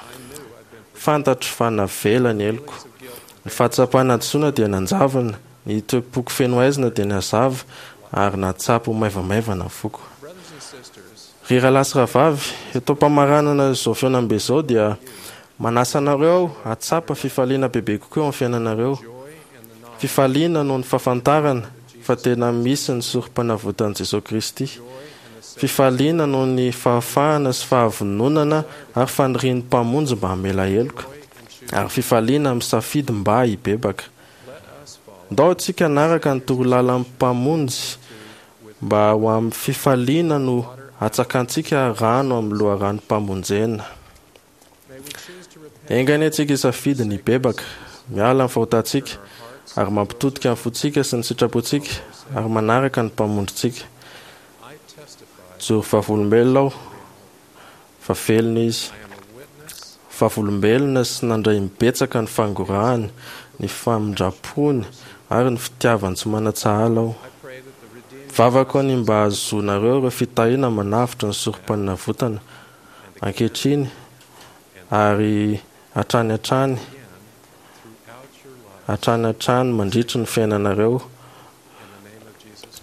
fantatro fa navela ny heloko. Ny fahatsapana hadisoana dia nanjavona, ny toe-poko feno haizina dia nihazava, ary nahatsapa ho maivamaivana ny foko. Ry rahalahy sy rahavavy, eto am-pamaranana izao fihaonambe izao dia manasa anareo aho hahatsapa fifaliana bebe kokoa eo amin'ny fiainanareo. Fifaliana noho ny fahafantarana fa tena misy ny Sorompanavotan'i Jesoa Kristy. Fifaliana noho ny fahafahana sy fahavononana ary fanirian'ny Mpamonjy mba hamela heloka. Ary fifaliana misafidy mba hibebaka. Ndao isika hanaraka ny torolalan'ny Mpamonjy mba ho amin'ny fifaliana no hatsakantsika rano amin'ny loharanom-pamonjena. Enga anie tsika hisafidy ny hibebaka miala amin'ny fahotantsika ary mampitodika ny fontsika sy ny sitrapontsika ary manaraka ny Mpamonjintsika. Mijoro vavolombelona aho fa velona Izy. Vavolombelona sy nandray imbetsaka ny fangorahany, ny famindram-pony ary ny fitiavany tsy manan-tsahala aho. Mivavaka aho ny mba hahazoanareo ireo fitahiana manavotra ny Sorompanavotana ankehitriny ary hatrany hatrany hatrany hatrany mandritry ny fiainanareo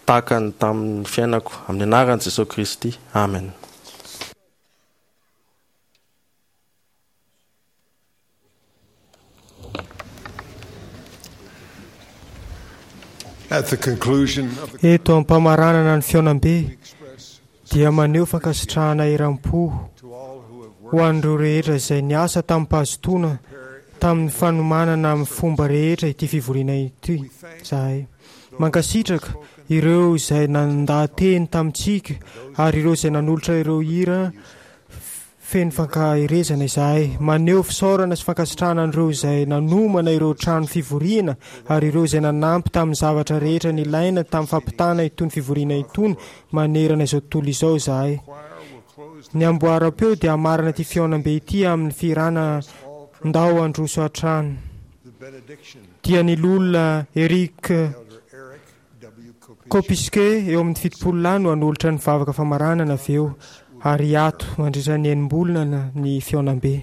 tahaka ny tamin'ny fiainako. Amin'ny anaran'i Jesoa Kristy. Amen. Eto am-pamaranana ny fihaonambe dia maneho fankasitrahana eram-po ho an'ireo rehetra izay niasa tamim-pahazotoana tamin'ny fanomanana amin'ny fomba rehetra ity fivoriana ity izahay. Mankasitraka ireo izay nandaha-teny tamintsika ary ireo izay nanolotra ireo hira Feno fankaherezana izahay. Maneho fisaorana sy fankasitrahana an'ireo izay nanomana ireo trano fivoriana ary ireo izay nanampy tamin'ny zavatra rehetra nilaina tamin'ny fampitana itony fivoriana itony manerana izao tontolo izao izahay. Ny amboaram-peo dia hamarana ity fihaonambe ity amin'ny fihirana Ndao handroso hatrany. Dia ny Loholona Eric. Kopiske eo amin'ny fitopolo lahy no hanolotra ny vavaka famaranana avy eo ary hiato mandritra ny enim-bolana ny fihaonambe.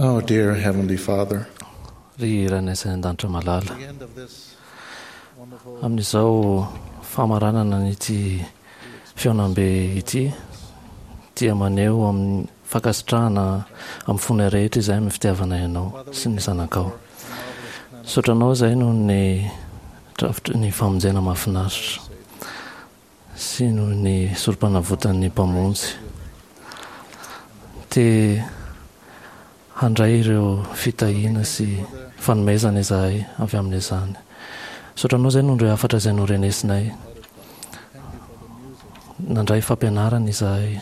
Oh, dear Heavenly Father, Ry Rainay izay any an-danitra malala, amin'izao famaranana an'ity fihaonambe ity dia maneho amin'ny fankasitrahana amin'ny fonay rehetra izahay amin'ny fitiavanay Anao sy ny Zanakao. Misaotra Anao izahay noho ny drafitry ny famonjena mahafinaritra sy noho ny sorom-panavotan'ny Mpamonjy. Te handray ireo fitahiana sy fanomezana izahay avy amin'izany. Misaotra Anao izay noho ireo hafatra izay norenesinay. Nandray fampianarana izahay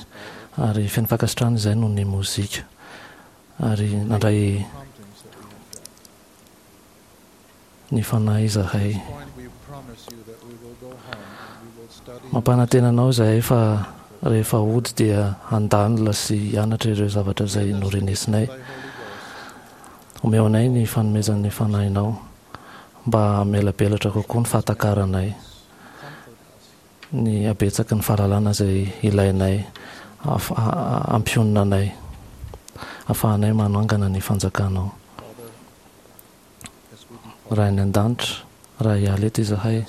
ary feno fankasitrahana izahay noho ny mozika ary nandray ny Fanahy izahay. Mampanantena anao izahay fa rehefa hody dia handalina sy hianatra ireo zavatra izay norenesinay. Omeo anay ny fanomezan'ny Fanahinao mba hamelabelatra kokoa ny fahatakaranay ny habetsaky ny fahalalana izay ilainay hampionona anay, hahafahanay manangana ny fanjakanao. Ray any An-danitra, raha hiala eto izahay,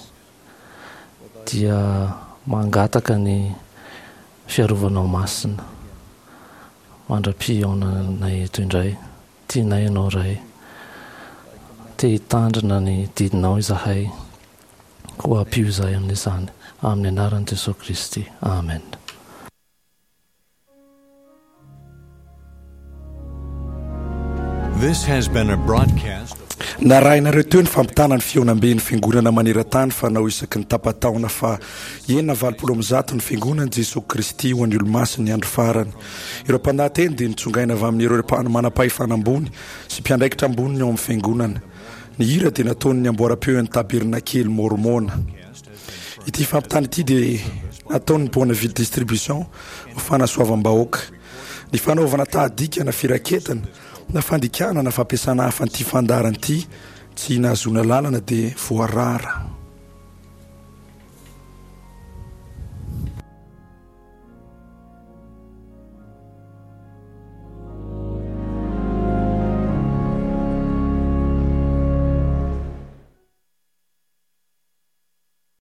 dia mangataka ny fiarovanao masina mandra-pihaonanay eto indray. Tianay Ianao, Ray. Te hitandrina ny didinao izahay, koa ampio izahay amin'izany. Amin'ny anaran'i Jesoa Kristy. Amen. This has been a broadcast. Narahinareo teo ny fampitana ny fihaonamben'ny Fiangonana maneran-tany fanao isaky ny tapa-taona faha enina amby valopolo amby zato ny Fiangonan'i Jesoa Kristy ho an'ny Olomasin'ny Andro Farany. Ireo mpandahateny dia nitsongaina avy amin'ireo manam-pahefana ambony sy mpiandraikitra amboniny ao amin'ny Fiangonana. Ny hira dia nataon'ny amboaram-peon'ny Tabernakely Môrmôna. Ity fampitana ity dia nataon'ny Bonneville Distribution ho fanasoavam-bahoaka. Ny fanaovana tahadika na firaketana na fandikana na fampiasana hafa an'ity fandaharana ity tsy nahazoana lalana dia voarara.